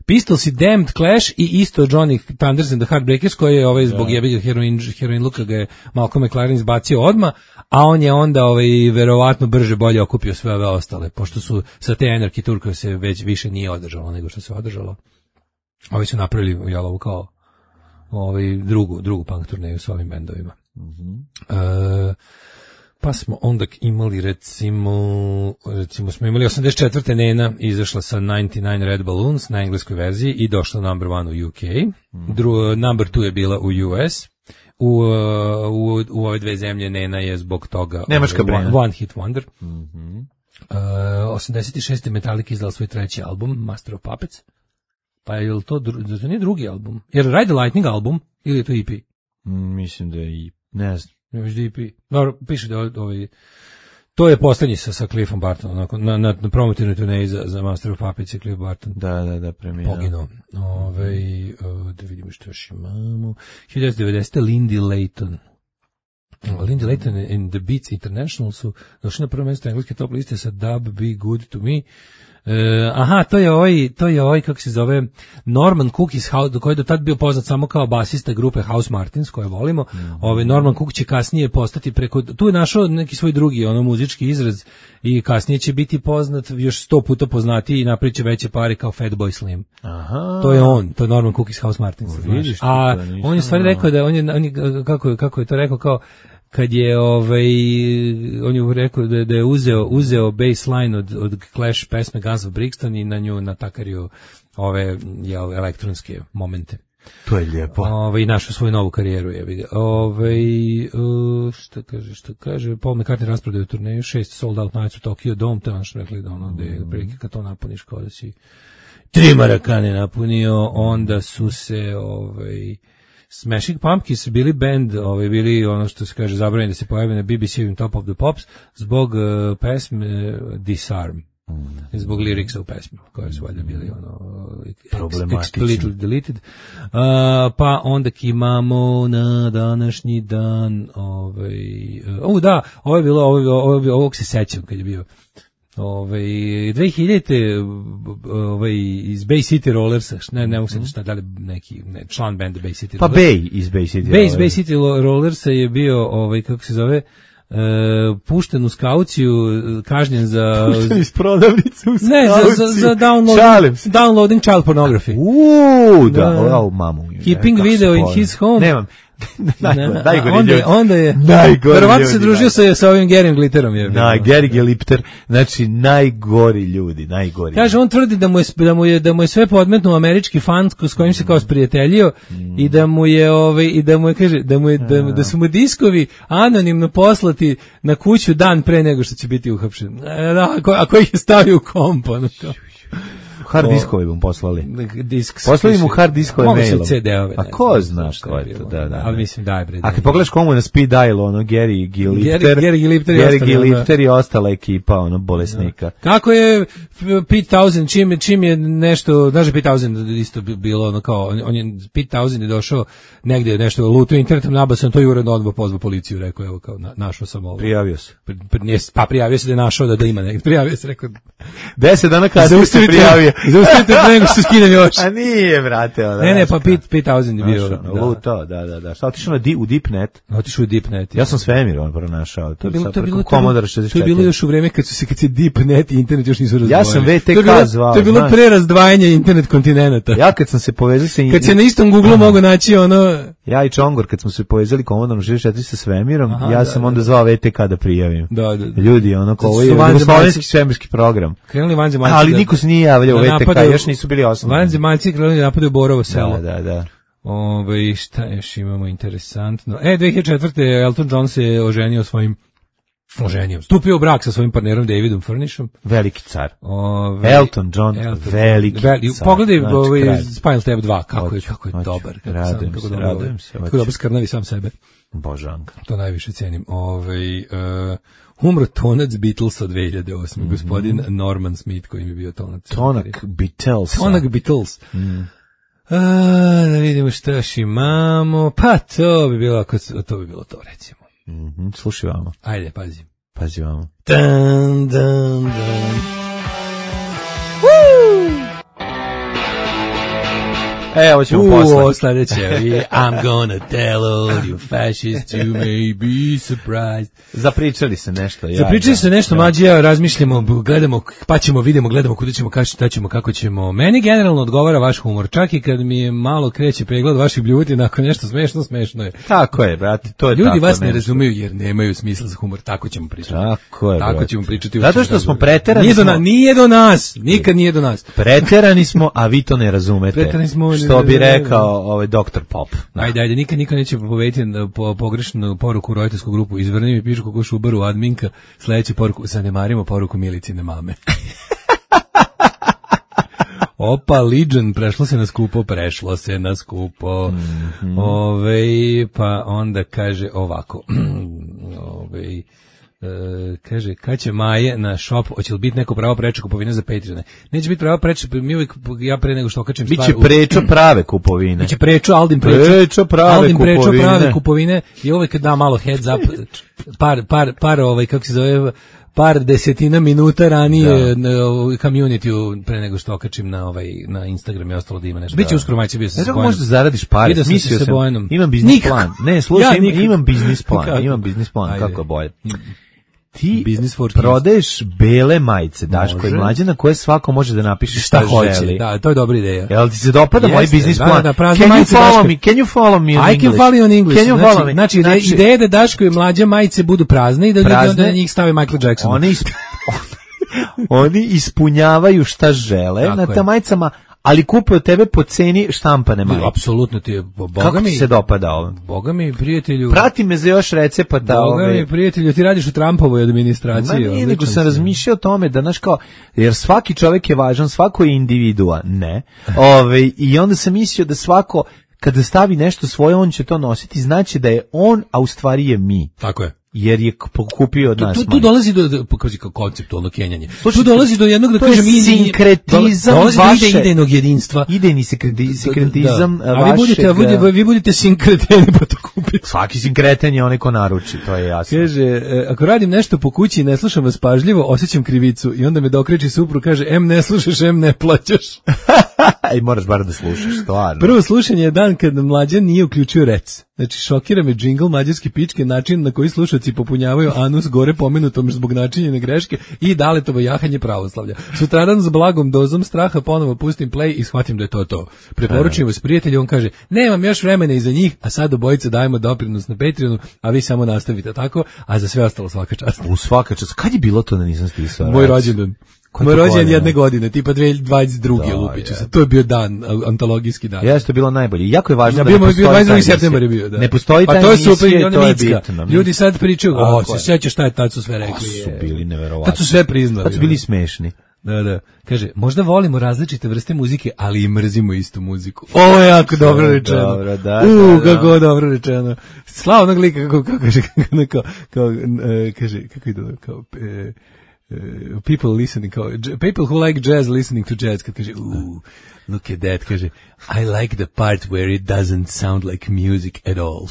Pistolsi, Damned, Clash i isto Johnny Thunders and the Heartbreakers, koji je ovaj zbog jebiga heroin, heroin luka ga je Malcolm McLaren izbacio odma, a on je onda ovaj, verovatno brže bolje okupio sve ove ostale, pošto su sa te Anarchy Tour koje se već više nije održalo nego što se održalo. Ovi su napravili jel, ovu kao ovaj drugu drugu punk turneju s ovim bendovima. Mm-hmm. E, pa smo onda imali recimo recimo smo imali osamdeset četvrte Nena izašla sa devedeset devet Red Balloons na engleskoj verziji i došla number one u U K. Mm-hmm. Dru, number two je bila u U S. U, u, u ove dve zemlje Nena je zbog toga Nemačka one, Brena. one hit wonder. Mhm. Uh, osamdeset šeste Metallica izdala svoj treći album Master of Puppets. Pa je li to, dru- to nije drugi album? Jer Ride the Lightning album ili je to E P? Mm, mislim da je i, ne znam. Ne možda E P. Dobro, piše da je ovaj, to je poslednji sa, sa Cliffom Bartonom, na, na, na, na promotivnoj turneji za, za Master of Puppets i Cliff Barton. Da, da, da, premijer. Poginuo. Ove, uh, da vidimo što još imamo. hiljadu devetsto devedesete Lindy Layton. Lindy Layton and the Beats International su došli na prvo mjesto engleske top liste sa Dub Be Good To Me. Uh, aha, to je ovaj, to je ovaj, kako se zove, Norman Cook iz House, koji je do tad bio poznat samo kao basista grupe House Martins, koje volimo. Mm-hmm. Ovaj Norman Cook će kasnije postati preko, tu je našao neki svoj drugi, ono, muzički izraz i kasnije će biti poznat, još sto puta poznatiji i napriče veće pare kao Fatboy Slim. Aha. To je on, to je Norman Cook iz House Martins. O, znaš. vidiš ti, A to nisam on je stvari znao. rekao da on je, on je kako, je- kako je to rekao, kao kad je ovaj on je rekao da, da je uzeo uzeo baseline od od Clash pesme Guns of Brixton i na nju natakario ove je elektronske momente. To je lijepo. Ovaj i našao svoju novu karijeru je vidi. Ovaj uh, šta kaže, šta kaže, Paul McCartney rasprodaju turneju, šest sold out nights u Tokyo Dome, to je ono što rekli da ono, gde prilike kad to napuniš kao da si tri marakane napunio, onda su se ovaj Smashing Pumpkins bili band, ovaj bili ono što se kaže zabranjeno da se pojavi na B B C-ovim Top of the Pops zbog uh, pesme uh, Disarm. Mm. Zbog liriksa u pesmi koje su valjda bili ono explicitly deleted. Uh, pa onda imamo na današnji dan ovaj uh, da, ovo je bilo ovo, ovo, ovog se sećam kad je bio ovaj dve hiljadite ovaj iz Bay City Rollersa, ne ne mogu se šta da li neki ne, član benda Bay City pa Bay iz Bay City Bay iz Bay City Rollersa je bio ovaj kako se zove Uh, pušten u skauciju, kažnjen za pušten iz prodavnice u skauciju. Ne, za, za, za downloading, downloading child pornography. Uuu, da, da, o, mamu. Keeping video in his home. Nemam. Najgore, najgore onda, ljudi. onda je verovatno se družio sa, sa ovim Gerim Glitterom. Je, Na, Geri Glipter, znači najgori ljudi, najgori. Kaže, on tvrdi da mu je, da mu je, da mu je sve podmetnuo američki fan s kojim se kao sprijateljio mm. i da mu je, ovaj, i da mu je, kaže, da, mu je, da, da su mu diskovi anonimno poslati na kuću dan pre nego što će biti uhapšen. Da, ako, ako ih je stavio u komp, ono kao. Hard diskove mu poslali. Disk, poslali mu hard diskove mailom. C D-ove. A ko zna ko je to, da, da. Ali mislim da je bre. A kad pogledaš komu na speed dial, ono Gary Glipter, Gary Glipter, Gary Glipter i ostala ekipa, ono bolesnika. Kako je Pete Townshend, čim, čim je nešto, znaš Pete Townshend isto bilo ono kao, on je, Pete Townshend je došao negdje nešto lutio internetom, nabasao, to je uredno odmah pozvao policiju, rekao, evo kao, na, našao sam ovo. Prijavio se. Pa prijavio se da je našao da, da ima negdje, prijavio se, rekao. Deset dana kada se prijavio. Zaustavite nego što skinem još. A nije, brate. Ona, ne, ne, pa Pete, Pete Townshend je bio. Da. Luto, da, da, da. Šta, otišao na di, u Deepnet? Otišao u Deepnet. Ja sam svemir on pronašao. To, to, to, bilo, Commodore šezdeset četiri. To je bilo još u vreme kad su se, kad se Deepnet i internet još nisu razdvojili. Ja sam V T K zvao. To je bilo pre razdvajanja internet kontinenta. Ja kad sam se povezao sa... Kad se na istom Google mogu naći ono... Ja i Čongor, kad smo se povezali Commodore šezdeset četiri sa svemirom, Aha, ja da, sam da, onda zvao V T K da prijavim. Da, da, da. Ljudi, ono, kao ovo je jugoslovenski svemirski program. Krenuli vanzemaljci. Ali niko se nije javljao u V T K, još nisu bili osnovni. Vanzemaljci krenuli da napadaju Borovo selo. Da, da, da. Ove, šta još imamo interesantno? E, dve hiljade četvrte. Elton John se oženio svojim oženio. Stupio u brak sa svojim partnerom Davidom Furnishom. Veliki car. Ove, Elton John, Elton, veliki veli, car. Pogledaj znači, ovaj Spinal Tap dva, kako je, kako je oću, dobar. Kako radujem sam, se, kako radujem se. Kako dobro skrnavi sam sebe. Božanka. To najviše cenim. Ove, uh, umro tonac Beatlesa dve hiljade osme. Mm-hmm. Gospodin Norman Smith koji mi je bio tonac. Tonak Beatles. Tonak Beatles. Mm. A, da vidimo šta još imamo. Pa to bi bilo, to bi bilo to, recimo. Mm-hmm. Slušaj vamo. Ajde, pazi. Pazi vamo. Dan, dan, dan. E, ovo ćemo posle. Uuu, sledeće. I'm gonna tell all you fascists you may be surprised. Zapričali se nešto. Ja, Zapričali da, se nešto, da. Mlađi, ja razmišljamo, gledamo, pa ćemo, vidimo, gledamo kuda ćemo, kada šta ćemo, kako ćemo. Meni generalno odgovara vaš humor, čak i kad mi je malo kreće pregled vaših bljuti, nakon nešto smešno, smešno je. Tako je, brate, to je Ljudi tako. Ljudi vas ne razumeju jer nemaju smisla za humor, tako ćemo pričati. Tako je, Tako brate. ćemo pričati. Zato što smo preterani. Nije do, smo... na, nije do nas, nikad nije do nas. Preterani smo, a vi to ne razumete. Preterani smo. Što bi rekao ovaj doktor Pop. Da. Ajde, ajde, nikad niko neće povediti po pogrešnu poruku u roditeljsku grupu. Izvrni mi pišu kako šubaru adminka, sledeću poruku, zanemarimo poruku Milicine mame. Opa, Legion, prešlo se na skupo, prešlo se na skupo. Mm-hmm. Ove, pa onda kaže ovako. Ove, Uh, kaže, kad će Maje na shop, hoće li biti neko pravo preče kupovine za Patreone? Neće biti pravo preče, mi uvijek, ja pre nego što okačem stvar... Biće prečo prave kupovine. Biće prečo, Aldin prečo. Prečo prave Aldin kupovine. Prečo prave kupovine i uvijek da malo heads up, par, par, par, ovaj, kako se zove, par desetina minuta ranije da. Community-u pre nego što okačim na ovaj na Instagram i ostalo da ima nešto. Biće uskoro majci bio sa Bojanom. Ne možeš da zaradiš pare. Mislio sam, Bojanom. Imam biznis plan. Ne, slušaj, ja, imam, imam biznis plan. Imam biznis plan, ajde. Kako je bolje. Ti prodaješ bele majice, Daško i Mlađana, koje svako može da napiše šta, šta hoće. Želi. Da, to je dobra ideja. Jel ti se dopada moj biznis plan? Da, da, can you follow me? Can you follow me on I can follow you on English. Can you follow me? Znači, znači ideja je da Daško i Mlađa majice budu prazne i da ljudi onda na njih stave Michael Jackson. Oni, isp... Oni ispunjavaju šta žele tako na ta majicama, ali kupe od tebe po ceni štampane majice. Apsolutno ti je, boga Kako mi, ti se dopada ovo? Boga mi, prijatelju... Prati me za još recepata. Boga ove... mi, prijatelju, ti radiš u Trumpovoj administraciji. Ma nije, nego sam razmišljao o tome da, znaš kao, jer svaki čovjek je važan, svako je individua, ne. Ove, I onda sam mislio da svako, kada stavi nešto svoje, on će to nositi, znači da je on, a u stvari je mi. Tako je. Jer je kupio od nas. Tu, tu, tu dolazi do, do pokazi kao konceptualno kenjanje. Slušaj, tu dolazi do jednog, da kažem, je sinkretizam dolazi vaše, do idejnog jedinstva. Idejni sinkretizam da. A vi budete, vašeg... vi, vi budete sinkreteni pa to kupite. Svaki sinkreten je onaj ko naruči, to je jasno. Kaže, ako radim nešto po kući i ne slušam vas pažljivo, osjećam krivicu i onda me dokreći suprug, kaže, em ne slušaš, em ne plaćaš. Ej, moraš bar da slušaš, stvarno. Prvo slušanje je dan kad mlađan nije uključio rec. Znači, šokira me džingl mađarske pičke, način na koji slušaci popunjavaju anus gore pomenutom zbog načinjene greške i daletovo jahanje pravoslavlja. Sutradan s blagom dozom straha ponovo pustim play i shvatim da je to to. Preporučujem vas prijatelju, on kaže, nemam još vremena iza njih, a sad obojica dajemo doprinos na Patreonu, a vi samo nastavite tako, a za sve ostalo svaka čast. U svaka čast. Kad je bilo to da nisam spisao? Moj rođendan. Moj rođendan jedne godine, tipa dve hiljade dvadeset druge lupiću se. To je bio dan, antologijski dan. Jeste, to je bilo najbolje. Jako je važno ja, da bio, ne postoji dvadeset drugi septembar je bio, da. Ne postoji taj to je emisije, super, to je bitno. Ljudi sad pričaju, o, se sjećaš šta je tad su sve rekli. A su bili neverovatni. Tad su sve priznali. Tad su bili smešni. Da, da. Kaže, možda volimo različite vrste muzike, ali i mrzimo istu muziku. Ovo je jako dobro rečeno. Dobro, da, U, da, kako da. Dobro rečeno. Slava onog lika, kako, kako kaže, kao, kao, kaže, kako ide, kao, e, Uh, people listening, kao, people who like jazz listening to jazz, kad kaže, ooh, look at that, kaže, I like the part where it doesn't sound like music at all.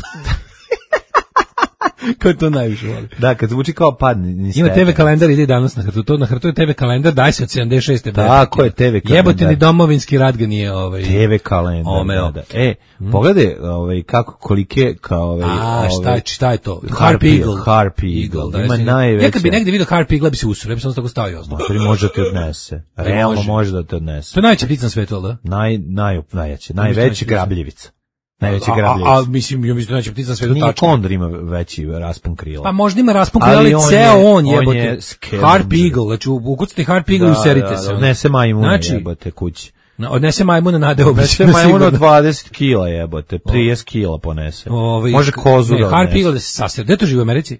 Ko to najviše voli? Da, kad zvuči kao pad. Ima te ve kalendar, ide danas na hrtu. To na hrtu je te ve kalendar, daj se od sedamdeset šeste. Tako je, te ve kalendar. Jebote ni domovinski rat ga nije ovaj... te ve kalendar, omeo. Da, da. E, hmm? Pogledaj ovaj, kako, kolike, kao ovaj... A, šta je, šta je to? Harp Eagle. Harp Eagle, da, ima najveće. Ja kad bi negde vidio Harp Eagle, bi se usro, ja bi sam tako stavio. Motori može da te odnese. Realno može da te odnese. To je najveća ptica na svetu, da? Naj, naj, najjače, najveći grabljivica. Najveći grabljivica. A, a, mislim, ja mislim da najveća ptica na svetu tačno. Nije kondor ima veći raspon krila. Pa možda ima raspon krila, ali, ali ceo on jebote. Harp Eagle, znači ukucate Harp Eagle i userite se. Odnese majmuna jebote kući. Odnese majmuna nade obično. Odnese majmuna od dvadeset kila jebote, trideset kila ponese. Može kozu da odnese. Harp Eagle da se sasira. Gde to živi u Americi?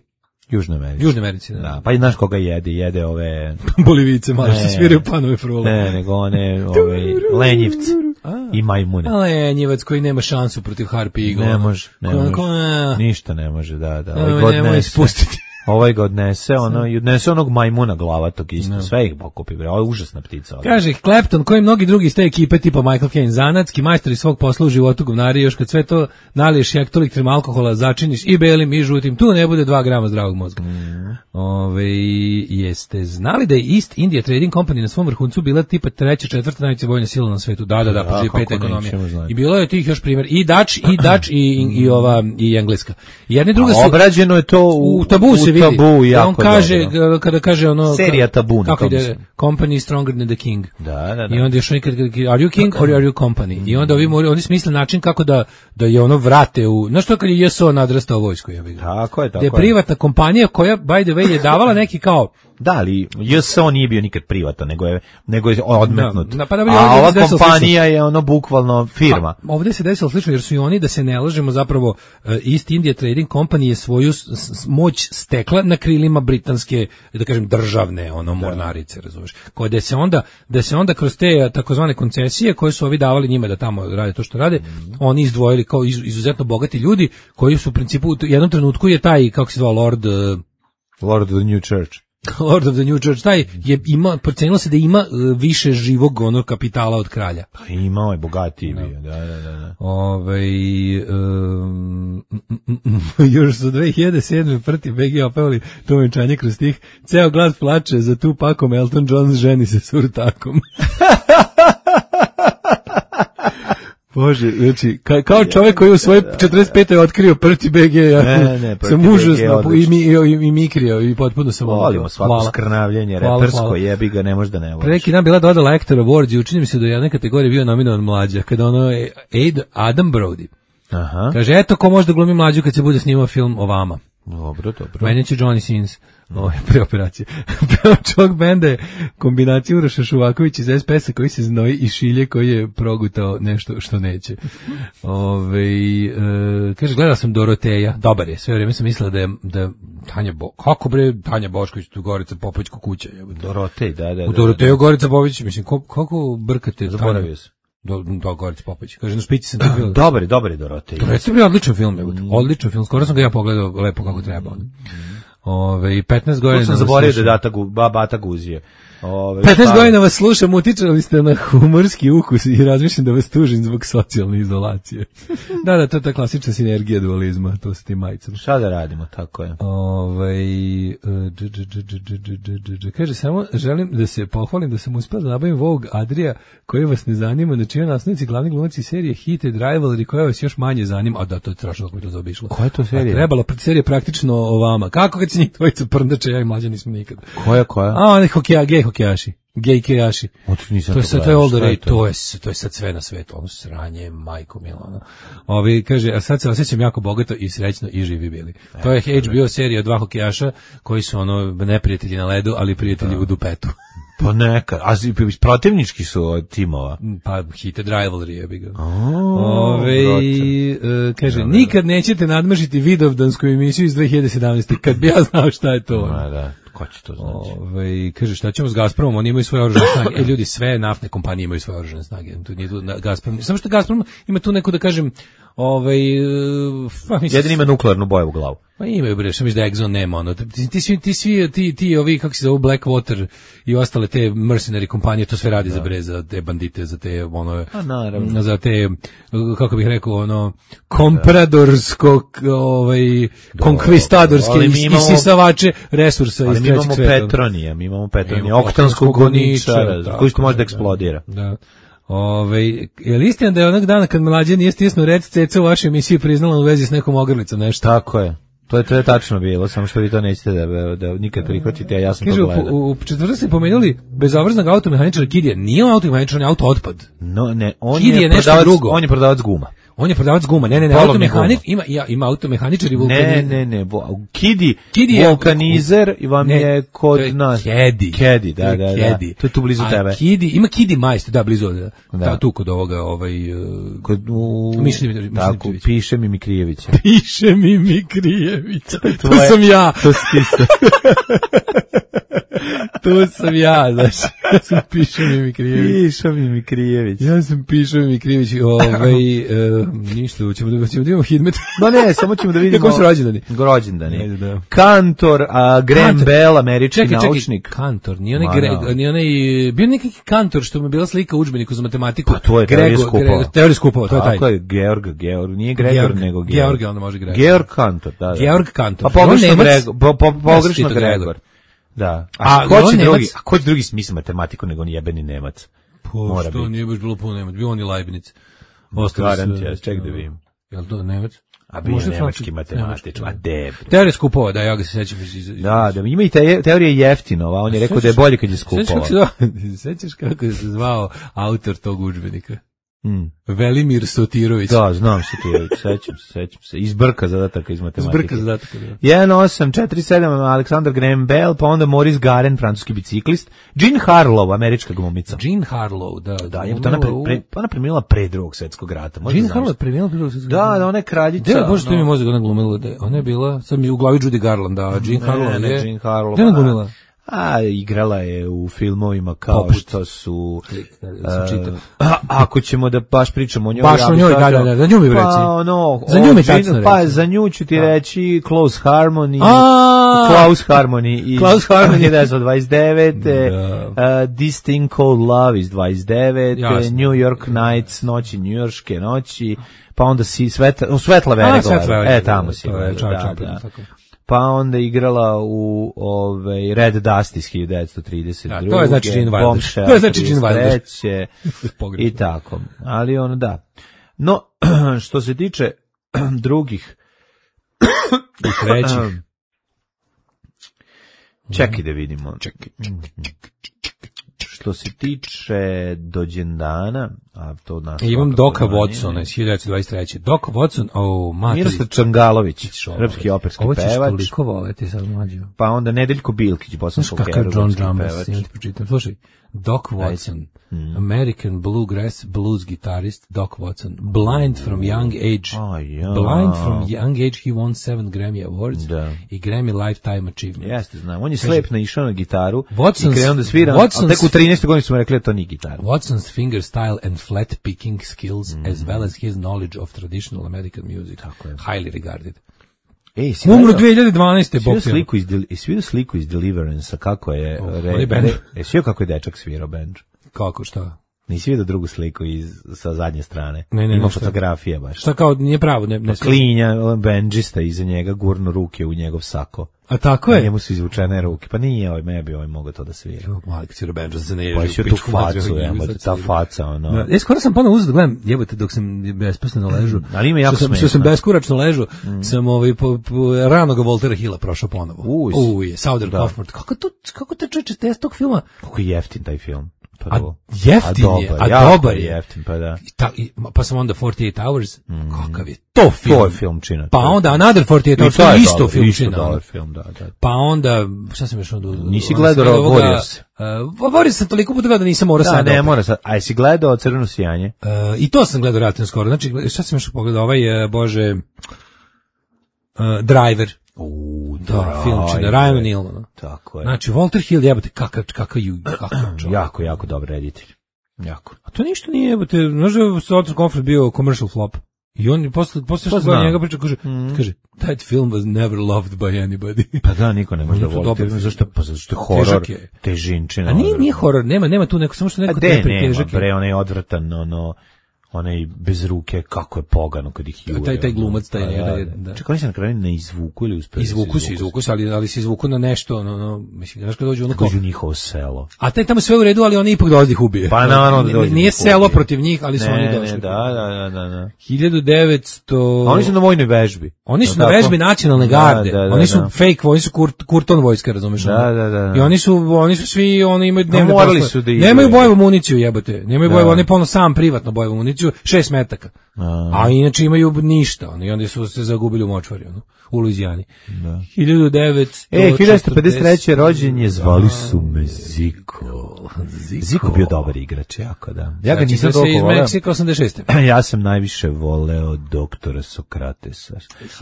Južnoj Americi. Južnoj Americi, da. da. Pa i znaš koga jede, jede ove... Bolivice, malo što sviraju panove frule. Ne, nego one ove, lenjivci i majmune. A lenjivac koji nema šansu protiv Harp Eagle. Ne može, ne ko, može. Ko, ništa ne može, da, da. Ovaj god nemoj spustiti. Ovaj ga odnese, ono, i odnese onog majmuna glavatog isto, no. Sve ih pokupi, bre, ovo je užasna ptica. Ovdje. Kaže, Clapton, koji mnogi drugi iz te ekipe, tipa Michael Caine, zanatski majstori svog posla u životu govnari, još kad sve to naliješ hektolitrim alkohola, začiniš i belim i žutim, tu ne bude dva grama zdravog mozga. Mm. Ove, jeste znali da je East India Trading Company na svom vrhuncu bila tipa treća, četvrta najveća vojna sila na svetu? Da, da, da, pa peta ekonomija. I bilo je tih još primjer, i Dutch, i Dutch, i, i, i ova, i Engleska. Jedna druga su... Obrađeno je to u, u tabu se vidi. Tabu, jako on kaže, dobro. Kada kaže ono... Serija Tabu. Kako ide? Company stronger than the king. Da, da, da. I onda još nekad, are you king or are you company? Mm. I onda ovi, oni smisle način kako da, da je ono vrate u... Znaš to kad je J S O nadrastao vojsku? Ja bih. Tako je, tako je. Da je privatna kompanija koja, by the way, je davala neki kao... Da, ali J S O nije bio nikad privatan, nego je, nego je odmetnut. Da, pa da a ova kompanija slično. Je ono bukvalno firma. Pa, ovdje se desilo slično, jer su i oni, da se ne lažemo, zapravo East India Trading Company je svoju moć stekla na krilima britanske, da kažem, državne ono mornarice, razumeš. Koje da se onda, da se onda kroz te takozvane koncesije koje su ovi davali njima da tamo rade to što rade, mm. oni izdvojili kao izuzetno bogati ljudi koji su u principu u jednom trenutku je taj, kako se zvao, Lord... Lord of the New Church. Lord of the New Church, taj je ima, procenilo se da ima uh, više živog onog kapitala od kralja. Pa imao je bogatiji bio, da, da, da. da. Ove, um, još su dve hiljade sedme prti B G opevali to venčanje kroz tih. Ceo grad plače za tu pakom, Elton John ženi se s urtakom. Bože, znači, ka, kao čovjek koji u svojoj četrdeset petoj otkrio prti B G, ja ne, ne, sam užasno i, mi, i, i mikrio i potpuno sam... Volimo svako skrnavljenje, repersko jebi ga, ne možeš da ne voliš. Preki dan bila dodala Actor Awards i učini mi se da je jedna kategorija bio nominovan mlađa, kada ono je Adam Brody. Aha. Kaže, eto ko može da glumi mlađu kad se bude snimao film o vama. Dobro, dobro. Meni će Johnny Sins. Ovo je preoperacija. Pevač ovog benda je kombinacija Uroša Šuvaković iz es pe es-a koji se znoji i Šilje koji je progutao nešto što neće. Ove, e, kaže, gledala sam Doroteja, dobar je, sve vrijeme sam mislila da je, da je Tanja Bo... Kako bre, Tanja Bošković, tu Gorica Popović kuća. Dorotej, da, da. U Doroteju Gorica Popović, mislim, kako, kako brkate? Zaboravio sam. Do, do Gorica Popović. Kaže, na špici sam to bilo. Dobar je, dobar je Dorotej. Dorotej je bio odličan film, mm. odličan film, skoro sam ga ja pogledao lepo kako treba. Mm. Ove, petnaest godina... To sam zaboravio da je data, ba, Bata Guzije. Ove, petnaest godina vas slušam, utičali ste na humorski ukus i razmišljam da vas tužim zbog socijalne izolacije. Da, da, to je ta klasična sinergija dualizma, to sa tim majicama. Šta da radimo, tako je. Ove, kaže, samo želim da se pohvalim da sam uspio da nabavim Vogue Adria, koji vas ne zanima, na čijoj naslovnici glavni glumac iz serije Heated Rivalry, koja vas još manje zanima, a da, to je strašno kako mi to zaobišlo. Koja je to serija? A trebala serija praktično o vama. Kako kad se njih dvojica prndače, ja i mlađa nismo nikad. Koja, koja? A, oni hokeja, gej hokejaši. Gej hokejaši. To je sad, to je all the rage, to je, to je sad sve na svetu, ono sranje, majko Milano. Ovi, kaže, a sad se osjećam jako bogato i srećno i živi bili. To je H B O serija dva hokejaša koji su ono neprijatelji na ledu, ali prijatelji u dupetu. Pa neka, a protivnički su od timova. Pa Heated Rivalry je bi ga. Ove, e, kaže, da, nikad nećete nadmašiti Vidovdansku emisiju iz dve hiljade sedamnaeste. Kad bi ja znao šta je to. Da, da. Ko će to znači? Ove, kaže, šta ćemo s Gazpromom? Oni imaju svoje oružane snage. E, ljudi, sve naftne kompanije imaju svoje oružane snage. Tu nije tu Gazprom. Samo što Gazprom ima tu neku, da kažem, ovaj pa mislim, jedan ima nuklearnu boju u glavu. Pa imaju bre, što misliš da Exxon nema ono. Ti, ti svi ti svi ti ti ovi kako se zove Blackwater i ostale te mercenary kompanije to sve radi da. Za bre za te bandite, za te ono a naravno za te kako bih rekao ono kompradorsko ovaj konkvistadorske isisavače resursa iz trećeg sveta. Mi imamo Petronija, mi imamo Petronija, oktanskog goničara koji što može da eksplodira. Da. Ove, je li istina da je onog dana kad mlađe nije stisnuo rec ceca u vašoj emisiji priznala u vezi s nekom ogrlicom nešto? Tako je. To je, to je tačno bilo, samo što vi to nećete da, da nikad prihvatite, a ja sam Kaže, to gledao. U, u četvrtak ste pomenuli bezobraznog automehaničara Kidija. Nije on automehaničar, on je auto otpad. No, ne, on Kid je, je nešto prodavac, drugo. On je prodavac guma. On je prodavac guma. Ne, ne, ne, automehanič, ima, ja, ima automehaničar i vulkanizer. Ne, ne, ne, Kidi, Kidi vulkanizer i vam ne, je kod je nas. Kedi. Kedi, da, da, da. Kedi. To je tu blizu a tebe. Kidi, ima Kidi majstor, da, blizu, da. da. Tu kod ovoga, ovaj... Uh, kod, u... Mišljen Mitrović. Tako, piše mi Mikrijevića. Piše mi Mikrijevića. To, to sam ja. To si ti se. To sam ja, znaš. Ja sam Piše mi Mikrijević. Piše mi Mikrijević. Ja sam Piše mi Mikrijević. Ovaj, uh, ništa, ćemo da ćemo da imamo hidmet. Ma ne, samo ćemo da vidimo. Kako su rođendani? Rođendani. Da. Kantor, a Graham Bell, američki čekaj, čekaj, naučnik. Kantor, nije onaj, Gre, nije onaj, bio neki kantor što mu je bila slika u udžbeniku za matematiku. Pa to je teorija skupova. Teorija skupova, to je taj. Tako je, Georg, Georg, nije Gregor, Georg, nego Georg. Georg, onda može Gregor. Georg Kantor, da, da. Georg Kantor. Pa pogrešno Gregor, po, po, pogrešno Gregor. Da. A, a ko će drugi, a ko će drugi smisli matematiku nego on jebeni Nemac? Po, što biti. Nije baš bilo puno Nemac, bio on i Leibniz. Garantija, ček da vidim. Jel to Nemac? A bio je nemački matematič, a deb. Teorija skupova, da, ja ga se sećam. Da, da, ima i te, teorija Jeftinova, on je rekao da je bolje kad je skupova. Sećaš kako se zvao autor tog udžbenika? Mm. Velimir Sotirović. Da, znam Sotirović, sećam se, sećam se. Izbrka zadataka iz matematike. Izbrka zadataka, da. jedan osam četiri sedam Alexander Graham Bell, pa onda Maurice Garen, francuski biciklist. Jean Harlow, američka glumica. Jean Harlow, da. Da, je ona, pre, pre, ona premijela pre drugog svjetskog rata. Jean Harlow je premijela pre drugog svjetskog rata? Da, da, ona je kraljica. Da, bože, to mi je mozak ona glumila. Da, ona je bila, sad mi u glavi Judy Garland, da, Jean Harlow je. Ne, ne, Jean Harlow. Gde je ona glumila? A, igrala je u filmovima kao Poput. Što su... Uh, a, ako ćemo da baš pričamo o njoj... Baš o njoj, da, da, da, za nju mi reci. Pa, ono, za nju mi tačno reci. Pa, za nju ću ti reći Close Harmony, a, Close Harmony iz Close Harmony devetnaest dvadeset devet, uh, This Thing Called Love iz dvadeset devet, New York Nights, noći, njujorške noći, pa onda si Svetla, Svetla Veregova, e, tamo si. Da, da. Pa onda igrala u ovaj Red Dust iz hiljadu devetsto trideset druge. Da, to je znači Gene Wilder. To je znači Gene Wilder. I tako. Ali ono da. No, što se tiče drugih i trećih. Čekaj da vidimo. Čekaj, čekaj, čekaj. što se tiče dođendana, a to nas E, imam svakako Doka manje, Watsona iz hiljadu devetsto dvadeset treće. Doc Watson, o, materi. Miroslav Čangalović, srpski operski Ovo ćeš pevač. toliko voleti sad mlađo. Pa onda Nedeljko Bilkić, Znaš bosanskog kakav John herojski Drummers, pevač. ja ti pročitam. Slušaj, Doc Watson, American bluegrass blues guitarist Doc Watson, blind from young age, A, ja. blind from young age he won seven Grammy Awards Da. i Grammy Lifetime Achievement. Jeste, znam. On je slep naišao na gitaru Watson's- i krenuo da svira, Watson's- ali tek u trinaestoj godini su mu rekli da to nije gitara. Watson's finger style and flat picking skills as well as his knowledge of traditional American music, highly regarded. Ej, si Umro gledao- dve hiljade dvanaeste. Si vidio bok te- sliku iz, Del- jesi vidio sliku iz Deliverance-a, kako je... Oh, re, onaj bend. re, jesi vidio kako je dečak svirao bend? Kako, šta? Nisi vidio drugu sliku iz, sa zadnje strane? Ne, ne, Ima ne, šta? fotografije baš. Šta kao, nije pravo, ne, ne Klinja, on bendžista iza njega, gurno ruke u njegov sako. A tako A je? njemu su izvučene ruke. Pa nije ovaj, ne bi ovaj mogao to da svira. Mali kad si Robenđa se ne ježi. Pa u je tu pičku facu, materinu, jebote, sad ta svira. faca, ono. Da, ja skoro sam ponovo uzeo da gledam, jebote, dok sam besposno ležu. Ali ima jako što sam, što smešno. sam beskuračno ležu, sam ovaj, po, po, ranog Voltera Hilla prošao ponovo. Uj. Uj, Southern Da. Comfort. Kako to, kako te čoveče, te tog filma? Kako je jeftin taj film. A Prvo. jeftin je, a jako dobar je. jeftin, pa da. I ta, i, pa sam onda forty-eight hours, kakav je to film? To je film čina. Pa onda Another forty-eight I hours, to to je je isto dobar, film isto čina. dobar film, da, da. Pa onda, šta sam još onda... Nisi onda gledao sam gledao ovoga, Warriors? Uh, Warriors sam toliko puta gledao da nisam morao Da, sad. ne opet. mora sad. A jesi gledao Crveno sijanje? Uh, I to sam gledao relativno skoro. Znači, šta sam još pogledao? Ovaj, uh, bože, uh, Driver. U, Da, film čina, Ryan O'Neal. ono. Tako je. Znači, Walter Hill, jebote, kakav, kakav, ju- kakav čovjek. jako, jako dobar reditelj. Jako. A to ništa nije, jebote, znaš da je Southern Comfort bio commercial flop. I on je posle, posle što Pa gleda znam. njega priča, kaže, kaže, that film was never loved by anybody. Pa da, niko ne može da On je to voli. dobar film, film. Zašto? Pa zato što je horor, Težak je. težinčina. A nije, odvratan. nije horor, nema, nema tu neko, samo što A neko de, tepe nema, težak je. bre, onaj odvratan, ono, onaj bez ruke, kako je pogano kad ih jure. Taj- taj ono. glumac, taj Pa njega, da, da, da. da. Čekaj, oni se na kraju ne izvuku ili uspeli? Izvuku se, izvuku se, ali, ali se izvuku na nešto, no, no, mislim, znaš kad dođu ono kao, Dođu u njihovo selo. a taj tamo sve u redu, ali oni ipak dolazi ih ubije. Pa naravno da dođu Nije ih selo ubije. protiv njih, ali su Ne, oni ne, došli. da, da, da, da. hiljadu devetsto A oni su na vojnoj vežbi. Oni su Jel na tako? vežbi nacionalne Da, garde. da, da, Oni su da. fake, oni su Kurt, Kurton vojska, razumeš? Da, ono? da, da. I oni su oni su svi, oni imaju dnevne morali poslove. su da idu, Nemaju je. bojevu municiju, jebote. Nemaju Da. bojevu, oni polno sam privatno bojevu municiju, šest metaka. A. A inače imaju ništa, oni onda su se zagubili u močvari, ono, u Luizijani. Da. hiljadu devetsto E, hiljadu devetsto pedeset treće rođen je, zvali su me Ziko. Ziko bio dobar igrač, jako da. Ja ga nisam se toliko iz voleo. Meksika osamdeset šeste. Ja sam najviše voleo doktora Sokratesa.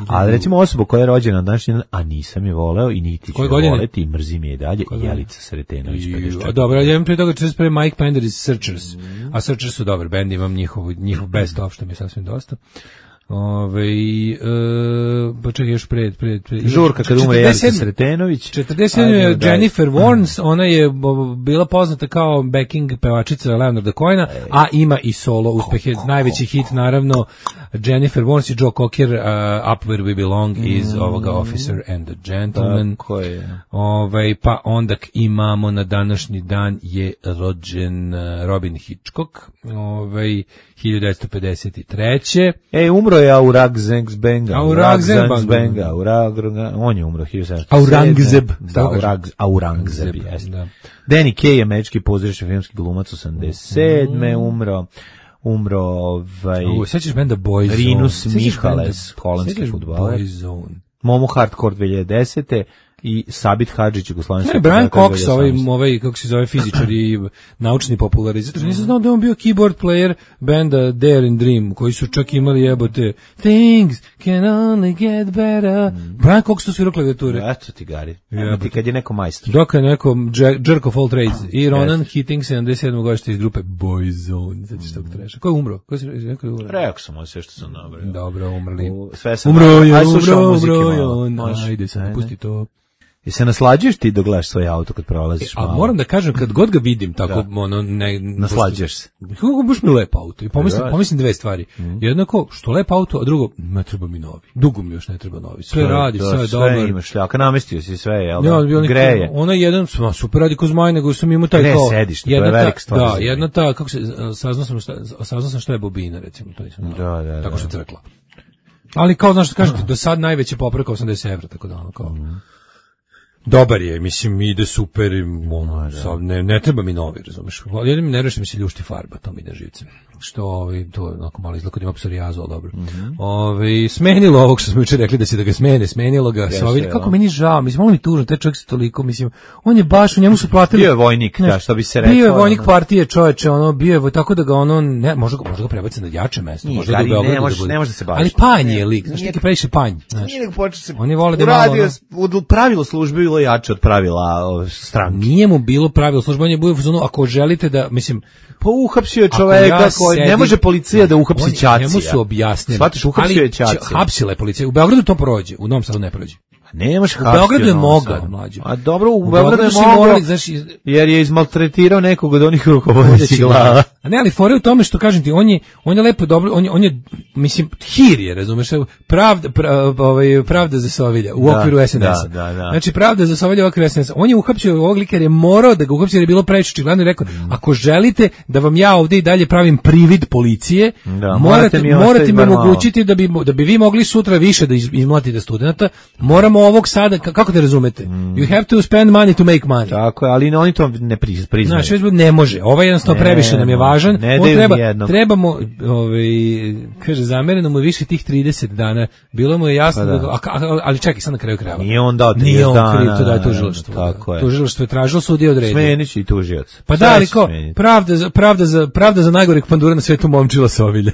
Ali recimo osoba koja je rođena na današnji dan, a nisam je voleo i niti ću Koje je godine? voleti i mrzim je i dalje, godine? Jelica Sretenović. pedeset A četiri. dobro, ja imam prije toga četrdeset prve Mike Pender iz Searchers. A Searchers su dobar bend, imam njihov, njihov best of, što mi je sasvim dosta. Ove, e, pa čekaj još pred, pred, pred. Žurka kad umre Jelica četrdeset sedme Sretenović. četrdeset sedme je Ajde, daj. Jennifer Warnes, ona je bo- bila poznata kao backing pevačica Leonarda Cohena, a ima i solo uspehe. Najveći hit naravno Jennifer Warnes i Joe Cocker, uh, Up Where We Belong iz ovoga Officer and the Gentleman. Tako je. Ovaj, pa onda k- imamo na današnji dan je rođen uh, Robin Hitchcock, ovaj, hiljadu devetsto pedeset treće. E, umro je Aurangzeb-Benga. Aurangzeb. Aurangzeb-Benga. Aurang- On je umro hiljadu sedamsto Aurangzeb. Da, Aurang- Aurangzeb, jeste. Da. Danny Kaye, američki pozorišni filmski glumac, osamdeset sedme umro. Umro ovaj... U, sećaš benda Boyzone? Rinus Sećaš Mihales, benda- holandski sećaš fudbaler. Boyzone? Momo Hardcore dve hiljade desete i Sabit Hadžić, jugoslovenski. Ne, Brian fudbaler Cox, ovaj, dve hiljade osamnaeste. ovaj, kako se zove, fizičar i naučni popularizator. Nisam znao da je on bio keyboard player benda Dare and Dream, koji su čak imali jebote Things can only get better. Brian Cox to svirao klavijature. Eto ti gari. Jebote. Ti kad je neko majstor. Dok je neko dž- jerk of all trades. I Ronan Keating, sedamdeset sedme godište iz grupe Boyzone. Znači što treša. Ko je umro? Ko si rekao je umro? Rekao sam on sve što sam nabrao. Dobro, umrli. U- Sve sam Umro je, Ajde, slušamo umro, muzike umro je malo. on. Može. Ajde, sad Ajde. pusti to. I se naslađuješ ti dok gledaš svoj auto kad prolaziš A malo? moram da kažem, kad god ga vidim tako, ono, ne... Naslađuješ se. Kako baš mi lep auto. I pomislim, Da. pomislim dve stvari. Jednako, što lep auto, a drugo, ne treba mi novi. Dugo mi još ne treba novi. Sve radi, To- sve je sve dobro. imaš šljaka, namestio si sve, jel Ja, da? bio neki- Greje. Ona jedan, ma, super radi ko zmaj, nego sam imao taj Ne, kao... sedište, to je jedna ta- velika stvar za Da, zimi. jedna ta, kako se, saznao sam šta, saznao sam šta je bobina, recimo, to nisam znao. Da, da, da. Tako što crkla. Ali kao, znaš što kažete, do sad najveće popravka osamdeset evra, tako da ono kao... Dobar je, mislim, ide super, ono, sad, ne, ne treba mi novi, razumeš. Jedin mi ne reši mi se ljušti farba, to mi ide živcem. Što, ovaj, to je onako malo izgleda kod ima psorijazu, ali dobro. Mm-hmm. Ovaj, smenilo ovog što smo jučer rekli da se da ga smene, smenilo ga. Sovilj, kako meni žao, mislim, malo mi tužno, taj čovjek se toliko, mislim, on je baš, u njemu su platili. Bio je vojnik, ne, da, što bi se rekao. Bio je vojnik partije, čoveče, ono, bio je, tako da ga ono, ne, može ga, može ga prebaciti na jače mesto, Nije, može da ga ne, Beogradu može, da bude. ne može da se bavi. Ali panj je lik, znaš, neki previše panj, znaš. Nije nego počeo se. Oni vole da malo, ono, pravilo službe bilo jače od pravila o, stranke. Nije mu bilo pravilo službe, on je bio u fazonu, ako želite da, mislim, pa uhapsio je čoveka ja koji ne može policija da uhapsi Ćacija. Njemu su objasnili. Shvatiš, uhapsio je Ćacija. Hapsila je policija. U Beogradu to prođe, u Novom Sadu ne prođe. Nemaš hapsio. U Beogradu je mogao, mlađe. A dobro, u, u Beogradu je mogao, jer je izmaltretirao nekog od onih rukovodećih glava. A ne, ali fore u tome što kažem ti, on je, on je lepo dobro, on je, on je mislim, hir je, razumeš, pravda, prav, ovaj, pravda za Sovilja u okviru S N S-a. Da, da, da. Znači, pravda za Sovilja u okviru S N S-a. On je uhapsio ovog lika jer je morao da ga uhapsio jer je bilo previše očigledno i rekao, mm. ako želite da vam ja ovdje i dalje pravim privid policije, da, morate, mi, morate mi omogućiti da bi, da bi vi mogli sutra više da izmlatite studenta, moramo ovog sada, kako te razumete? Mm. You have to spend money to make money. Tako je, ali oni to ne priznaju. Znači, ne može. Ovaj jednostavno ne, previše nam je važan. Ne, on treba, trebamo, ovaj, kaže, zamereno mu je više tih trideset dana. Bilo mu je jasno, pa da. Da, a, ali čekaj, sad na kraju krajeva. Nije on dao trideset dana. Nije on kriv, to daje tužilaštvo. Tako je. Tužilaštvo je tražilo, sudija odredio. Smenić i tužilac. Pa da, ali ko, pravda za, pravda za, pravda za najgoreg pandura na svetu Momčila Sovilja.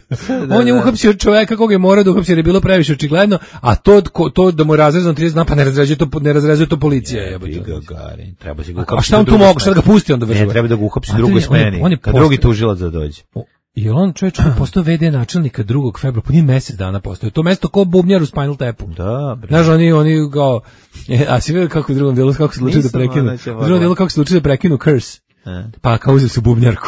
Da, on je uhapsio čoveka koga je morao da uhapsio jer je bilo previše očigledno, a to, to da mu razrezano trideset dana, pa ne razređuje to, ne razrezuje to policija. Je, Gagarin, treba se ga uhapsiti. A šta on tu mogu, šta da ga pusti onda vršuje? Ne, treba da ga uhapsi drugoj smeni, on je, kad drugi tužilac da dođe. I on čovječ postao ve de načelnika drugog februara, po njih mjesec dana postao. To mesto ko bubnjar u Spinal Tapu. Da, bre. Znaš, oni, oni kao, e, a si vidio kako u drugom delu, kako se odlučili da prekinu, u drugom delu kako se odlučili da prekinu Curse. E. Pa kao uzeli su bubnjarku.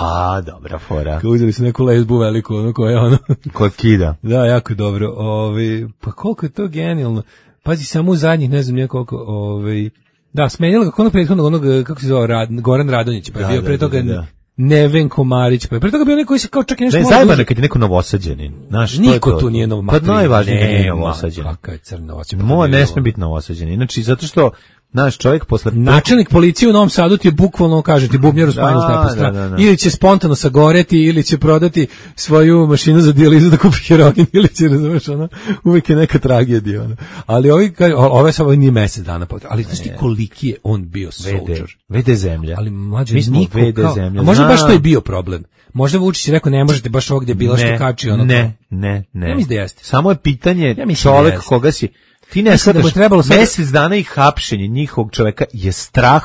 A, dobra fora. Kao uzeli su neku lesbu veliku, ono koje ono. Ko kida. Da, jako dobro. Ovi, pa koliko je to genijalno. Pazi, samo u zadnjih, ne znam nije koliko, ovaj, da, smenjala kako onog prethodnog, onog, kako se zove, Rad, Goran Radonjić, pa je da, bio pre toga da, da. Neven Komarić, pa je pre toga bio neko koji se kao čak i nešto... Ne, zajebano kad je neko novosađenin, znaš, niko tu nije novosađenin. Pa najvažnije da nije novosađenin. Kakav je crn novosađenin. Moja ne sme biti novosađenin, znači, zato što naš čovjek posle... Načelnik policije u Novom Sadu ti je bukvalno, kaže ti, bubnjar u Spinal Tapu, da, da, da. Ili će spontano sagoreti, ili će prodati svoju mašinu za dijalizu da kupi heroin, ili će, razumeš, ono, uvijek je neka tragedija, ono. Ali ovi, ove samo nije mjesec dana, ali znaš ti koliki je on bio soldier. ve de zemlja. Ali mlađe, mi smo ve de zemlja. A možda baš to je bio problem. Možda Vučić je rekao, ne možete baš ovdje bila što kači, ono. Ne, ne, ne. Ja mislim da jeste. Samo je pitanje ja čovjek da koga si... Ti ne shvataš, mjesec dana i hapšenje njihovog čoveka je strah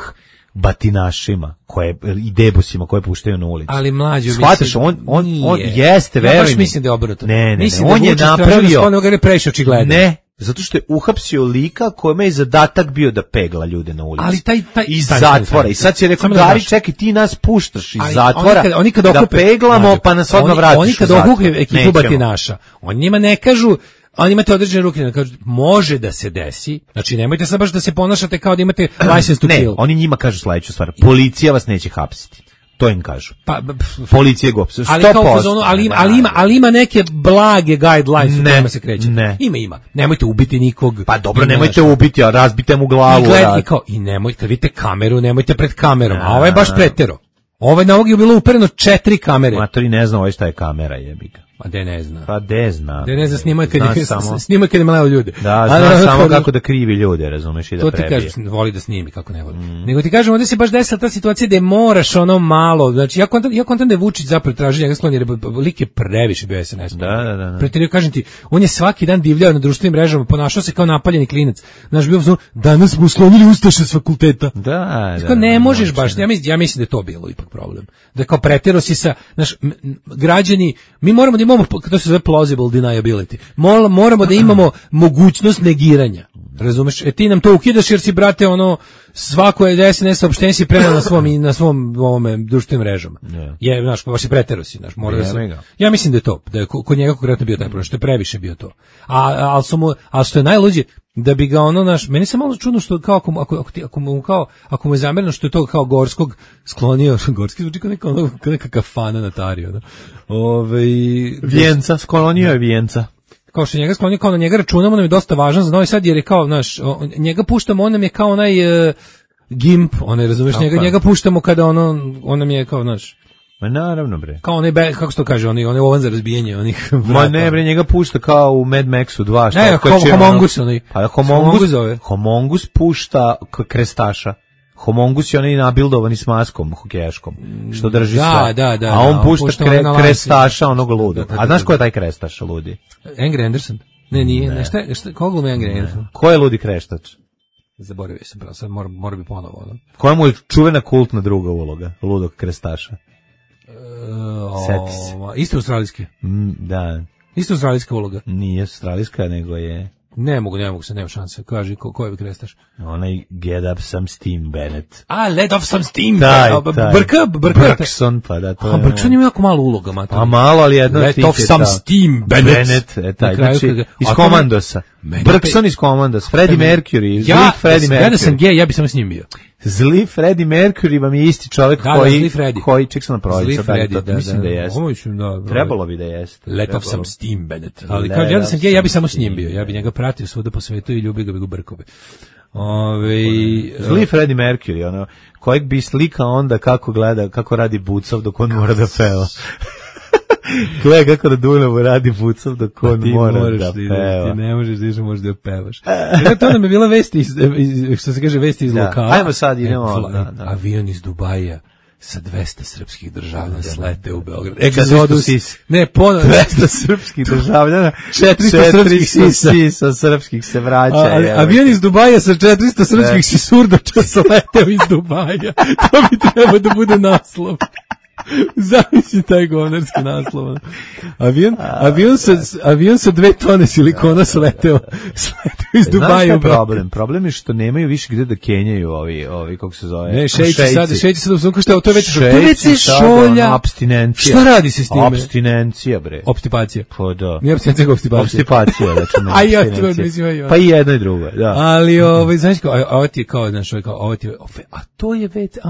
batinašima, koje, i debosima koje puštaju na ulicu. Ali mlađo, shvataš, on, on, on jeste, veruj mi. Ja baš mislim da je obrnuto. Ne, ne, mislim ne, on da je napravio... Da je previše očigledno. Ne, zato što je uhapsio lika kojima je zadatak bio da pegla ljude na ulici. Ali taj, taj, iz zatvora. I sad će rekao, Gari, čekaj, ti nas puštaš iz ali zatvora oni kad, oni kad okupe, da peglamo, mađo, pa nas odmah vratiš oni kad okupe ekipu batinaša, oni njima ne kažu, oni imate određene ruke, ne kažu, može da se desi, znači nemojte sad baš da se ponašate kao da imate license to kill. Ne, oni njima kažu sledeću stvar, policija vas neće hapsiti. To im kažu. Pa, policije go. sto ali, kao zonu, ali, ima, ali, ima, ali ima neke blage guidelines u kojima se kreće. Ne. Ima, ima. Nemojte ubiti nikog. Pa dobro, nemojte naša. ubiti, a razbite mu glavu. I, gled, i, kao, i nemojte, kad vidite kameru, nemojte pred kamerom. A ovo je baš pretero. Ovo je na ovog je bilo upereno četiri kamere. Matori ne zna ovo šta je kamera, jebika. Pa de ne zna. Pa de zna. De ne zna snimaju kad je, samo, snimaju kad je maleo ljude. Da, zna ali, samo kako da krivi ljude, razumeš, i da prebije. To ti kažeš, voli da snimi, kako ne voli. Mm. Nego ti kažem, ovdje se baš desila ta situacija da moraš ono malo, znači ja kontam, ja kontam da je Vučić zapravo traži njega sklon, jer lik je previše bio S N S. Da, da, da. Pretjerio, kažem ti, on je svaki dan divljao na društvenim mrežama, ponašao se kao napaljeni klinac. Znaš, bio vzor, danas smo uslonili ustaše s fakulteta. Da, da. Kao, ne možeš baš, ja mislim, ja mislim da je to bilo ipak problem. Da kao pretjerao si sa, znaš, građani, mi moramo da imamo, to se zove plausible deniability. Moramo da imamo mogućnost negiranja. Razumeš? E ti nam to ukidaš jer si, brate, ono, svako je S N S saopštenje si preneo na svom i na svom ovome društvenim mrežama. Yeah. Je, znaš, baš je pretero si, znaš, mora da se. Ja mislim da je to, da je kod njega konkretno bio taj problem, što je previše bio to. A al su mu, al što je najluđe, da bi ga ono, naš, meni se malo čudno što kao ako ako ako, ako mu kao ako mu je zamereno što je to kao Gorskog sklonio, Gorski zvuči kao neka neka kafana na Tariju, da. Ovaj Vjenca, sklonio je Vjenca. kao što njega sklonio, kao na njega računamo, nam je dosta važan za Novi Sad, jer je kao, znaš, o, njega puštamo, on nam je kao onaj uh, gimp, onaj, razumiješ, njega, njega puštamo kada ono, on nam je kao, znaš, Ma naravno, bre. kao onaj, be, kako se to kaže, onaj, onaj ovan za razbijanje, onih vrata. Ma ne, bre, njega pušta kao u Mad Maxu dva. Šta Ne, kao Homongus, onaj. Pa Homongus, Homongus pušta k- krestaša. Homongus je onaj nabildovani s maskom hokejaškom, što drži Da, sve. da, da, A on da, pušta pušta kre, ono na lanci. krestaša onog ludog. Da, da, da, A znaš da. ko je taj krestaš ludi? Angry Anderson. Ne, nije, ne, šta, šta, koga glumi Angry Anderson? Ko je ludi kreštač? Zaboravio sam, pravo, sad mora, mora bi ponovo, ono. Koja mu je čuvena kultna druga uloga, ludog krestaša? Uh, Seti se. Isto australijski. Mm, da, Isto australijska uloga. nije australijska, nego je Ne mogu, ne mogu se, nema šanse. Kaži, ko, ko je krestaš? onaj Get Up Some Steam Bennett. A, let off some steam. Taj, A, b- taj. Brka, brka. Bergson, pa da, to A, je... Brkson ima jako malo uloga, mater. A malo, ali jedno od Let tih off je some ta- steam, Bennett. Bennett, e, taj, Na kraju znači, kad ga- iz a to me- Komandosa. Meni Bergson opet- iz Komandosa, Freddie Mercury, zli Ja, Freddie ja, ja da sam Mercury. gej, ja bi samo s njim bio. Zli Freddie Mercury vam je isti čovjek Da, da, koji, zli Freddie. koji, ček sam na Zli prođe, Freddy, da, mislim da, jeste. Ovo mislim, da, da. Trebalo bi da jeste. Let off Trebalo. some steam, Bennett. Ali Let kao ja da sam off gej, ja bi samo some s njim bio. Ja bi njega pratio svuda po svetu i ljubio ga bi go brkove. Ove, Zli Freddie Mercury, ono, kojeg bi slika onda kako gleda, kako radi Bucov dok on mora da peva. Gleda kako na Dunavu radi Bucov dok on ti mora moraš da da ideš, peva. ti ne možeš da ideš, možeš da pevaš. Dakle, to nam je bila vest iz, iz, što se kaže, vesti iz Da. lokala. Ajmo sad, idemo, E, fla- da, da. Avion iz Dubaja sa dvesta srpskih državljana slete u Beograd. četiristo sisa. Ne, ponovno. dvesta srpskih državljana, četiristo srpskih sisa. sisa srpskih se vraća. A, ali, evo. avion iz Dubaja sa četiristo Ne. srpskih sisurdača sleteo iz Dubaja. To bi trebao da bude naslov. Zamisli taj govnarski naslov. Avion, avion, sa, avion sa dve tone silikona sleteo, sleteo iz Znaš šta Dubaja je u Beograd. problem? Problem je što nemaju više gde da kenjaju ovi, ovi kako se zove. Ne, šeći sad, šeći sad u sunku, šta je, to je već, to je već Šeći se sad, šolja. ono, apstinencija. Šta radi se s time? Apstinencija, bre. Opstipacija. Pa da. Nije opstipacija, nego opstipacija. Opstipacija, računam. A ja, apstinencija. to mislim, aj, Pa i jedno i drugo, da. Ali, ovaj, znaš kao, a- ovo ti je kao, znaš, ovo je kao, ovo ti je, a to je već, a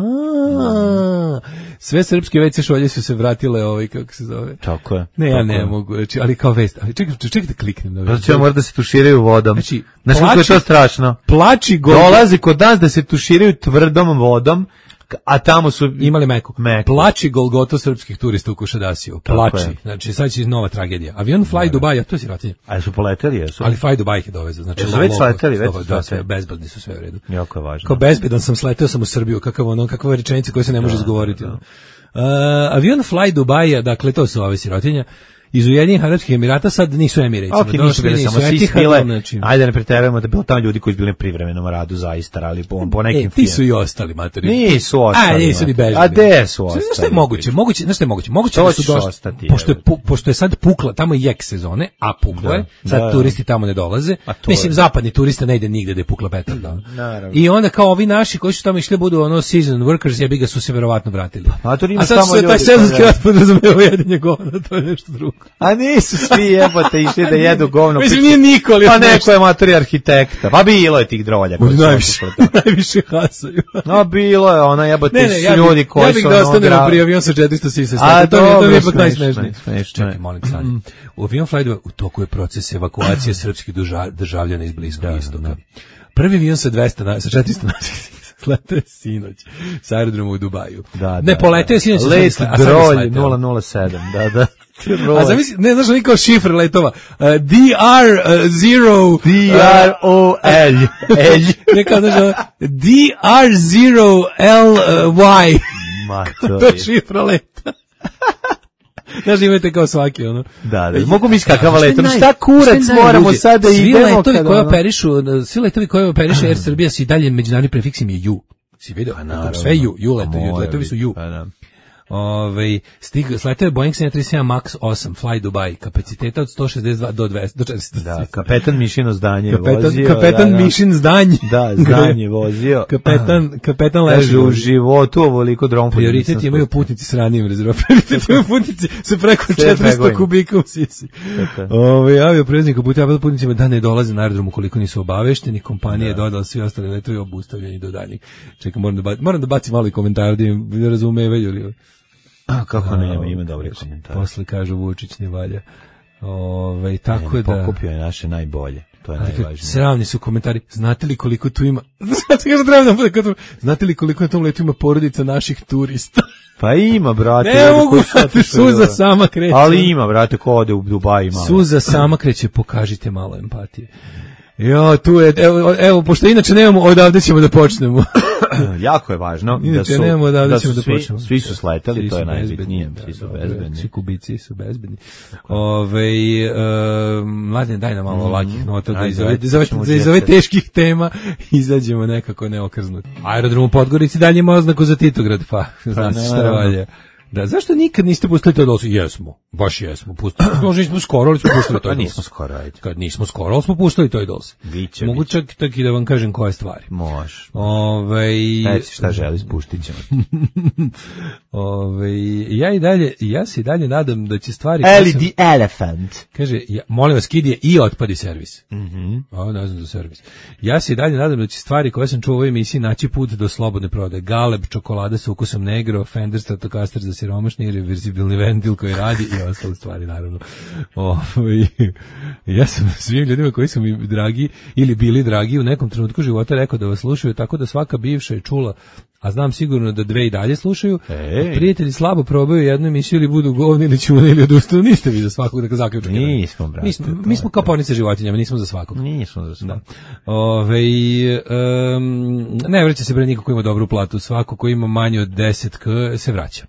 sve srpske veće šolje su se vratile, ovaj, kako se zove. Tako je. Ne, ja tako ne je. mogu, znači, ali kao vest, ali čekaj, čekaj da kliknem. Da Zato će mora da se tuširaju vodom. Znači, Znaš kako je plači- to strašno? Plači go. Dolazi kod nas da se tuširaju tvrdom vodom, a tamo su Imali meku. Meku. Plači Golgoto srpskih turista u Kušadasiju. Tako Plači. je. Znači, sad će nova tragedija. Avion Fly Dubai, a to je sirotinje. A su poleteli, jesu? Ali Fly Dubai ih je dovezao. Znači, Jesu low- već low- sleteli, već da, su da, sleteli. sve, bezbedni su sve u redu. Jako je važno. Kao bezbedan sam, sleteo sam u Srbiju, kakav ono, kakva rečenica koja se ne može izgovoriti. ono. Uh, avion Fly Dubai, dakle, to su ove sirotinje. Iz Ujedinjenih Arapskih Emirata sad nisu Emirates. Ok, nisu bile samo svi bile, ajde ne preterujemo da bilo tamo ljudi koji su bili na privremenom radu zaista, ali po, po nekim E, ti su i ostali, matori. Nisu ostali. A, nisu ni bežali. A gde su ostali? Znaš šta je moguće? Moguće, znaš šta je moguće? Moguće To da su ćeš došli, ostati, pošto je, evo. pu- pošto je sad pukla, tamo je jek sezone, a pukla je, Da, sad da, da. turisti tamo ne dolaze. A to Mislim, je. zapadni turista ne ide nigde da je pukla petarda. Naravno. I onda kao ovi naši koji su tamo išli budu ono season workers, jebi ga su se verovatno vratili. A to A imaš sad tamo su se taj ljudi sezonski koji- rad podrazumeva jedinje govna, to je nešto drugo. A nisu svi jebote išli da jedu govno. Mislim, nije niko, ali Pa još neko nešto. je matori arhitekta. Pa bilo je tih drolja. koji su Najviše, otišli tamo. najviše hasaju. No, bilo je ona jebote Ne, ne, ja su ljudi bih, koji ja bih su da ono ostanemo gra- pri avion sa četiristo sisa. A, To mi je, to mi je dobro, ipak smešno najsmešnije. je, smešno je. Čekaj, molim sad. U avion Fly u toku je proces evakuacije srpskih drža- državljana iz Bliskog istoka. Prvi avion sa dvesta, na- sa četiristo naših sletao je sinoć sa aerodroma u Dubaju. Da, ne, da, poletao je da. sinoć. Let a sad je drolj sleteo. nula nula sedam, da, da. A zamisli, ne znaš oni kao šifre letova. Uh, D R zero D R O L. L. Ne kao znaš, ono, D R zero L Y. Matori. To je šifra leta. Znaš, imate kao svaki, ono. Da, da. Mogu mi kakav Šta je letom. naj- Šta kurac šta je najluđe? moramo sad da Svi idemo? letovi kada koji ono- operišu, svi letovi koji operiše Air Srbija su i dalje međunarodni prefiks im je ju. Si vidio? Sve ju, ju letovi, Mora letovi su ju. Pa da. Ove, stig, sletao je Boeing sedam tri sedam Max osam Fly Dubai, kapaciteta od sto šezdeset dva do dvesta, do četiristo. Da, kapetan Mišino zdanje je Kapetan, vozio. kapetan da, da. Mišin zdanje. Da, zdanje je vozio. Kapetan, kapetan Kaže, leži. u životu ovoliko dron food Prioritet nisam imaju spustio. putnici s ranijim rezervom. Prioritet imaju putnici sa preko Sve četiristo pregovim. kubika u sisi. Tako. Ove, avio preznik uputava putnicima da ne dolaze na aerodrom ukoliko nisu obavešteni. Kompanija je dodala svi ostali letovi obustavljeni do daljnjih. Čekaj, moram da, ba, moram da bacim malo i komentar da im ne razumevaju. Ili... A, kako ne, ima, A, ima dobri kaže, komentar. Posle kažu Vučić ne valja. Ove, tako ne, da... Pokupio je naše najbolje. To je najvažnije. Sravni su komentari. Znate li koliko tu ima... Znate li koliko na tom letu ima porodica naših turista? Pa ima, brate. Ne mogu, brate, suza sama kreće. Ali ima, brate, ko ode u Dubai malo. Suza sama kreće, pokažite malo empatije. Jo, tu je, evo, evo, pošto inače nemamo, odavde ćemo da počnemo. Jako je važno inače, da su, nemamo, da su da svi, počnemo. svi su sleteli, svi to je su najbitnije, bezbedni, svi su da, bezbedni. Svi kubici su bezbedni. Ove, uh, mladine, daj nam malo mm, lakih nota, da iz ove, iz ove teških tema izađemo nekako neokrznuti. Aerodrom u Podgorici dalje ima oznaku za Titograd, pa, znaš šta valje. Da, zašto nikad niste pustili to dolce? Jesmo, baš jesmo, pustili. Možda nismo skoro, ali smo pustili to dolce. Nismo skoro, ajde. Kad nismo skoro, ali smo pustili to dolce. Biće, mogu čak tak i da vam kažem koje stvari. Može. Ove, Reci šta želi, spuštit ćemo. Ove, ja i dalje, ja se i dalje nadam da će stvari... Ellie sam, the elephant. Kaže, ja, molim vas, kid je i otpadi servis. Mhm. A, ne znam za servis. Ja se i dalje nadam da će stvari koje sam čuo u ovoj emisiji naći put do slobodne prodaje. Galeb, čokolada sa ukusom negro, Fender Stratocaster za siromašni, reverzibilni ventil koji radi i ostale stvari, naravno. O, ja sam svim ljudima koji su mi dragi ili bili dragi u nekom trenutku života rekao da vas slušaju, tako da svaka bivša je čula, a znam sigurno da dve i dalje slušaju. Ej. Prijatelji slabo probaju jednu emisiju ili budu govni ili ćune ili odustanu. Niste vi za svakog da zaključak. Nismo, brate. Mi smo, mi smo kao ponice životinjama, nismo za svakog. Nismo za svakog. Ove, um, ne vraća se bre niko ko ima dobru platu. Svako ko ima manje od deset k se vraća.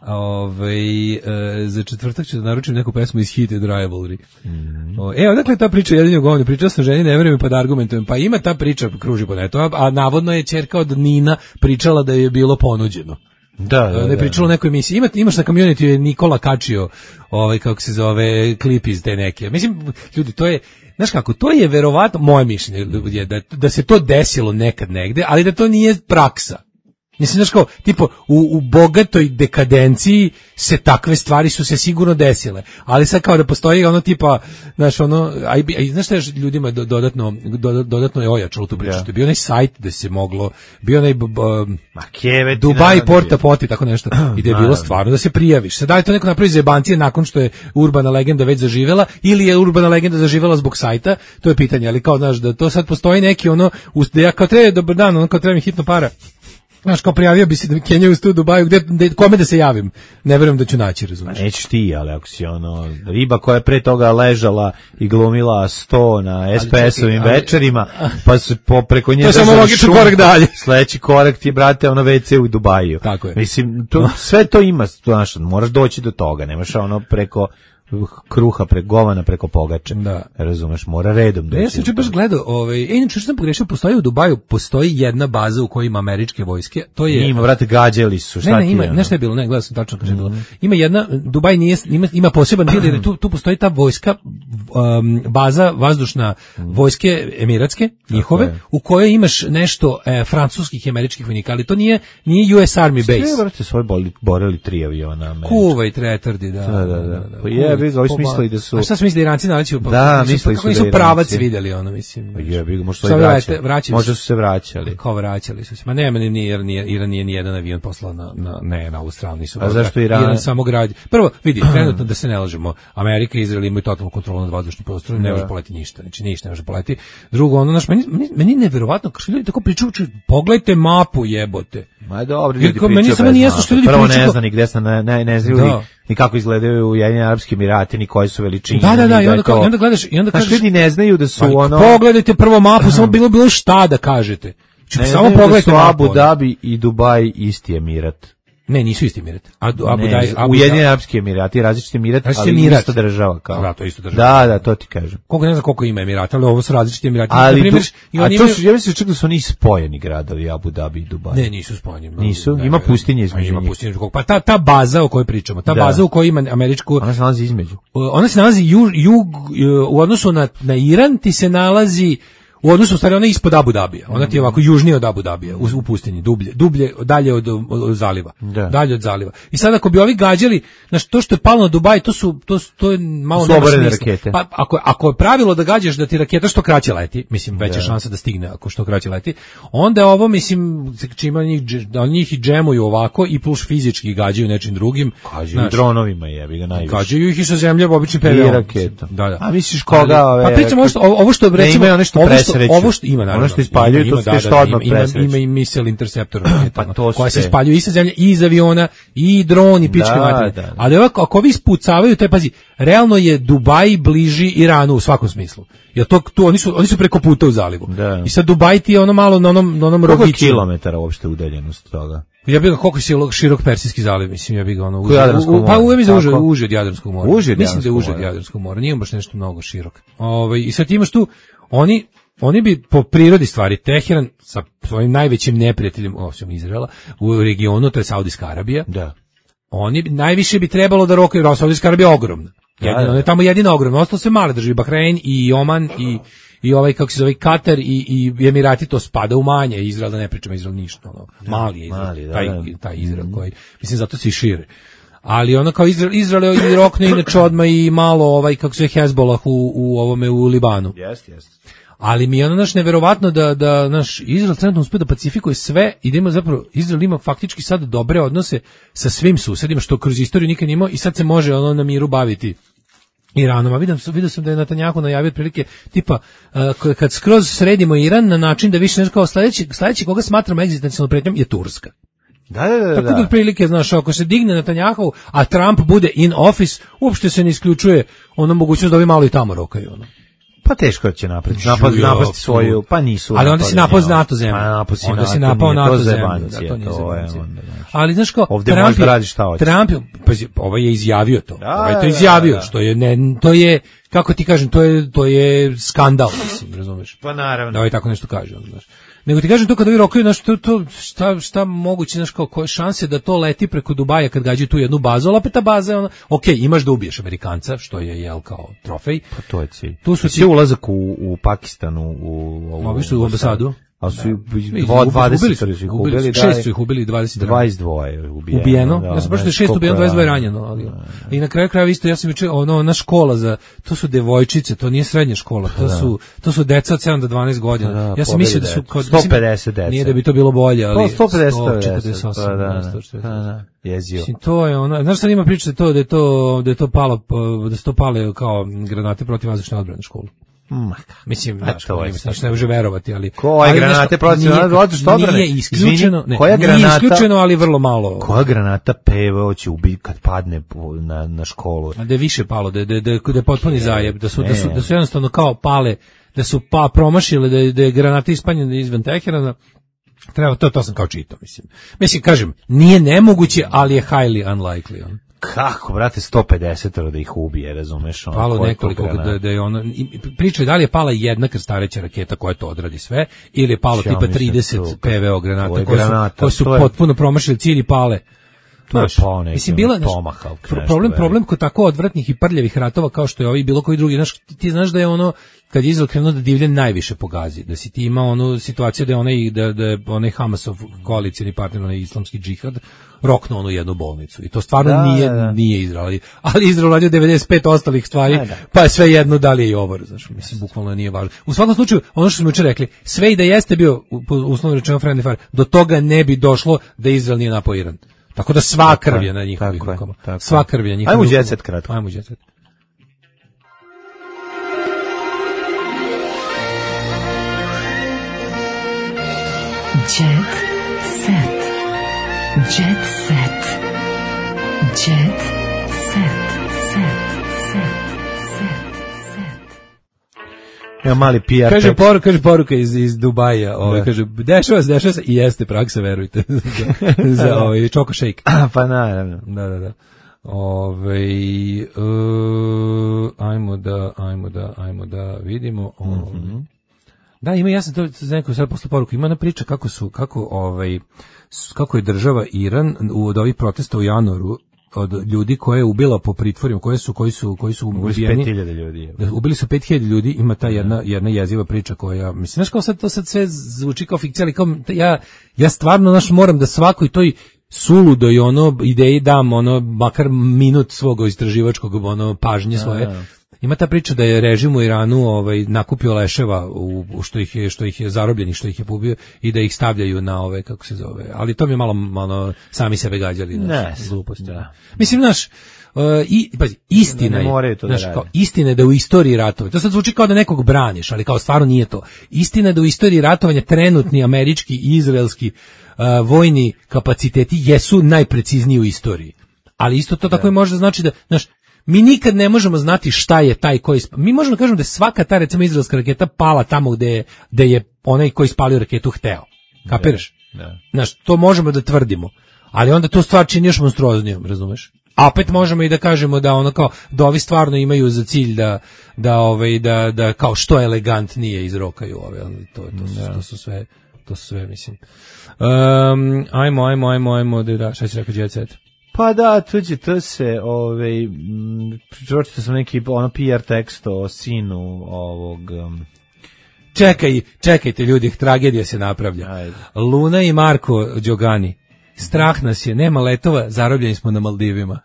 Ove, e, za četvrtak ću da naručim neku pesmu iz Heated Rivalry. Mm. O, e, odakle ta priča jedini o govni? Pričao sam ženi, ne verujem pa da argumentujem. Pa ima ta priča, kruži po netu, a, a navodno je ćerka od Nina pričala da je bilo ponuđeno. Da, da, ne pričalo o nekoj emisiji. Ima, imaš na community je Nikola kačio ovaj, kako se zove, klip iz te neke. Mislim, ljudi, to je, znaš kako, to je verovatno, moje mišljenje je da, da se to desilo nekad negde, ali da to nije praksa. Mislim, znaš kao, tipo, u, u bogatoj dekadenciji se takve stvari su se sigurno desile, ali sad kao da postoji ono tipa, znaš, ono, a, a, znaš šta je ljudima dodatno, dodatno je ojačalo tu priču, yeah. Bio onaj sajt da se moglo, bio onaj uh, Dubai Porta Poti, tako nešto, i da je bilo stvarno da se prijaviš. Sad da li to neko napravi za jebancije nakon što je urbana legenda već zaživela, ili je urbana legenda zaživela zbog sajta, to je pitanje, ali kao, znaš, da to sad postoji neki ono, da ja kao treba, dobar dan, ono kao treba mi hitno para. Znaš, kao prijavio bi se da mi Kenja u stu Dubaju, gde, gde, kome da se javim? Ne verujem da ću naći, razumiješ. Nećeš ti, ali ako si ono, riba koja je pre toga ležala i glumila sto na es pe es-ovim večerima, pa se po, preko nje... To je samo logičan korak dalje. Sledeći korak ti je, brate, ono ve ce u Dubaju. Tako je. Mislim, to, sve to ima, znaš, moraš doći do toga, nemaš ono preko... kruha preko govana preko pogače. Da. Razumeš, mora redom doći. Ja sam čuo baš gledao, ovaj, e, inače što sam pogrešio, postoji u Dubaju, postoji jedna baza u kojoj ima američke vojske. To je ima, brate, gađali su, šta ne, ne, ti ima, je? Nešto je bilo, ne, gledao sam tačno kaže mm. bilo. Ima jedna, Dubaj nije, ima, ima poseban dio, jer tu, tu postoji ta vojska, um, baza vazdušna vojske emiratske, njihove, u kojoj imaš nešto e, francuskih i američkih vojnika, ali to nije, nije u es Army base. Sve, brate, svoj boli, borili tri aviona. Kuvaj, tretardi, da. Da, da, da. Pa je, bi ga, ovi smislili da su... A šta su mislili da Iranci naleću? Pa, da, mislili su da nisu pravac vidjeli, ono, mislim. Pa je, bi ga, možda su vraćali. vraćali. Možda su se vraćali. Kao vraćali su se. Ma nema, nije, nije, Iran nije nijedan avion poslao na, na, ne, na ovu stranu. Nisu a zašto Iran? Iran samo gradi. Prvo, vidi, trenutno da se ne lažemo, Amerika i Izrael imaju totalnu kontrolu nad vazdušnim prostorom, ne može poleti ništa, znači ništa ne može poleti. Drugo, ono, naš, meni, meni, meni neverovatno, kao što ljudi tako pričaju, pogledajte mapu, jebote. Ma dobro, ljudi pričaju meni samo nije jasno što ljudi prvo pričaju. ne zna ni gde se ne, ne, ne znaju da. Ni kako izgledaju Ujedinjeni Arapski Emirati, ni koje su veličine. Da, da, da, i onda, to, i onda gledaš, i onda kažeš, ljudi ne znaju da su ali, ono... Pogledajte prvo mapu, samo bilo bilo šta da kažete. Ne samo pogledajte da su Abu Dhabi i Dubai isti emirat. Ne, nisu isti emirat. Abu Dhabi, Ujedinjeni Arapski Emirati, različiti emirat, ali emirat. Isto država kao. Da, to isto država. Da, da, to ti kažem. Koliko ne znam koliko ima emirata, ali ovo su različiti emirati. Ali, primjer, du, a to su, ja mislim čak da su oni spojeni gradovi, Abu Dhabi i Dubai. Ne, nisu spojeni. Nisu, ima pustinje između njih. Ima pustinje, pa ta, ta baza o kojoj pričamo, ta da. baza u kojoj ima američku... Ona se nalazi između. Ona se nalazi jug, jug u odnosu na, na Iran, ti se nalazi U odnosu, u stvari, ona je ispod Abu Dabija. Ona ti je ovako južnije od Abu Dabija, u, u pustinji, dublje, dublje, dalje od, od, od zaliva. Da. Dalje od zaliva. I sad ako bi ovi gađali, znači to što je palo na Dubaj, to su to, to je malo nema oborene smisla. rakete. Pa ako ako je pravilo da gađaš da ti raketa što kraće leti, mislim veća šansa da stigne ako što kraće leti. Onda je ovo, mislim, čima njih da njih i džemuju ovako i plus fizički gađaju nečim drugim. Gađaju dronovima, jebi ga najviše. Gađaju ih i sa zemlje običnim P V O raketom. Da, da. A misliš koga ove? Pa pričamo ovo što ovo što recimo ima nešto presreću. Ovo što ima naravno. Ono što ispaljuju to sve što odmah presreću. Ima i misel interceptor pa to koja se ispaljuju i sa zemlje i iz aviona i dron i pičke materine. Ali ovako ako vi ispucavaju, to je, pazi, realno je Dubaj bliži Iranu u svakom smislu. Jer to tu oni su oni su preko puta u zalivu. Da. I sad Dubaj ti je ono malo na onom na onom rogiću. Koliko kilometara uopšte udaljenost toga? Ja bih ga koliko je širok Persijski zaliv, mislim, ja bih ga ono uže, u, pa uve mi za uže, uže od Jadranskog mora. Uže mislim da je uže od Jadranskog mora, nije baš nešto mnogo širok. Ovaj i sad imaš tu oni oni bi po prirodi stvari Teheran sa svojim najvećim neprijateljem, osim Izraela, u regionu, to je Saudijska Arabija. Da. Oni bi, najviše bi trebalo da rokaju, Saudijska Arabija je ogromna. Jedino, ona je tamo jedina ogromna, ostalo sve male države, Bahrein i Oman i i ovaj kako se zove Katar i i Emirati, to spada u manje, Izrael da ne pričamo, Izrael ništa, ono. Mali je Izrael, mali, da, taj da. taj Izrael koji mislim zato se i šire. Ali ono kao Izrael, Izrael je rokne inače odmah i malo ovaj kako se zove Hezbollah u u ovome u Libanu. Jeste, jeste. Ali mi je ono naš neverovatno da da naš Izrael trenutno uspije da pacifikuje sve i da ima zapravo Izrael ima faktički sad dobre odnose sa svim susedima što kroz istoriju nikad nije imao i sad se može ono na miru baviti Iranom. A vidim, vidio sam da je Netanjahu najavio otprilike tipa uh, kad skroz sredimo Iran na način da više nešto kao sledeći, sledeći koga smatramo egzistencijalnom pretnjom je Turska. Da, da, da. Tako da otprilike, znaš, ako se digne Netanjahu, a Trump bude in office, uopšte se ne isključuje ono mogućnost da ovi malo i tamo rokaju, ono. Pa teško će napraviti, napad, napasti svoju, pa nisu. Ali onda si napao NATO zemlju. Pa napao si onda NATO, si napao NATO zemlju. Da, to nije zebancija. Ali znaš kao, ovdje Trump možeš da radiš šta hoćeš. Trump, pazi, ovaj je izjavio to. Da, ovaj je to da, izjavio, da, da. što je, ne, to je, kako ti kažem, to je, to je skandal, mislim, razumeš? Pa naravno. Da ovaj tako nešto kaže, znaš. Nego ti kažem to kada vi rokaju, znaš, to, to, šta, šta moguće, znaš, kao, koje šanse da to leti preko Dubaja kad gađaju tu jednu bazu, ali opet ta baza je ona, ok, imaš da ubiješ Amerikanca, što je, jel, kao trofej. Pa to je cilj. Tu su ti ulazak u, u Pakistanu, u, u, u, u, u ambasadu. A su dvadeset su ih ubili, šest su ih ubili, dvadeset dvadeset dva je ubijeno. Ubijeno, da, ja sam prošlo šest ubijeno, dvadeset dva je ranjeno. Ali, da, da. I na kraju krajeva isto, ja sam juče, ono, na škola za, to su devojčice, to nije srednja škola, to su, to su deca od sedam do dvanaest godina. Da, ja sam mislio da su kod sto pedeset deca. Nije da bi to bilo bolje, ali sto pedeset osam, da, da, jezio. Mislim, to je ono, znaš sad ima priča to da je to, da je to palo, da su to pale kao granate protivvazdušne odbrane u školu. Ma, mislim, znaš, to je, ne može verovati, ali koje ali, granate protiv odbrane odbrane? Nije isključeno, ne, koja nije granata, isključeno, ali vrlo malo. Koja granata P V O će ubiti kad padne na na školu? A da je više palo, da da da da je potpuni zajeb, da su ne. da su da su jednostavno kao pale, da su pa promašile da je, da je granata ispaljena izvan Teherana. Treba to to sam kao čitao, mislim. Mislim kažem, nije nemoguće, ali je highly unlikely on. Kako, brate, sto pedeset da ih ubije, razumeš? Ono, palo nekoliko, da, da je ono, priča je da li je pala jedna krstareća raketa koja to odradi sve, ili je palo ja tipa trideset P V O granata koje su, koje su je... potpuno promašili cilj i pale. To je pao neki, mislim, bila, naš, problem, problem kod tako odvratnih i prljavih ratova kao što je ovaj bilo koji drugi, znaš, ti znaš da je ono, kad je Izrael krenuo da divlje najviše pogazi, da si ti imao onu situaciju da je onaj, da, da je onaj Hamasov koalicijni partner, onaj islamski džihad, roknuo onu jednu bolnicu. I to stvarno da, nije, da, da. nije Izrael. Ali Izrael radio devedeset pet ostalih stvari, da, da. Pa je sve jedno da li je i ovo, znaš, mislim, bukvalno nije važno. U svakom slučaju, ono što smo juče rekli, sve i da jeste bio, uslovno rečeno, friendly fire, do toga ne bi došlo da Izrael nije napao Iran. Tako da sva krv je na njihovih rukama. Sva krv je na njihovih rukama. Ajmo jet set kratko. Ajmo jet set. Jet set. Jet set. Jet set. Set. Set. Set. Ja mali P R. Kaže poruka, kaže poruka iz iz Dubaja, ovaj kaže dešava se, dešava se i jeste praksa, verujte. Za ovaj čoko shake. Pa naravno. Da, da, da. Ovaj uh, ajmo da, ajmo da, ajmo da vidimo. Ovaj. Mm-hmm. Da, ima, ja sam to neko sad posle poruku, ima na priča kako su, kako ovaj kako je država Iran u od ovih protesta u januaru od ljudi koje je ubila po pritvorima, koje su koji su koji su ubijeni. pet hiljada ljudi. Da, ubili su pet hiljada ljudi, ima ta jedna jedna jeziva priča koja mislim znaš kao sad to sad sve zvuči kao fikcija, ali kao ja ja stvarno naš moram da svakoj toj suludo i ono ideji dam ono makar minut svog istraživačkog ono pažnje svoje. A, ima ta priča da je režim u Iranu ovaj nakupio leševa u, u što ih je što ih je zarobljenih, što ih je pobio i da ih stavljaju na ove kako se zove. Ali to mi je malo malo sami sebe gađali na gluposti. Da. Mislim naš Uh, i pazi, istina ne, ne je, to znaš, da kao, istina je da u istoriji ratovanja, to sad zvuči kao da nekog braniš, ali kao stvarno nije to. Istina je da u istoriji ratovanja trenutni američki i izraelski uh, vojni kapaciteti jesu najprecizniji u istoriji. Ali isto to tako i može znači da, znaš, mi nikad ne možemo znati šta je taj koji isp... mi možemo da kažemo da je svaka ta recimo izraelska raketa pala tamo gde je, gde je onaj koji ispalio raketu hteo. Kapiraš? Da, da. Znaš, to možemo da tvrdimo. Ali onda to stvar čini još monstruoznijom, razumeš? A opet možemo i da kažemo da ono kao da ovi stvarno imaju za cilj da da ovaj da da kao što elegantnije izrokaju ove, to to su, to su sve to su sve mislim. Um, ajmo ajmo ajmo ajmo da da šta će rekao Jet Set. Pa da, tuđe to se, ovaj, pročitao sam neki ono P R tekst o sinu ovog... Um... Čekaj, čekajte ljudi, tragedija se napravlja. Ajde. Luna i Marko Đogani, strah nas je, nema letova, zarobljeni smo na Maldivima.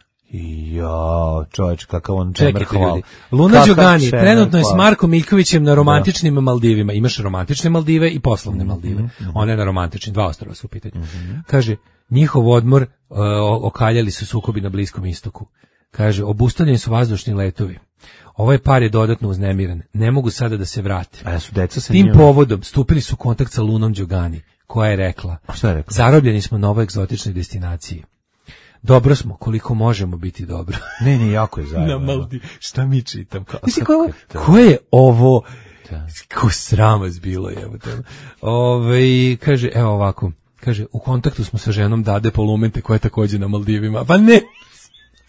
Ja, čovječ, kakav on čemer hval. Luna Kaka Đogani trenutno je s Markom Miljkovićem na romantičnim da. Maldivima. Imaš romantične Maldive i poslovne Maldive. Mm-hmm. One na romantičnim, dva ostrava su u pitanju. Mm-hmm. Kaže, njihov odmor uh, okaljali su sukobi na Bliskom istoku. Kaže, obustavljeni su vazdušni letovi. Ovaj par je dodatno uznemiren. Ne mogu sada da se vrate. A su deca sa Tim njima? Povodom stupili su u kontakt sa Lunom Đogani, koja je rekla, šta je rekla? Zarobljeni smo na ovoj egzotičnoj destinaciji. Dobro smo, koliko možemo biti dobro. Ne, ne, jako je zajedno. Na Maldi, šta mi čitam? Mislim, ko, ko je ovo? Da. Ko sramas bilo je. Ove, kaže, evo ovako, kaže, u kontaktu smo sa ženom Dade Polumente, koja je također na Maldivima. Pa ne!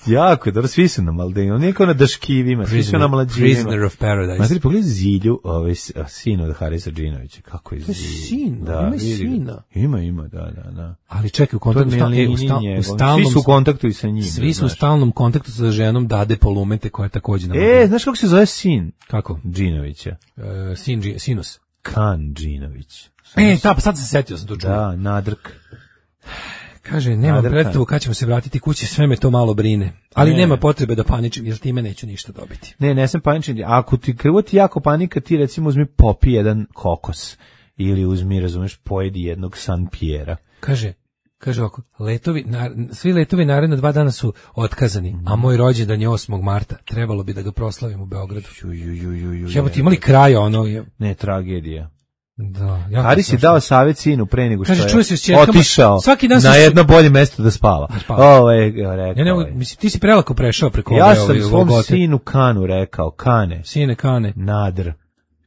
Jako je, dobro, svi su na Maldivima, niko na Daškivima, svi su na Mlađivima. Prisoner of Paradise. Matri, pogledaj Zilju, ovaj, sin od Harisa Džinovića, kako je Zilju. Sin, da, ima sina. Ima, ima, da, da, da. Ali čekaj, u kontaktu, je, sta, u, sta, u stalnom... Svi su u kontaktu i sa njim. Svi su u stalnom kontaktu sa ženom Dade Polumente, koja je također na Maldivima. E, znaš kako se zove sin? Kako? Džinovića. Uh, sin, Sinus. Kan Džinović. E, ta, pa sad se setio sam to čuo. Da, Nadrk. Kaže, nema predstavu kad ćemo se vratiti kući, sve me to malo brine. Ali ne. Nema potrebe da paničim, jer time neću ništa dobiti. Ne, ne sam paničiti. Ako ti krvo ti jako panika, ti recimo uzmi popi jedan kokos. Ili uzmi, razumeš, pojedi jednog San Piera. Kaže, kaže ovako, letovi, na, svi letovi naredna dva dana su otkazani, mm. a moj rođendan je osmog marta. Trebalo bi da ga proslavim u Beogradu. Jebo ti imali kraja ono? Je... Ne, tragedija. Da, ja Haris je dao savjet sinu pre nego što kaže, je se otišao svaki dan na jedno bolje mesto da spava. Da spava. Ovo je rekao. Ja ne, mislim, ti si prelako prešao preko ja ove. Ja sam ove, svom ove sinu Kanu rekao, Kane. Sine Kane. Nadr.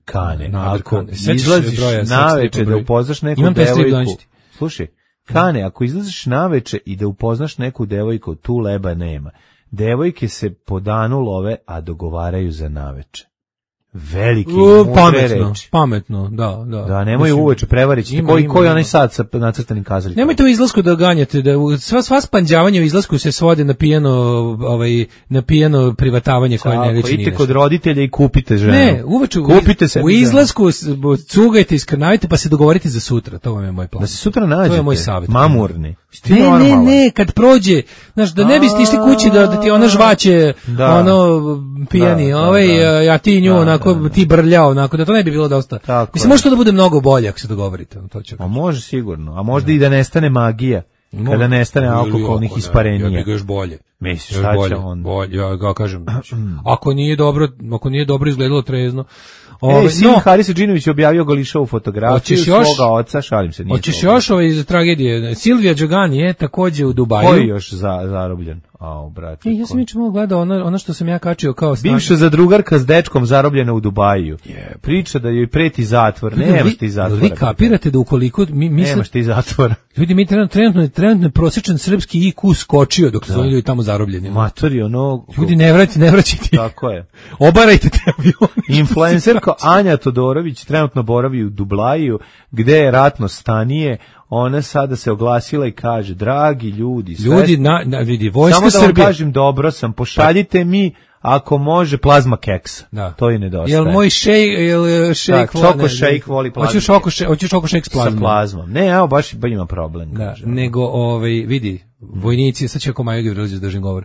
Kane. Nadr, ako Kane. izlaziš naveče da upoznaš neku devojku. Slušaj, Kane, ako izlaziš naveče i da upoznaš neku devojku, tu leba nema. Devojke se po danu love, a dogovaraju za naveče. Veliki uh, pametno, reči. Pametno, da, da. Da, nemoj uveče prevariti koji koji onaj sad sa nacrtanim kazaljkom. Nemojte u izlasku da ganjate, da sva sva spanđavanje u izlasku se svode na pijano, ovaj na pijano privatavanje koje ne liči ni. Idite kod roditelja i kupite ženu. Ne, uveče kupite se. U izlasku cugajte, iskrnavite pa se dogovorite za sutra, to vam je moj plan. Da se sutra nađete. To je moj savjet. Mamurni. Ne, ne, ne, kad prođe, znaš, da ne biste išli kući da, da ti ona žvaće, da. ono, pijani, da, ovaj, da, da. ja ti nju, da, onako, da, da. ti brljao, onako, da to ne bi bilo dosta. Tako mislim, je. Može to da bude mnogo bolje ako se dogovorite. To će a može sigurno, a možda da. i da nestane magija, no, kada nestane alkoholnih jako, isparenija. Ja bih ga još bolje. Misliš, šta će on? Bolje, ja ga kažem, ako nije dobro, ako nije dobro izgledalo trezno, Ove, sin no, Harisa Džinović objavio Golišovu fotografiju svoga oca, šalim se. Hoćeš još ove iz tragedije? Silvija Đogani je takođe u Dubaju. Koji još za, zarobljen? Au, brate. E, ja sam juče malo gledao ono, ono što sam ja kačio kao stan... Bivša zadrugarka s dečkom zarobljena u Dubaju. Yeah. Priča da joj preti zatvor. Ne, nemaš ti zatvora. Vi kapirate da ukoliko... Mi, mi nemaš ti zatvora. Ljudi, mi trenutno, trenutno, trenutno prosječan srpski I Q skočio dok su ljudi tamo zarobljeni. Matori, ono... Ljudi, ne vraćajte, ne vraćajte. Tako je. Obarajte te avione. Influencerka Anja Todorović trenutno boravi u Dublaju, gde je ratno stanije, ona sada se oglasila i kaže, dragi ljudi, sve Ljudi, na, na, vidi, vojska samo da vam Srbije. kažem, dobro sam, pošaljite mi, ako može, plazma keks. Da. To i nedostaje. Jel moj šejk, jel šejk Da, Čoko šejk voli plazmu. Hoćeš oko šejk, hoćeš oko šejk s plazmom. Sa plazmom. Ne, evo, baš, baš ima problem. Da, kaže. nego, ovaj, vidi, vojnici, sad će ako Maja Gavrilović držim govor,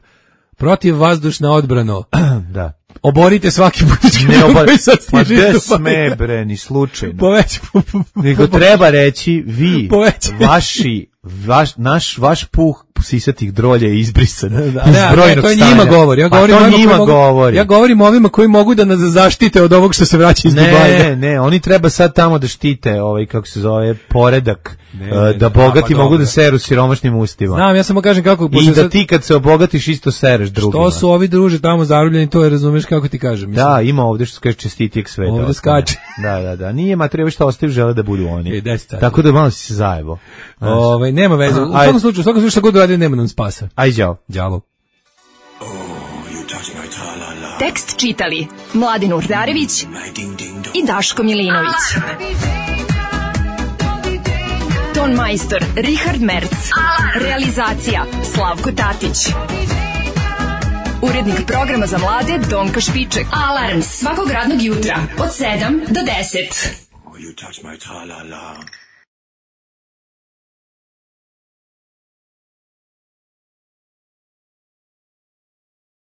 protiv vazdušna odbrano, Da. oborite svaki politički Ne obor... koji sad Ma stiže gde do sme, bre, ni slučajno. Poveć, po, po, Nego treba reći, vi, Poveć. vaši, vaš, naš, vaš puh sisatih drolja je izbrisan iz Da, ne, brojnog to je stanja. njima govori. Ja Pa govorim to ovima njima koji mogu- govori. Ja govorim ovima koji mogu da nas zaštite od ovog što se vraća iz Dubaja. Ne, ne, oni treba sad tamo da štite ovaj, kako se zove, poredak, Ne, eh, ne, da ne, bogati pa mogu dobro. da seru siromašnim ustima. Znam, ja samo kažem kako... I pošto da sad- ti kad se obogatiš isto sereš drugima. Što su ovi druže tamo zarobljeni, to je, razumeš kako ti kažem. Mislim. Da, ima ovde što se kaže čestitijeg sveta. Ovde ostane. skače. Da, da, da. Nije ma treba što ostaju žele da budu oni. E, deset sati. Tako da malo si se zajebo. Znaš. Ovaj, nema veze. U Aj. svakom slučaju, u svakom slučaju šta god radi, nema nam spasa. Aj, đavo. Đavo. Tekst čitali Mladin Urdarević i Daško Milinović. Ton majstor Richard Merc. Realizacija Slavko Tatić. Urednik programa za mlade Donka Špiček. Alarms svakog radnog jutra od sedam do deset. You touch my tra-la-la.